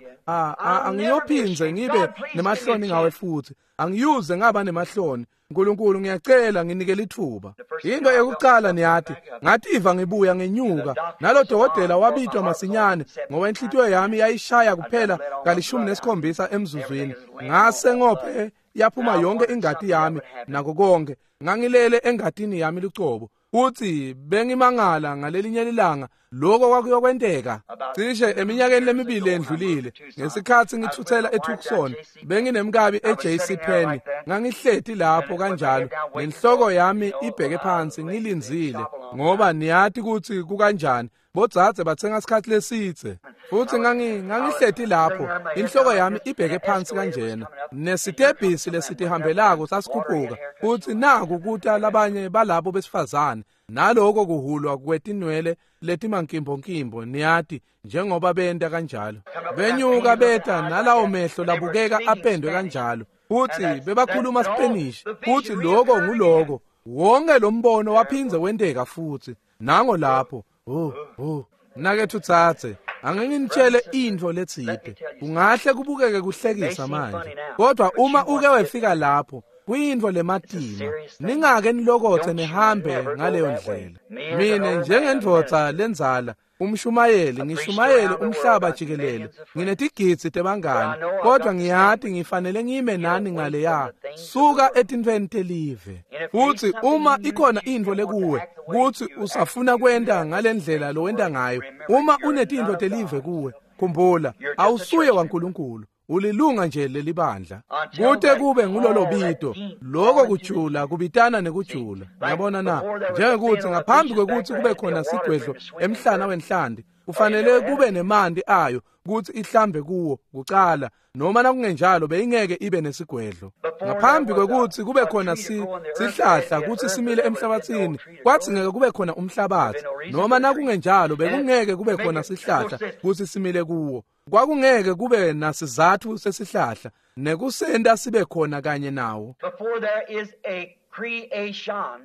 angiyophinze ngibe nemahloni ngawe futhi. Angiyuze ngaba nemahloni. uNkulunkulu ngiyacela nginike lithuba. Into yokucala niyathi, ngativa ngibuya ngenyuka. Nalo dokotela wabitwa masinyane ngoba inhlitiyo yami yayishaya kuphela ka-17 emzuzwini. Ngase ngophe yaphuma yonke ingati yami nako konke. Ngangilele engatini yami lucobo. Futhi bengimangala ngalelinye ilanga lokho kwakuyokwenteka. Cishe eminyakeni lemibili endlulile ngesikhathi ngithuthela eTucson, benginemkabi eJC Penney. Ngangihleti lapho kanjalo nenhloko yami ibheke phansi ngilindzile, ngoba niyathi ukuthi kukanjani bodzadze bathenga isikhathi lesitse. Futhi ngangihleti lapho inhloko yami ibheke phansi kanjena, nesitebhisi lesitihambelako sasikhuphuka. Futhi naku kuta labanye balabo besifazane naloko kuhulwa kwetinwele letimankimbonkimbo, niyati njengoba benta kanjalo. Benyuka beta nalawo mehlo labukeka apendwe kanjalo. Futhi bebakhuluma Spanish. Futhi lokho nguloko wonke lo mbono waphindze wenteka futhi. Nango lapho. Oh oh nakethu tsatse, anginitshele into letsite. Kungahle kubukeke kuhlekisa manje, kodwa uma uke wefika lapho kuyinto lematima. Ningake nilokothe nihambe ngaleyo ndlela. Mina njengendvodza lenzala, umshumayeli, ngishumayele umhlaba jikelele, nginetigidzi tebangani, kodwa ngiyati ngifanele ngime nani ngaleya. Suka etintfweni telive. Futhi uma ikhona intfo lekuwe kuthi usafuna kwenta ngalendlela lowenta ngayo, uma unetintfo telive kuwe, khumbula awusuye waNkulunkulu. Ulilunga nje lelibandla. Kute kube ngulolo bito, lokho kujula kubitana nekujula. Ngiyabona na, njengekuthi ngaphambi kwekuthi kube khona sigwedlo emhlana wenhlandi, Kufanele kube nemanti ayo kutsi ihlambe kuwo kucala, noma nakungenjalo beyingeke ibe nesigwedlo. Ngaphambi kwekutsi kube khona sihlahla kutsi simile emhlabatsini, kwadzingeka kube khona umhlabatsi, noma nakungenjalo bekungeke kube khona sihlahla kutsi simile kuwo. Kwakungeke kube nasizatfu sesihlahla nekusenta sibe khona kanye nawo.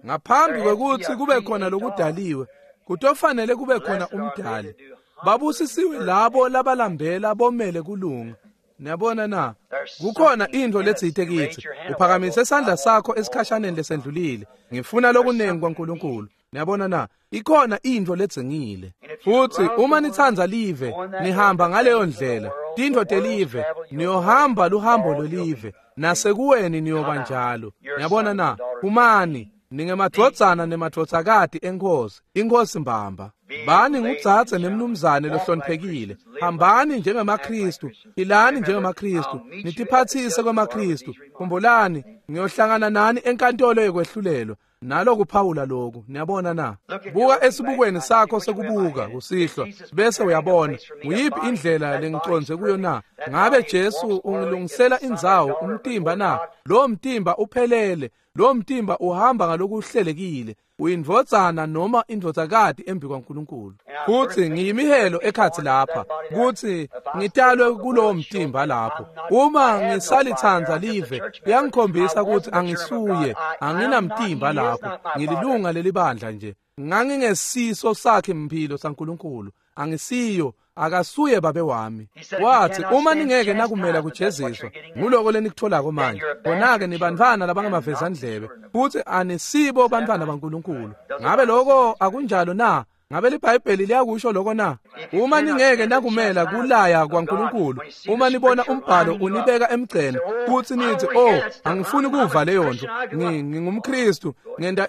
Ngaphambi kwekutsi kube khona lokudaliwe, kutofanele kube khona umdali. Babusisiwe labo labalambela bomele kulunga. Niyabona na? Kukhona intfo letsite kitsi. Uphakamise sandla sakho esikhashaneni lesendlulile. Ngifuna lokunengi kwaNkulunkulu. Niyabona na? Ikhona intfo ledzingile. Futsi uma nitsandza live, nihamba ngaleyo ndlela. Tintfo telive, niyohamba luhambo lwelive. Nasekuweni niyoba njalo. Niyabona na? Phumani, ningemadvodzana nemadvodzakati eNkhosi, iNkhosi mbamba. Bani ngudzadze nemnumzane lohloniphekile. Hambani njengemaKhristu, philani njengemaKhristu, nitiphatsise kwemaKhristu. Khumbulani, ngiyohlangana nani enkantolo yekwehlulelwa. Nalokuphawula lokhu, niyabona na? Buka esibukweni sakho sekubuka kusihlwa, bese uyabona nguyiphi indlela lengicondze kuyo na? Ngabe Jesu ungilungisela indzawo umtimba na? Lo mtimba uphelele, lo mtimba uhamba ngalokuhlelekile. Uyindvodzana noma indvodzakati embi kwaNkulunkulu. Futsi ngiyimihelo ekhatsi lapha kutsi ngitalwe kulowo mtimba lapho. Uma ngisalitsandza live, kuyangikhombisa kutsi angisuye, anginamtimba lapho. Ngililunga lelibandla nje. Ngangingesiso sakhe mphilo saNkulunkulu. Angisiyo, akasuye babe wami. Wathi uma ningeke nakumela kujeziswa, nguloko lenikutholako manje. Khona-ke nibantfwana labangamavezandlebe, futsi anisibo bantfwana baNkulunkulu. Ngabe loko akunjalo na? Ngabe liBhayibheli liyakusho loko na? Uma ningeke nakumela kulaya kwaNkulunkulu, uma nibona umbhalo unibeka emgceni, futsi nithi, "Oh, angifuni kuva leyo nto. NgingumKristu, ngenta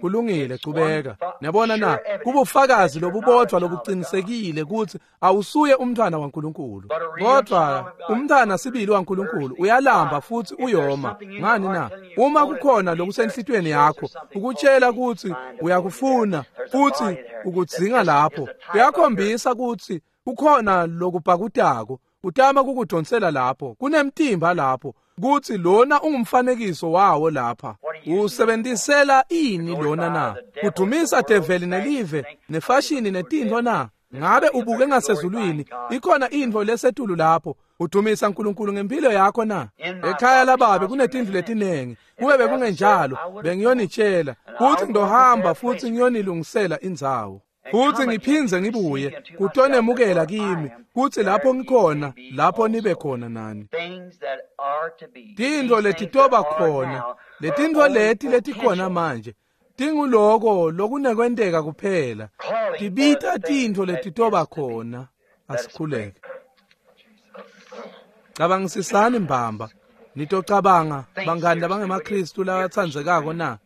kulungile, chubeka." Niyabona na? Kubufakazi lobubodvwa lobuqinisekile kutsi awusuye umntwana waNkulunkulu. Kodwa umntwana sibili waNkulunkulu uyalamba futhi uyoma. Ngani na? Uma kukhona lokusenhlitiyweni yakho, ukutshela kutsi uyakufuna futhi ukudzinga lapho, kuyakhombisa kutsi kukhona lokubhakutako, utama kukudonsela lapho. Kunemtimba lapho kutsi lona ungumfanekiso wawo lapha. Usebentisela ini lona na? Kudumisa develi nelive nefashini netintfo na? Ngabe ubuke ngasezulwini, ikhona intfo lesetulu lapho. Udumisa uNkulunkulu ngempilo yakho na? Ekhaya lababe kunetindlu letinengi. Kube bekungenjalo, bengiyonitshela kutsi ngizohamba futhi ngiyonilungisela indzawo. Futhi ngiphindze ngibuye kutonemukela kimi, kutsi lapho ngikhona, lapho nibe khona nani. Tintfo letitoba khona, letintfo leti letikhona manje, tinguloko lokunekwenteka kuphela. Tibita tintfo letitoba khona. Asikhuleke. Cabangisisani mbamba. Nitocabanga bangani labangemaKhristu labatsandzekako na?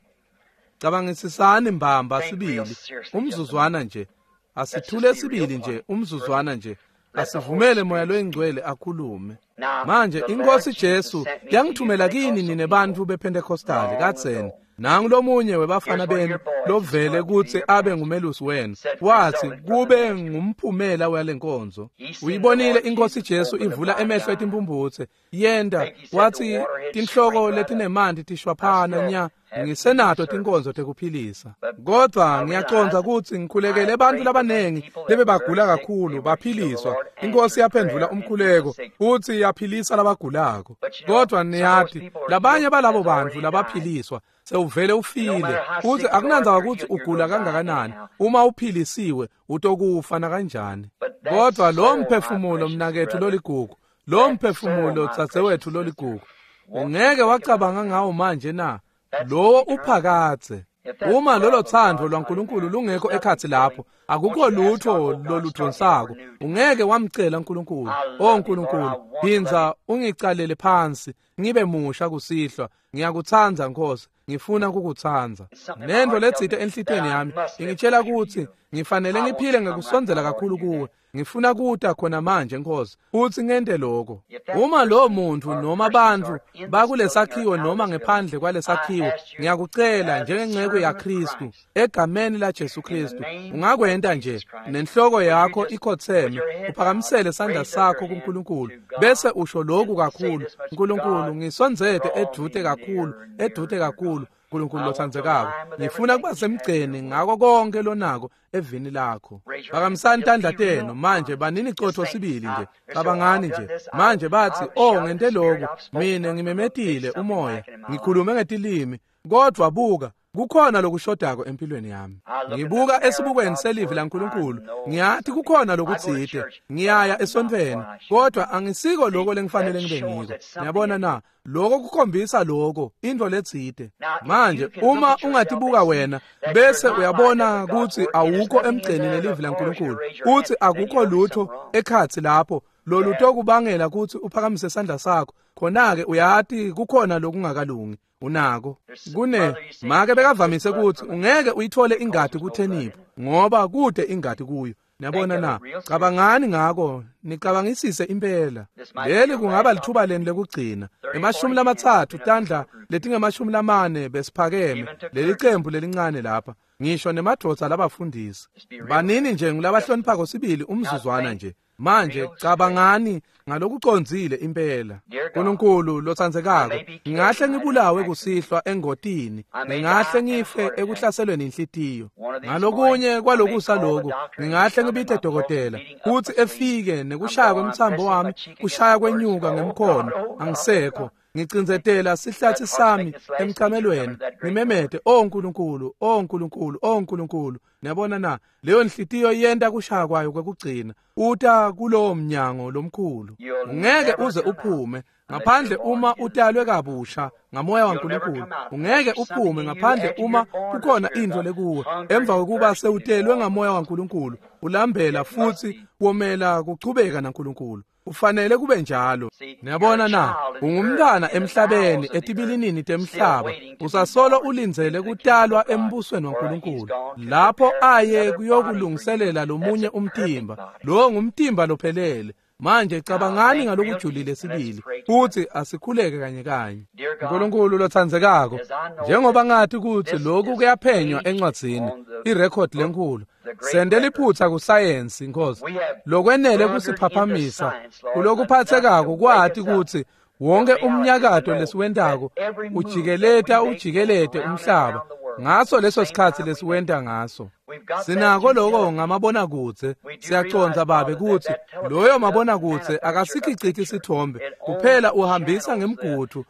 Cabangisisani mbamba sibili, umzuzwana nje. Asithule sibili nje, umzuzwana nje. Asivumele Moya loyiNgcwele akhulume. Manje iNkhosi Jesu yangithumela kini nine bantfu bePentecostali kadzeni. Nangu lomunye webafana benu lovele kutsi abe ngumelusi wenu. Wathi kube ngumphumela walenkonzo. Uyibonile iNkhosi Jesu ivula emehlo etimphumphutse. Yenta wathi tinhloko letinemanti tishwaphana nya. Ngisenato tinkonzo tekuphilisa. Kodwa ngiyacondza kutsi ngikhulekele bantfu labanengi lebebagula kakhulu baphiliswa. Inkosi yaphendvula umkhuleko futsi yaphilisa labagulako. Kodwa niyati, labanye balabo bantfu labaphiliswa sewuvele ufile, futsi akunandzaba kutsi ugula kangakanani, uma uphilisiwe utokufa nakanjani. Kodwa lo mphefumulo mnaketfu loligugu, lo mphefumulo dzadzewetfu loligugu, ungeke wacabanga ngawo manje na? Lowo uphakadze. Uma lolo thando lwaNkulunkulu lungekho ekhatsi lapho, akukho lutho loludvonsako. Ungeke wamcela uNkulunkulu, "Oh Nkulunkulu, phindza ungicalele phansi, ngibe musha kusihlwa. Ngiyakutsandza Nkosi, ngifuna kukutsandza." Nento letsite enhlitiyweni yami ingitshela kutsi ngifanele ngiphile ngekusondzela kakhulu kuwe. Ngifuna kuta khona manje Nkosi, futsi ngente lokho. Uma lo muntu noma bantfu bakulesakhiwo noma ngephandle kwalesakhiwo, ngiyakucela njengenceku yaKristu, egameni la Jesu Kristu, ungakwenta Ungenta nje nenhloko yakho ikhotseme, uphakamisele sandla sakho kuNkulunkulu, bese usho lokhu kakhulu: Nkulunkulu, ngisondzete edvute kakhulu, edvute kakhulu. Nkulunkulu lotsandzekako, ngifuna kuba semgceni ngako konke lonako evini lakho. Phakamisani tandla tenu manje, banini cotfo sibili nje, cabangani nje manje. Bathi, oh, ngente lokhu, mina ngimemetile umoya, ngikhulume ngetilimi, kodvwa buka, kukhona lokushodako empilweni yami. Ngibuka esibukweni selivi laNkulunkulu, ngiyathi kukhona lokutsite. Ngiyaya esontfweni, kodwa angisiko lokho lengifanele ngibe ngiko. Niyabona na? Lokho kukhombisa lokho intfo letsite. Manje uma ungatibuka wena bese uyabona kutsi awukho emgceni nelivi laNkulunkulu, uthi akukho lutho ekhatsi lapho lolutokubangela kutsi uphakamise sandla sakho, khona-ke uyati kukhona lokungakalungi. Unako kune make bekavamise kutsi ungeke uyithole ingati kutheniphu ngoba kude ingati kuyo. Niyabona na? Cabangani ngako, nicabangisise impela. Leli kungaba lithuba leni lekugcina. 30 tandla letinge-40 besiphakeme leli cembu lelincane lapha, ngisho nemadvodza labafundisi. Banini nje ngulabahloniphako sibili umzuzwana nje. Manje cabangani ngalokucondzile impela. Nkulunkulu lotsandzekako, ngingahle ngibulawe kusihlwa engotini, ngingahle ngife ekuhlaselweni inhlitiyo. Ngalokunye kwalokusa lokhu, ngingahle ngibite dokotela kutsi efike nekushaya kwemtsambo wami kushaya kwenyuka ngemkhono, angisekho. Ngicindzetela sihlathi sami emcamelweni, ngimemete, "Oh Nkulunkulu, oh Nkulunkulu, oh Nkulunkulu." Niyabona na? Leyo nhlitiyo yenta kushaya kwayo kwekugcina. Uta kulowo mnyango lomkhulu, ungeke uze uphume ngaphandle uma utalwe kabusha ngamoya waNkulunkulu. Ungeke uphume ngaphandle uma kukhona intfo lekuwe emva kokuba sewutelwe ngamoya waNkulunkulu, ulambela futsi womela kuchubeka naNkulunkulu. Ufanele kube njalo. Niyabona na? Ungumntwana emhlabeni, etibilinini temhlaba, usasolo ulindzele kutalwa embusweni waNkulunkulu, lapho aye kuyokulungiselela lomunye umtimba. Lowo ngumtimba lophelele. Manje cabangani ngalokujulile sibili, futhi asikhuleke kanye kanye. Nkulunkulu lotsandzekako, njengoba ngathi kutsi lokhu kuyaphenywa encwadzini, irekhodi lenkhulu, sente liphutsa kusayensi, Nkosi, lokwenele kusiphaphamisa kulokuphathekako kwati kutsi wonke umnyakato lesiwentako ujikeleta ujikelete umhlaba ngaso leso sikhatsi lesiwenta ngaso. Sinako lokho ngamabonakudze. Siyaconza Babe kutsi loyo mabonakudze akasikhiciti sithombe kuphela, uhambisa ngemgudu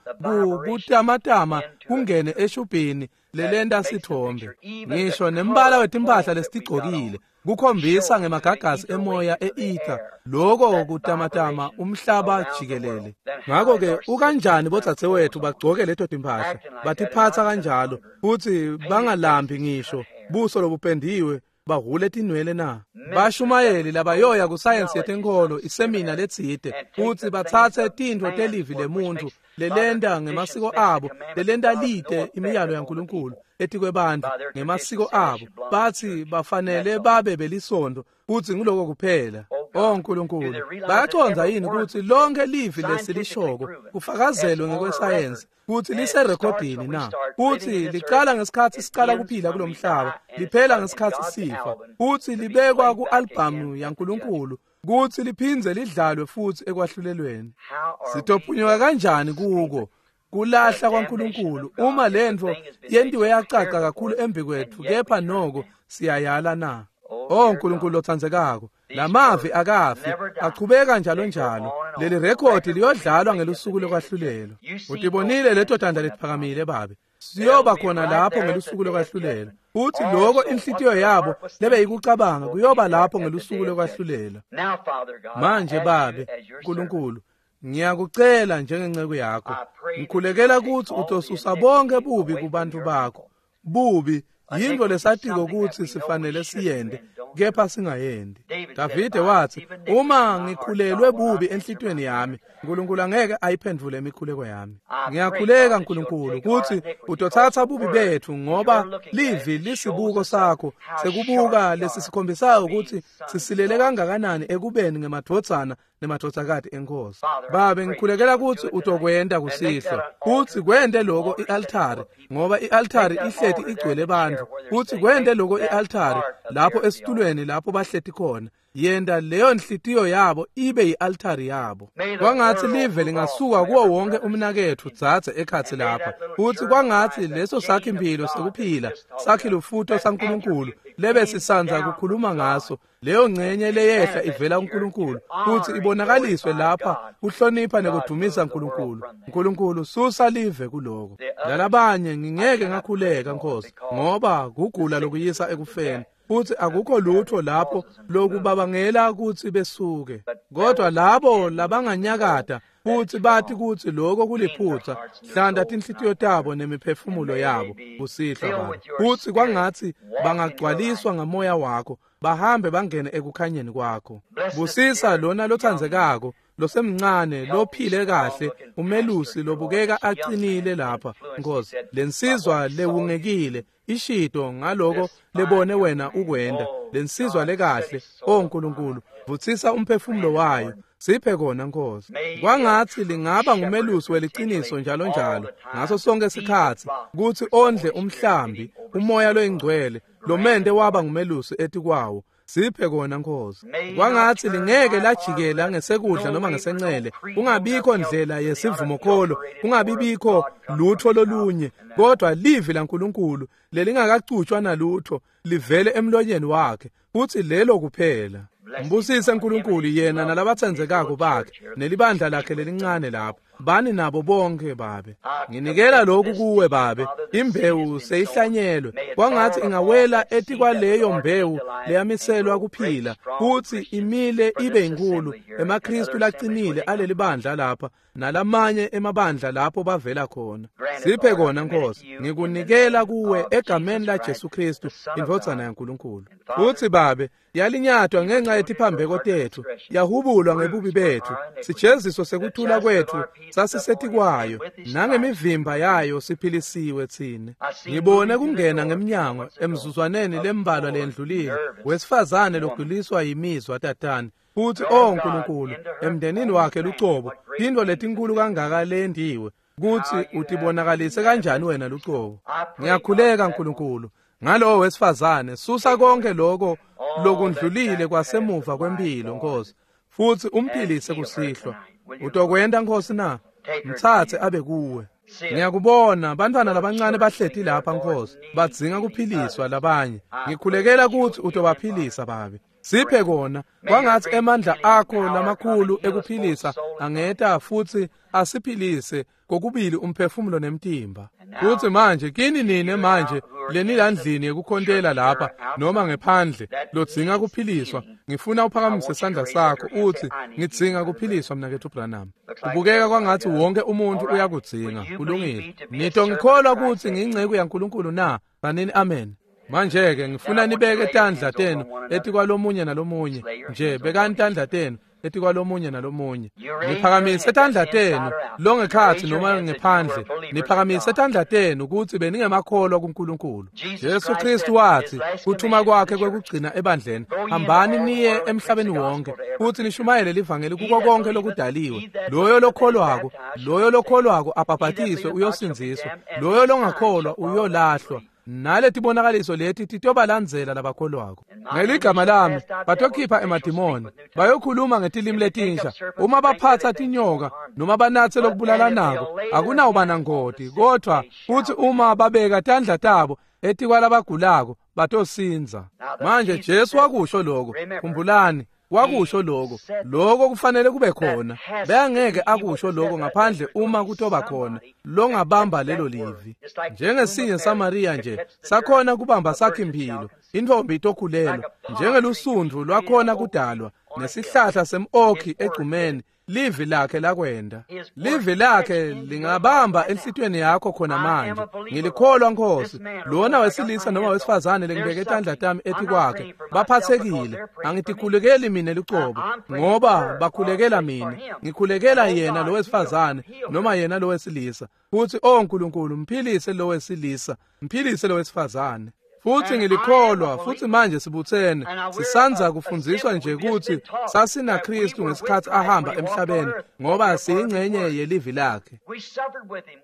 kutamatama kungene eshubhini lelenta sithombe. Ngisho nembala wetimpahla lesitigcokile kukhombisa ngemagagasi emoya e-ether, loko kutamatama umhlaba jikelele. Ngakho-ke ukanjani bodzadzewethu bagcoke leto timpahla, batiphatsa kanjalo, futsi bangalambi ngisho, buso lobupendiwe, bahhule tinwele na? Bashumayeli labayoya kusayensi yetenkholo isemina letsite, futsi batsatse tintfo telivi lemuntfu lelenta ngemasiko abo, lelenta lite imiyalo yaNkulunkulu etikwebantfu ngemasiko abo, bathi bafanele babe belisondo, futsi nguloko kuphela. Oh Nkulunkulu, bayacondza yini kutsi lonke livi lesilishoko kufakazelwe ngekwesayensi kutsi liserekhodini na? Kutsi licala ngesikhatsi sicala kuphila kulomhlaba, liphela ngesikhatsi sifa, kutsi libekwa ku-albhamu yaNkulunkulu, kutsi liphindze lidlalwe futsi ekwahlulelweni. Sitophunyuka kanjani kuko kulahla kwaNkulunkulu uma lentfo yentiwe yacaca kakhulu embi kwetfu, kepha noko siyayala na? Oh Nkulunkulu lotsandzekako, lamavi akafi, achubeka njalo njalo. Leli rekhodi liyodlalwa ngelusuku lokwahlulelwa. Utibonile leto tandla letiphakamile Babe. Siyoba khona lapho ngelusuku lokwahlulelwa. Futhi lokho inhlitiyo yabo lebeyikucabanga kuyoba lapho ngelusuku lokwahlulelwa. Manje Babe, Nkulunkulu, ngiyakucela njengenceku yakho, ngikhulekela kutsi utosusa bonke bubi kubantu bakho. Bubi yintfo lesatiko kutsi sifanele siyente, kepha singayendi. Davide watsi, uma ngikhulelwe bubi enhlitiyweni yami, Nkulunkulu angeke ayiphendvule imikhuleko yami. Ngiyakhuleka Nkulunkulu kutsi utotsatsa bubi betfu, ngoba livi lisibuko sakho sekubuka lesisikhombisayo kutsi sisilele kangakanani ekubeni ngemadvodzana nemadvodzakati eNkhosi. Babe, ngikhulekela kutsi utokwenta kusihlwa, kutsi kwente loko i-altari, ngoba i-altari ihleti igcwele bantfu, kutsi kwente loko i-altari lapho esitulweni lapho bahleti khona. Yenta leyo nhlitiyo yabo ibe yi-altari yabo. Kwangatsi live lingasuka kuwo wonke umnaketfu dzadze ekhatsi lapha, futsi kwangatsi leso sakhi-mphilo sekuphila, sakhi-lufuto saNkulunkulu lebe sisandza kukhuluma ngaso, leyo ngcenye leyehla ivela kuNkulunkulu, kutsi ibonakaliswe lapha kuhlonipha nekudumisa Nkulunkulu. Nkulunkulu, susa live kuloko. Lalabanye ngingeke ngakhuleka, Nkosi, ngoba kugula lokuyisa ekufeni, futhi akukho lutho lapho lokubabangela kutsi besuke. Kodwa labo labanganyakata futhi bathi kutsi lokho kuliphutsa, hlanta tinhlitiyo tabo nemiphefumulo yabo kusihlwa, Baba, kutsi kwangatsi bangagcwaliswa ngamoya wakho, bahambe bangene ekukhanyeni kwakho. Busisa lona lotsandzekako, losemncane, lophile kahle, umelusi lobukeka acinile lapha, Nkosi, lensizwa lewungekile ishito ngaloko lebone wena ukwenda, lensizwa lekahle. O Nkulunkulu, vutsisa umphefumulo wayo, siphe kona, Nkosi. Kwangatsi lingaba ngumelusi weliciniso njalo njalo ngaso sonke sikhatsi, kutsi ondle umhlambi umoya loyingcwele lomente waba ngumelusi etikwawo. Siphe kona, Nkosi. Kwangatsi lingeke lajikela ngesekudla noma ngesencele, kungabikho ndlela yesivumokholo, kungabibikho lutho lolunye, kodwa livi laNkulunkulu lelingakacutshwa nalutho livele emlonyeni wakhe, kutsi lelo kuphela. Mbusise Nkulunkulu yena nalabatsandzekako bakhe nelibandla lakhe lelincane lapho. Bani nabo bonke, Babe. Nginikela lokhu kuwe, Babe. Imbewu seyihlanyelwe, kwangatsi ingawela etikwaleyo mbewu leyamiselwa kuphila, kutsi imile ibe inkulu emaKristu lacinile aleli bandla lapha nalamanye emabandla lapho bavela khona. Siphe kona, Nkosi. Ngikunikela kuwe egameni la Jesu Kristu, indvodzana yaNkulunkulu. Futsi Babe, yalinyatwa ngenxa yetiphambeko tetfu, yahubulwa ngebubi betfu, sijeziso sekuthula kwetfu sasisetikwayo, nangemivimba yayo siphilisiwe tsine. Ngibone kungena ngemnyango emzuzwaneni lembalwa lendlulile, wesifazane loguliswa yimizwa tatane, futhi o Nkulunkulu, emndenini wakhe lucobo, tintfo letinkulu kangaka lendiwe, kutsi utibonakalise kanjani wena lucobo. Ngiyakhuleka Nkulunkulu ngalowo wesifazane, susa konke lokho lokundlulile kwasemuva kwempilo, Nkosi, futhi umphilise kusihlwa. Utokwenta, Nkosi na? Mtsatse abe kuwe. Ngiyakubona bantwana labancane bahleti lapha, Nkosi, badzinga kuphiliswa labanye. Ngikhulekela kutsi utobaphilisa, Babe. Siphe kona. Kwangatsi emandla akho lamakhulu ekuphilisa angeta futhi asiphilise kokubili umphefumulo nemtimba. Futhi manje kini nine manje lenilandlini yekukhontela lapha noma ngephandle lodzinga kuphiliswa, ngifuna uphakamise sandla sakho uthi, ngidzinga kuphiliswa, mnaketfu Branham. Kubukeka kwangatsi wonke umuntu uyakudzinga. Kulungile. Nitongikholwa kutsi ngiyinceku yaNkulunkulu na? Banini amen. Manje-ke ngifuna nibeke tandla tenu etikwalomunye nalomunye nje, bekani tandla tenu etikwalomunye nalomunye. Niphakamise tandla tenu longekhatsi noma ngephandle, niphakamise tandla tenu kutsi beningemakholwa kuNkulunkulu. Jesu Kristu wathi kuthuma kwakhe kwekugcina ebandleni, hambani niye emhlabeni wonke futhi nishumayele livangeli kuko konke lokudaliwe. Loyo lokholwako, loyo lokholwako abhabhatiswe uyosindziswa, loyo longakholwa uyolahlwa. Naletibonakaliso leti titobalandzela labakholwako. Ngeligama lami batokhipha emadimoni, bayokhuluma ngetilimi letinsha, uma baphatsa tinyoka noma banatse lokubulalanako akunawuba nangoti, kodvwa futhi uma babeka tandla tabo etikwalabagulako batosindza. Manje Jesu wakusho lokho, khumbulani, wakusho lokho, lokho kufanele kube khona. Bengeke akusho lokho ngaphandle uma kutoba khona longabamba lelo livi. Njengesinye Samaria nje sakhona kubamba sakhe impilo, intfombi itokhulelwa, njengelusundvu lwakhona kudalwa nesihlahla sem-okhi egcumeni. Livi lakhe lakwenda. Livi lakhe lingabamba enhlitiyweni yakho khona manje. Ngilikholwa Nkosi. Lona wesilisa noma wesifazane lengibeke tandla tami etikwakhe baphathekile. Angitikhulekeli mina lucobo ngoba bakhulekela mina. Ngikhulekela yena lo wesifazane noma yena lo wesilisa. Futhi oh Nkulunkulu, mphilise lo wesilisa, mphilise lo wesifazane. Futhi ngilikholwa, futhi manje sibuthene sisanza kufundziswa nje ukuthi sasina Kristu ngesikhathi ahamba emhlabeni, ngoba siyingxenye yelivi lakhe.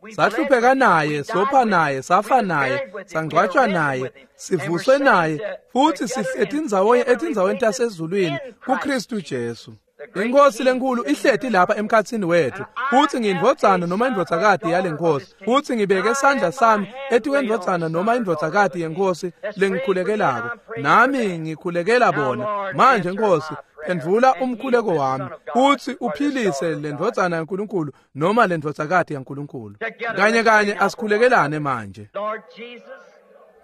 Sahlupheka naye, sopha naye, safa naye, sangcwatshwa naye, sivuswe naye, futhi sihleti ndzawonye etindzaweni tasezulwini kuKristu Jesu. Inkosi lenkulu ihleti lapha emkhatsini wethu, futhi ngiyindvodzana noma indvodzakati yale nkosi, futhi ngibeke sandla sami etikwendvodzana noma indvodzakati yenkosi lengikhulekelako, nami ngikhulekela bona. Manje Nkosi, phendvula umkhuleko wami, futhi uphilise lendvodzana yaNkulunkulu noma lendvodzakati yaNkulunkulu. Kanye kanye asikhulekelane manje.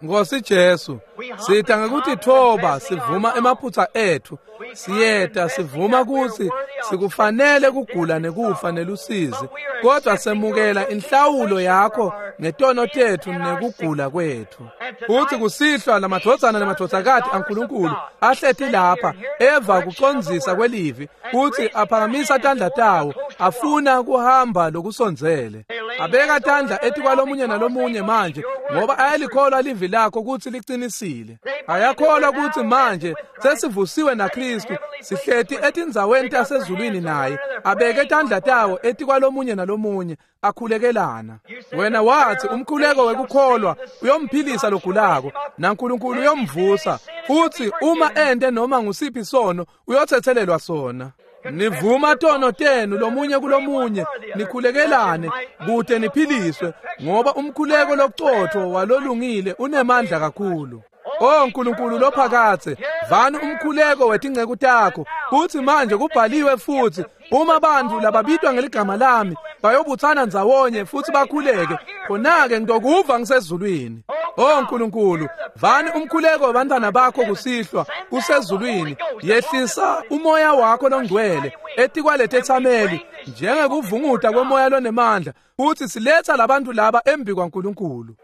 Nkosi Jesu, sita ngekutitfoba sivuma emaphutsa ethu, siyeta sivuma kutsi sikufanele kugula nekufa nelusizi, kodwa semukela inhlawulo yakho ngetono tetfu nekugula kwetfu. Futhi kusihlwa lamadvodzana nemadvodzakati aNkulunkulu ahleti lapha eva kucondzisa kwelivi, futhi aphakamisa tandla tawo afuna kuhamba lokusondzele. Abeka tandla etikwalomunye nalomunye manje, ngoba ayalikholwa livi lakho kutsi liqinisile. Ayakholwa kutsi manje sesivusiwe naKristu, sihleti etindzaweni tasezulwini naye. Abeke tandla tawo etikwalomunye nalomunye, akhulekelana. Wena wathi umkhuleko wekukholwa uyomphilisa logulako, naNkulunkulu uyomvusa, futhi uma ente noma ngusiphi sono uyothethelelwa sona. Nivuma tono tenu lomunye kulomunye, nikhulekelane kute niphiliswe, ngoba umkhuleko locotho walolungile unemandla kakhulu. Oh Nkulunkulu lophakathe, vani umkhuleko wetinceku takho. Futhi manje kubhaliwe futhi, uma bantu lababitwa ngeligama lami bayobuthana ndzawonye futhi bakhuleke, khona-ke ngitokuva ngisezulwini. Oh Nkulunkulu, vani umkhuleko wabantwana bakho kusihlwa kusezulwini. Yehlisa umoya wakho longcwele etikwaletethameli njengekuvunguta kwemoya lonemandla, futhi siletha labantu laba embi kwaNkulunkulu.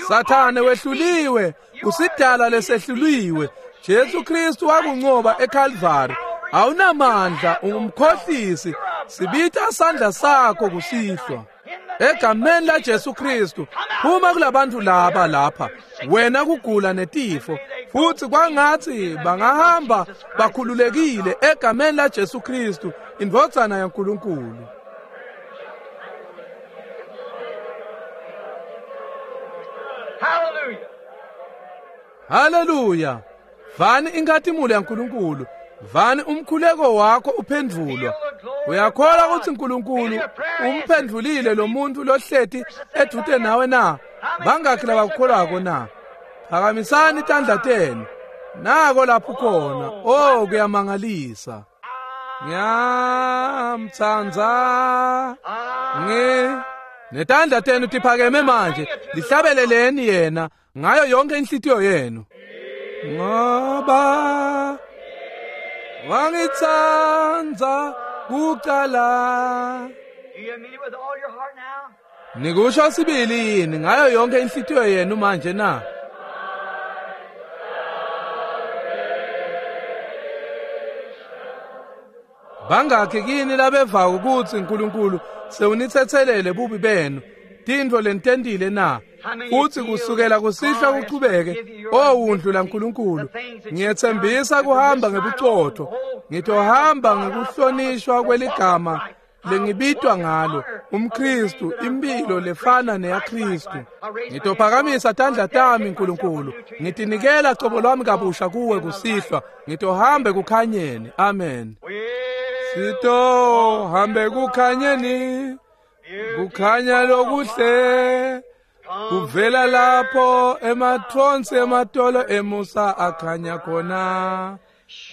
Sathane wehluliwe, usidala lesehluliwe. Jesu Kristu wakunqoba eKalvari. Awunamandla, ungumkhohlisi. Sibita sandla sakho kusihlwa. Egameni la Jesu Kristu, phuma kulabantu laba lapha, wena kugula netifo, futhi kwangathi bangahamba bakhululekile egameni la Jesu Kristu, indvodzana yaNkulunkulu. Hallelujah. Hallelujah. Vani inkhatimulo yaNkulunkulu, vani umkhuleko wakho uphendvulwa. Uyakholwa ukuthi uNkulunkulu umphendvulile lo muntu lohleti edvute nawe na? Bangakhi labakukholwako na? Phakamisani tandla tenu. Nako lapho khona. Oh, kuyamangalisa. Ngiyamtsandza. Netandla tenu tiphakeme manje, lihlabeleleni yena ngayo yonke inhlitiyo yenu. Ngoba wangitsandza kucala. Do you mean it with all your heart now? Nikusho sibili yini ngayo yonke inhlitiyo yenu manje na? Bangakhi kini labeva ukuthi uNkulunkulu sewunithethelele bubi benu, tintfo lenitentile na? Futhi kusukela kusihlwa kuchubeke, owundlu laNkulunkulu, ngiyethembisa kuhamba ngebucotho, ngitohamba ngekuhlonishwa kweligama lengibitwa ngalo, umKristu, impilo lefana neyaKristu. Ngitophakamisa tandla tami Nkulunkulu, ngitinikela cobo lwami kabusha kuwe kusihlwa, ngitohambe kukhanyeni. Amen. Sitohambe kukhanyeni, kukhanya lokuhle, kuvela lapho emathonsi ematolo emusa akhanya khona,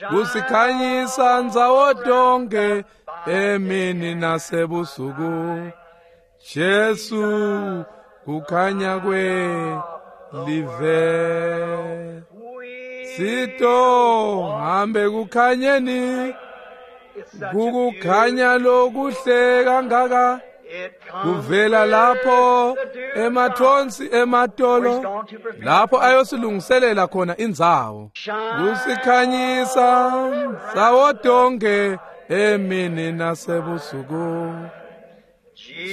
kusikhanyisa ndzawo tonke emini nasebusuku. Jesu kukhanya kwelive. Sitohambe kukhanyeni, Kukukhanya lokuhle kangaka kuvela lapho emathonsi ematolo lapho ayosilungiselela khona indzawo kusikhanyisa ndzawo tonke emini nasebusuku.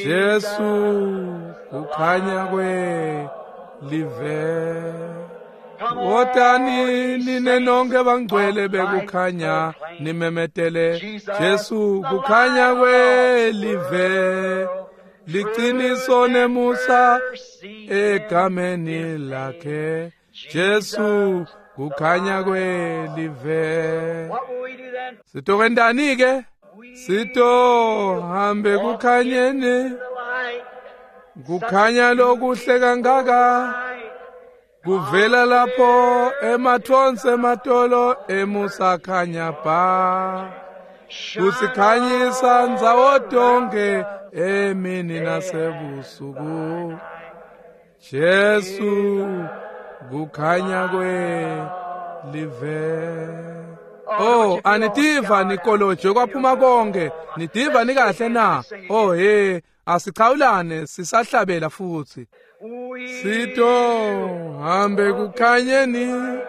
Jesu kukhanya kwelive. Wotani nine nonke bangcwele bekukhanya nimemetele Jesu kukhanya kwelive. Liciniso nemusa egameni lakhe Jesu kukhanya kwelive. Sitokwentani ke? Sitohambe kukhanyeni, kukhanya lokuhle kangaka kuvela lapho emathonsi ematolo emusa khanya ba kusikhanyisa ndzawo tonke emini nasebusuku. Jesu kukhanya kwelive. Oh, anitiva nikoloje kwaphuma konke, nitiva nikahle na? Oh he, asichawulane sisahlabela futhi. Sito hambe kukhanyeni,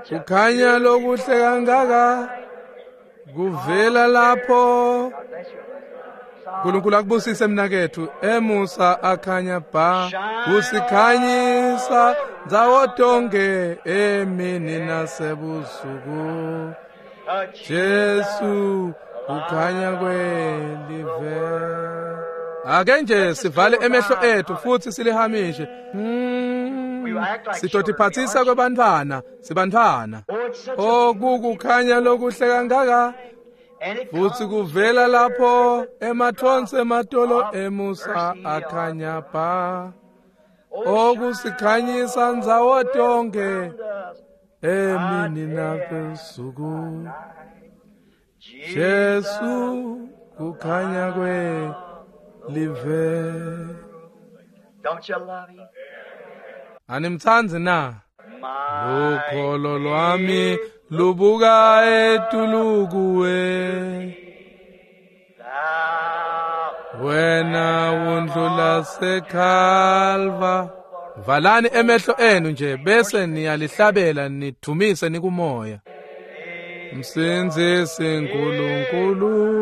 kukhanya lokuhle kangaka kuvela lapho. uNkulunkulu akubusise mnakethu emusa akhanya ba kusikhanyisa ndzawo tonke emini nasebusuku. Jesu kukhanya kwelive. Ake nje sivale emehlo ethu futhi silihamishe. Sitotiphathisa kwebantfwana, sibantfwana. Oh, kukukhanya lokuhle kangaka futhi kuvela lapho emathonsi ematolo emusa akhanya ba okusikhanyisa ndzawo tonke emini nasebusuku. Jesu kukhanya kwelive. Don't you love him? Animtsandzi na? Lukholo lwami lubuka etulu kuwe, wena wundlula sekhalva. Valani emehlo enu nje bese niyalihlabela nidvumise nikumoya. Msindzisi Nkulunkulu,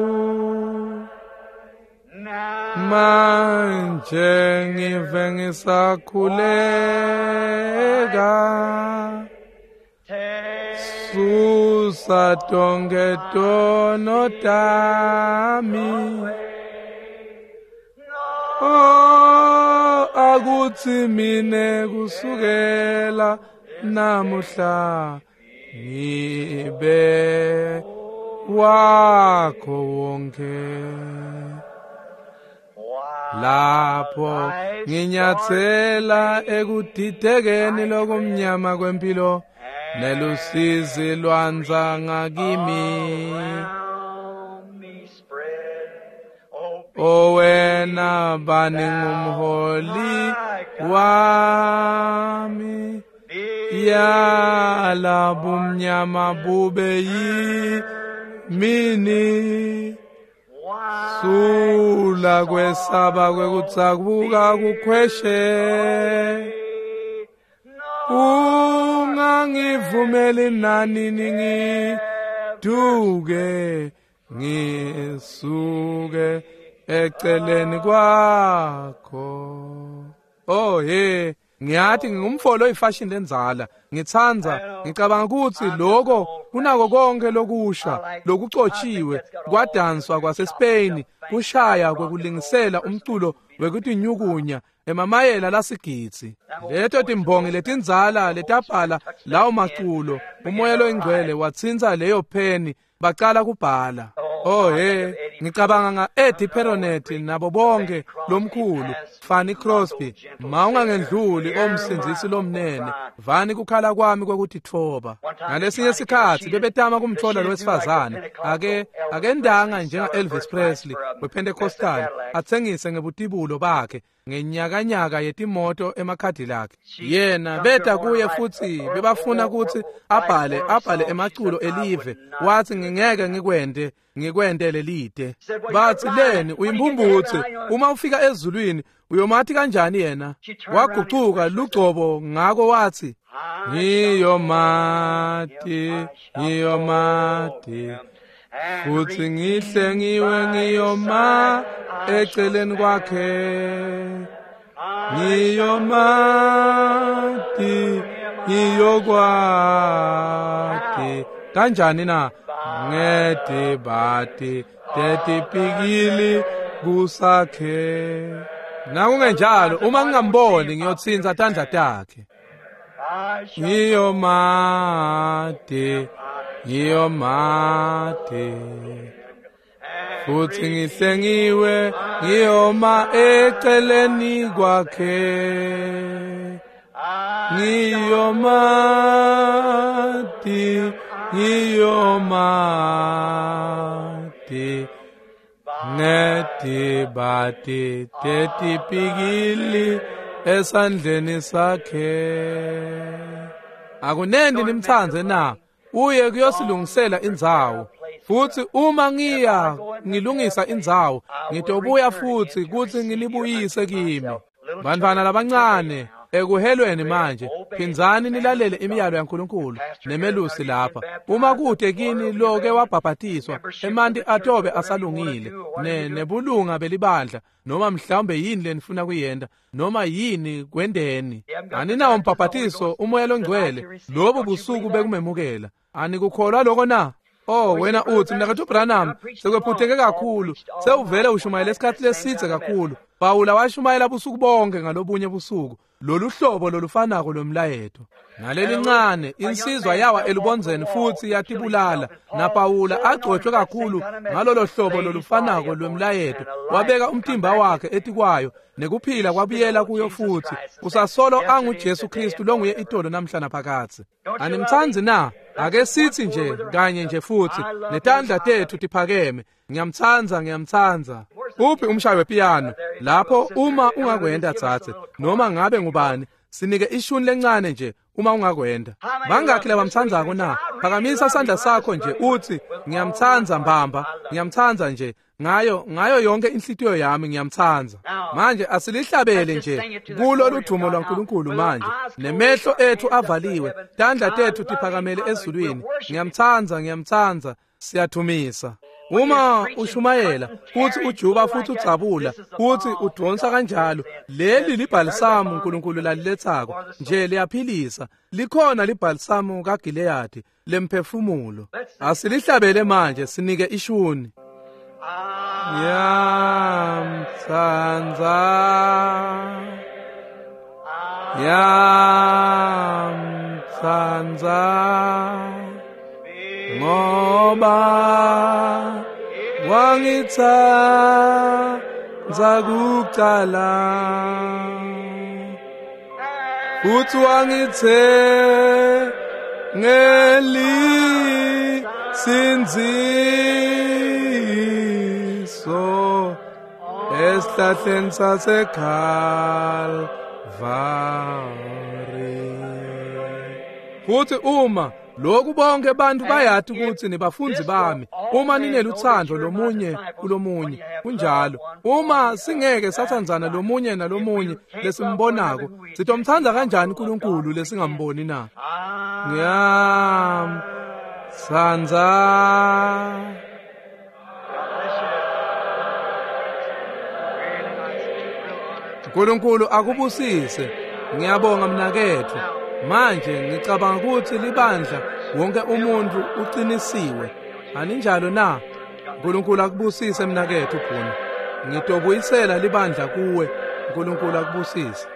manje ngive ngisakhuleka, susa tonke tono tami. Oh, akutsi mine kusukela namuhla ngibe wakho wonke. Lapho nginyathela ekudidekeni lokumnyama kwempilo nelusizi lwanza ngakimi. O wena bani ngumholi wami, yala bumnyama bube yimini. Sula kwesaba kwekutsakuka kukhweshe, ungangivumeli nanini ngiduke ngisuke eceleni kwakho. Oh he, ngiyathi ngingumfolo oyifashion lenzala, ngitsandza ngicabanga ukuthi lokho kunako konke lokusha lokucotshiwe kwadanswa kwaseSpain, kushaya kwekulingisela umculo wekutinyukunya emamayela lasigidzi. Leto timbongi letindzala letabhala lawo maculo, umoya loyingcwele watsintsa leyo pheni bacala kubhala. Oh he, ngicabanga nga-Eddie Peronet nabo bonke lomkhulu Fanny Crosby. Mawungangendluli omsindzisi lomnene, vani kukhala kwami kwekutitfoba. Ngalesinye sikhatsi bebetama kumtfola lowesifazane akendanga njenga Elvis Presley wePentecostal atsengise ngebutibulo bakhe. ngenyakanyaka yetimoto emaCadillac. Yena beta kuye futsi bebafuna kutsi abhale emaculo elive. Wathi ngingeke ngikwente lelide. Bathi leni uyimbumbutse, uma ufika ezulwini uyomathi kanjani yena? Wagucuka lugcobo ngako wathi ngiyomati futhi ngihle ngiwe ngiyoma eceleni kwakhe, ngiyomati ngiyokwati kanjani na ngedibati tetipikili kusakhe. Nakungenjalo uma ngingamboni ngiyotsinza tandla takhe. Ngiyomati futhi ngihlengiwe ngiyoma eceleni kwakhe, ngiyomati ngetibati tetipikili esandleni sakhe. Akunendi nimthandze na? Uye kuyosilungisela indzawo. Futhi uma ngiya ngilungisa indzawo, ngitobuya futhi kuthi ngilibuyise kimi. Bantwana labancane ekuhelweni manje, phindzani nilalele imiyalo yaNkulunkulu nemelusi lapha. Uma kude kini loke wabhabhatiswa, emanti atobe asalungile nebulunga belibandla, noma mhlawumbe yini lenifuna kuyenta, noma yini kwendeni. Aninawo umbhabhatiso umoya longcwele lobu busuku bekumemukela. Anikukholwa lokho na? Oh wena uthi mnakethu Branham sekwephutheke kakhulu, sewuvele ushumayela esikhathi lesithe kakhulu. Pawula washumayela busuku bonke ngalobunye busuku lolu hlobo lolufanako lomlayeto. Nalelincane insizwa yawa elubonzeni futhi yatibulala, naPawula agcotshwe kakhulu ngalolo hlobo lolufanako lwemlayeto, wabeka umtimba wakhe etikwayo nekuphila kwabuyela kuyo futhi. Usasolo anguJesu Kristu longuye itolo namhla naphakatsi. Animtsandzi na? Ake sithi nje kanye nje futhi netandla tethu tiphakeme. Ngiyamtsandza, ngiyamtsandza. Uphi umshayi wepiyano? Lapho uma ungakwenda tsatse, noma ngabe ngubani, sinike ishuni lencane nje uma ungakwenda. Bangakhi labamtsandzako na? Phakamisa sandla sakho nje uthi ngiyamtsandza mbamba, ngiyamtsandza nje ngayo yonke inhlitiyo yami ngiyamtsandza. Manje asilihlabele nje kulo ludumo lwaNkulunkulu manje, nemehlo ethu avaliwe, tandla tethu tiphakamele ezulwini. Ngiyamtsandza, ngiyamtsandza, siyathumisa. Uma ushumayela futhi ujuba futhi udzabula futhi udonsa kanjalo, leli libhalisamu uNkulunkulu lalilethako nje liyaphilisa. Likhona libhalisamu kaGileyadi lemphefumulo. Asilihlabele manje, sinike ishuni. Ngiyamtsandza, ngiyamtsandza, ngoba wangitsandza kucala futhi wangithengelinsindziso esihlahleni saseKalvari. Futhi uma lokhu bonke bantu bayati ukuthi nibafundzi bami, uma nineluthando lomunye kulomunye, kunjalo. Uma singeke sathandzana lomunye nalomunye lesimbonako, sitomtsandza kanjani uNkulunkulu lesingamboni na? Ngiyamtsandza. uNkulunkulu akubusise. Ngiyabonga mnakethu. Manje ngicabanga ukuthi libandla wonke umuntu uqinisiwe. Aninjalo na? uNkulunkulu akubusise mnakethu Bhunu. Ngitobuyisela libandla kuwe. uNkulunkulu akubusise.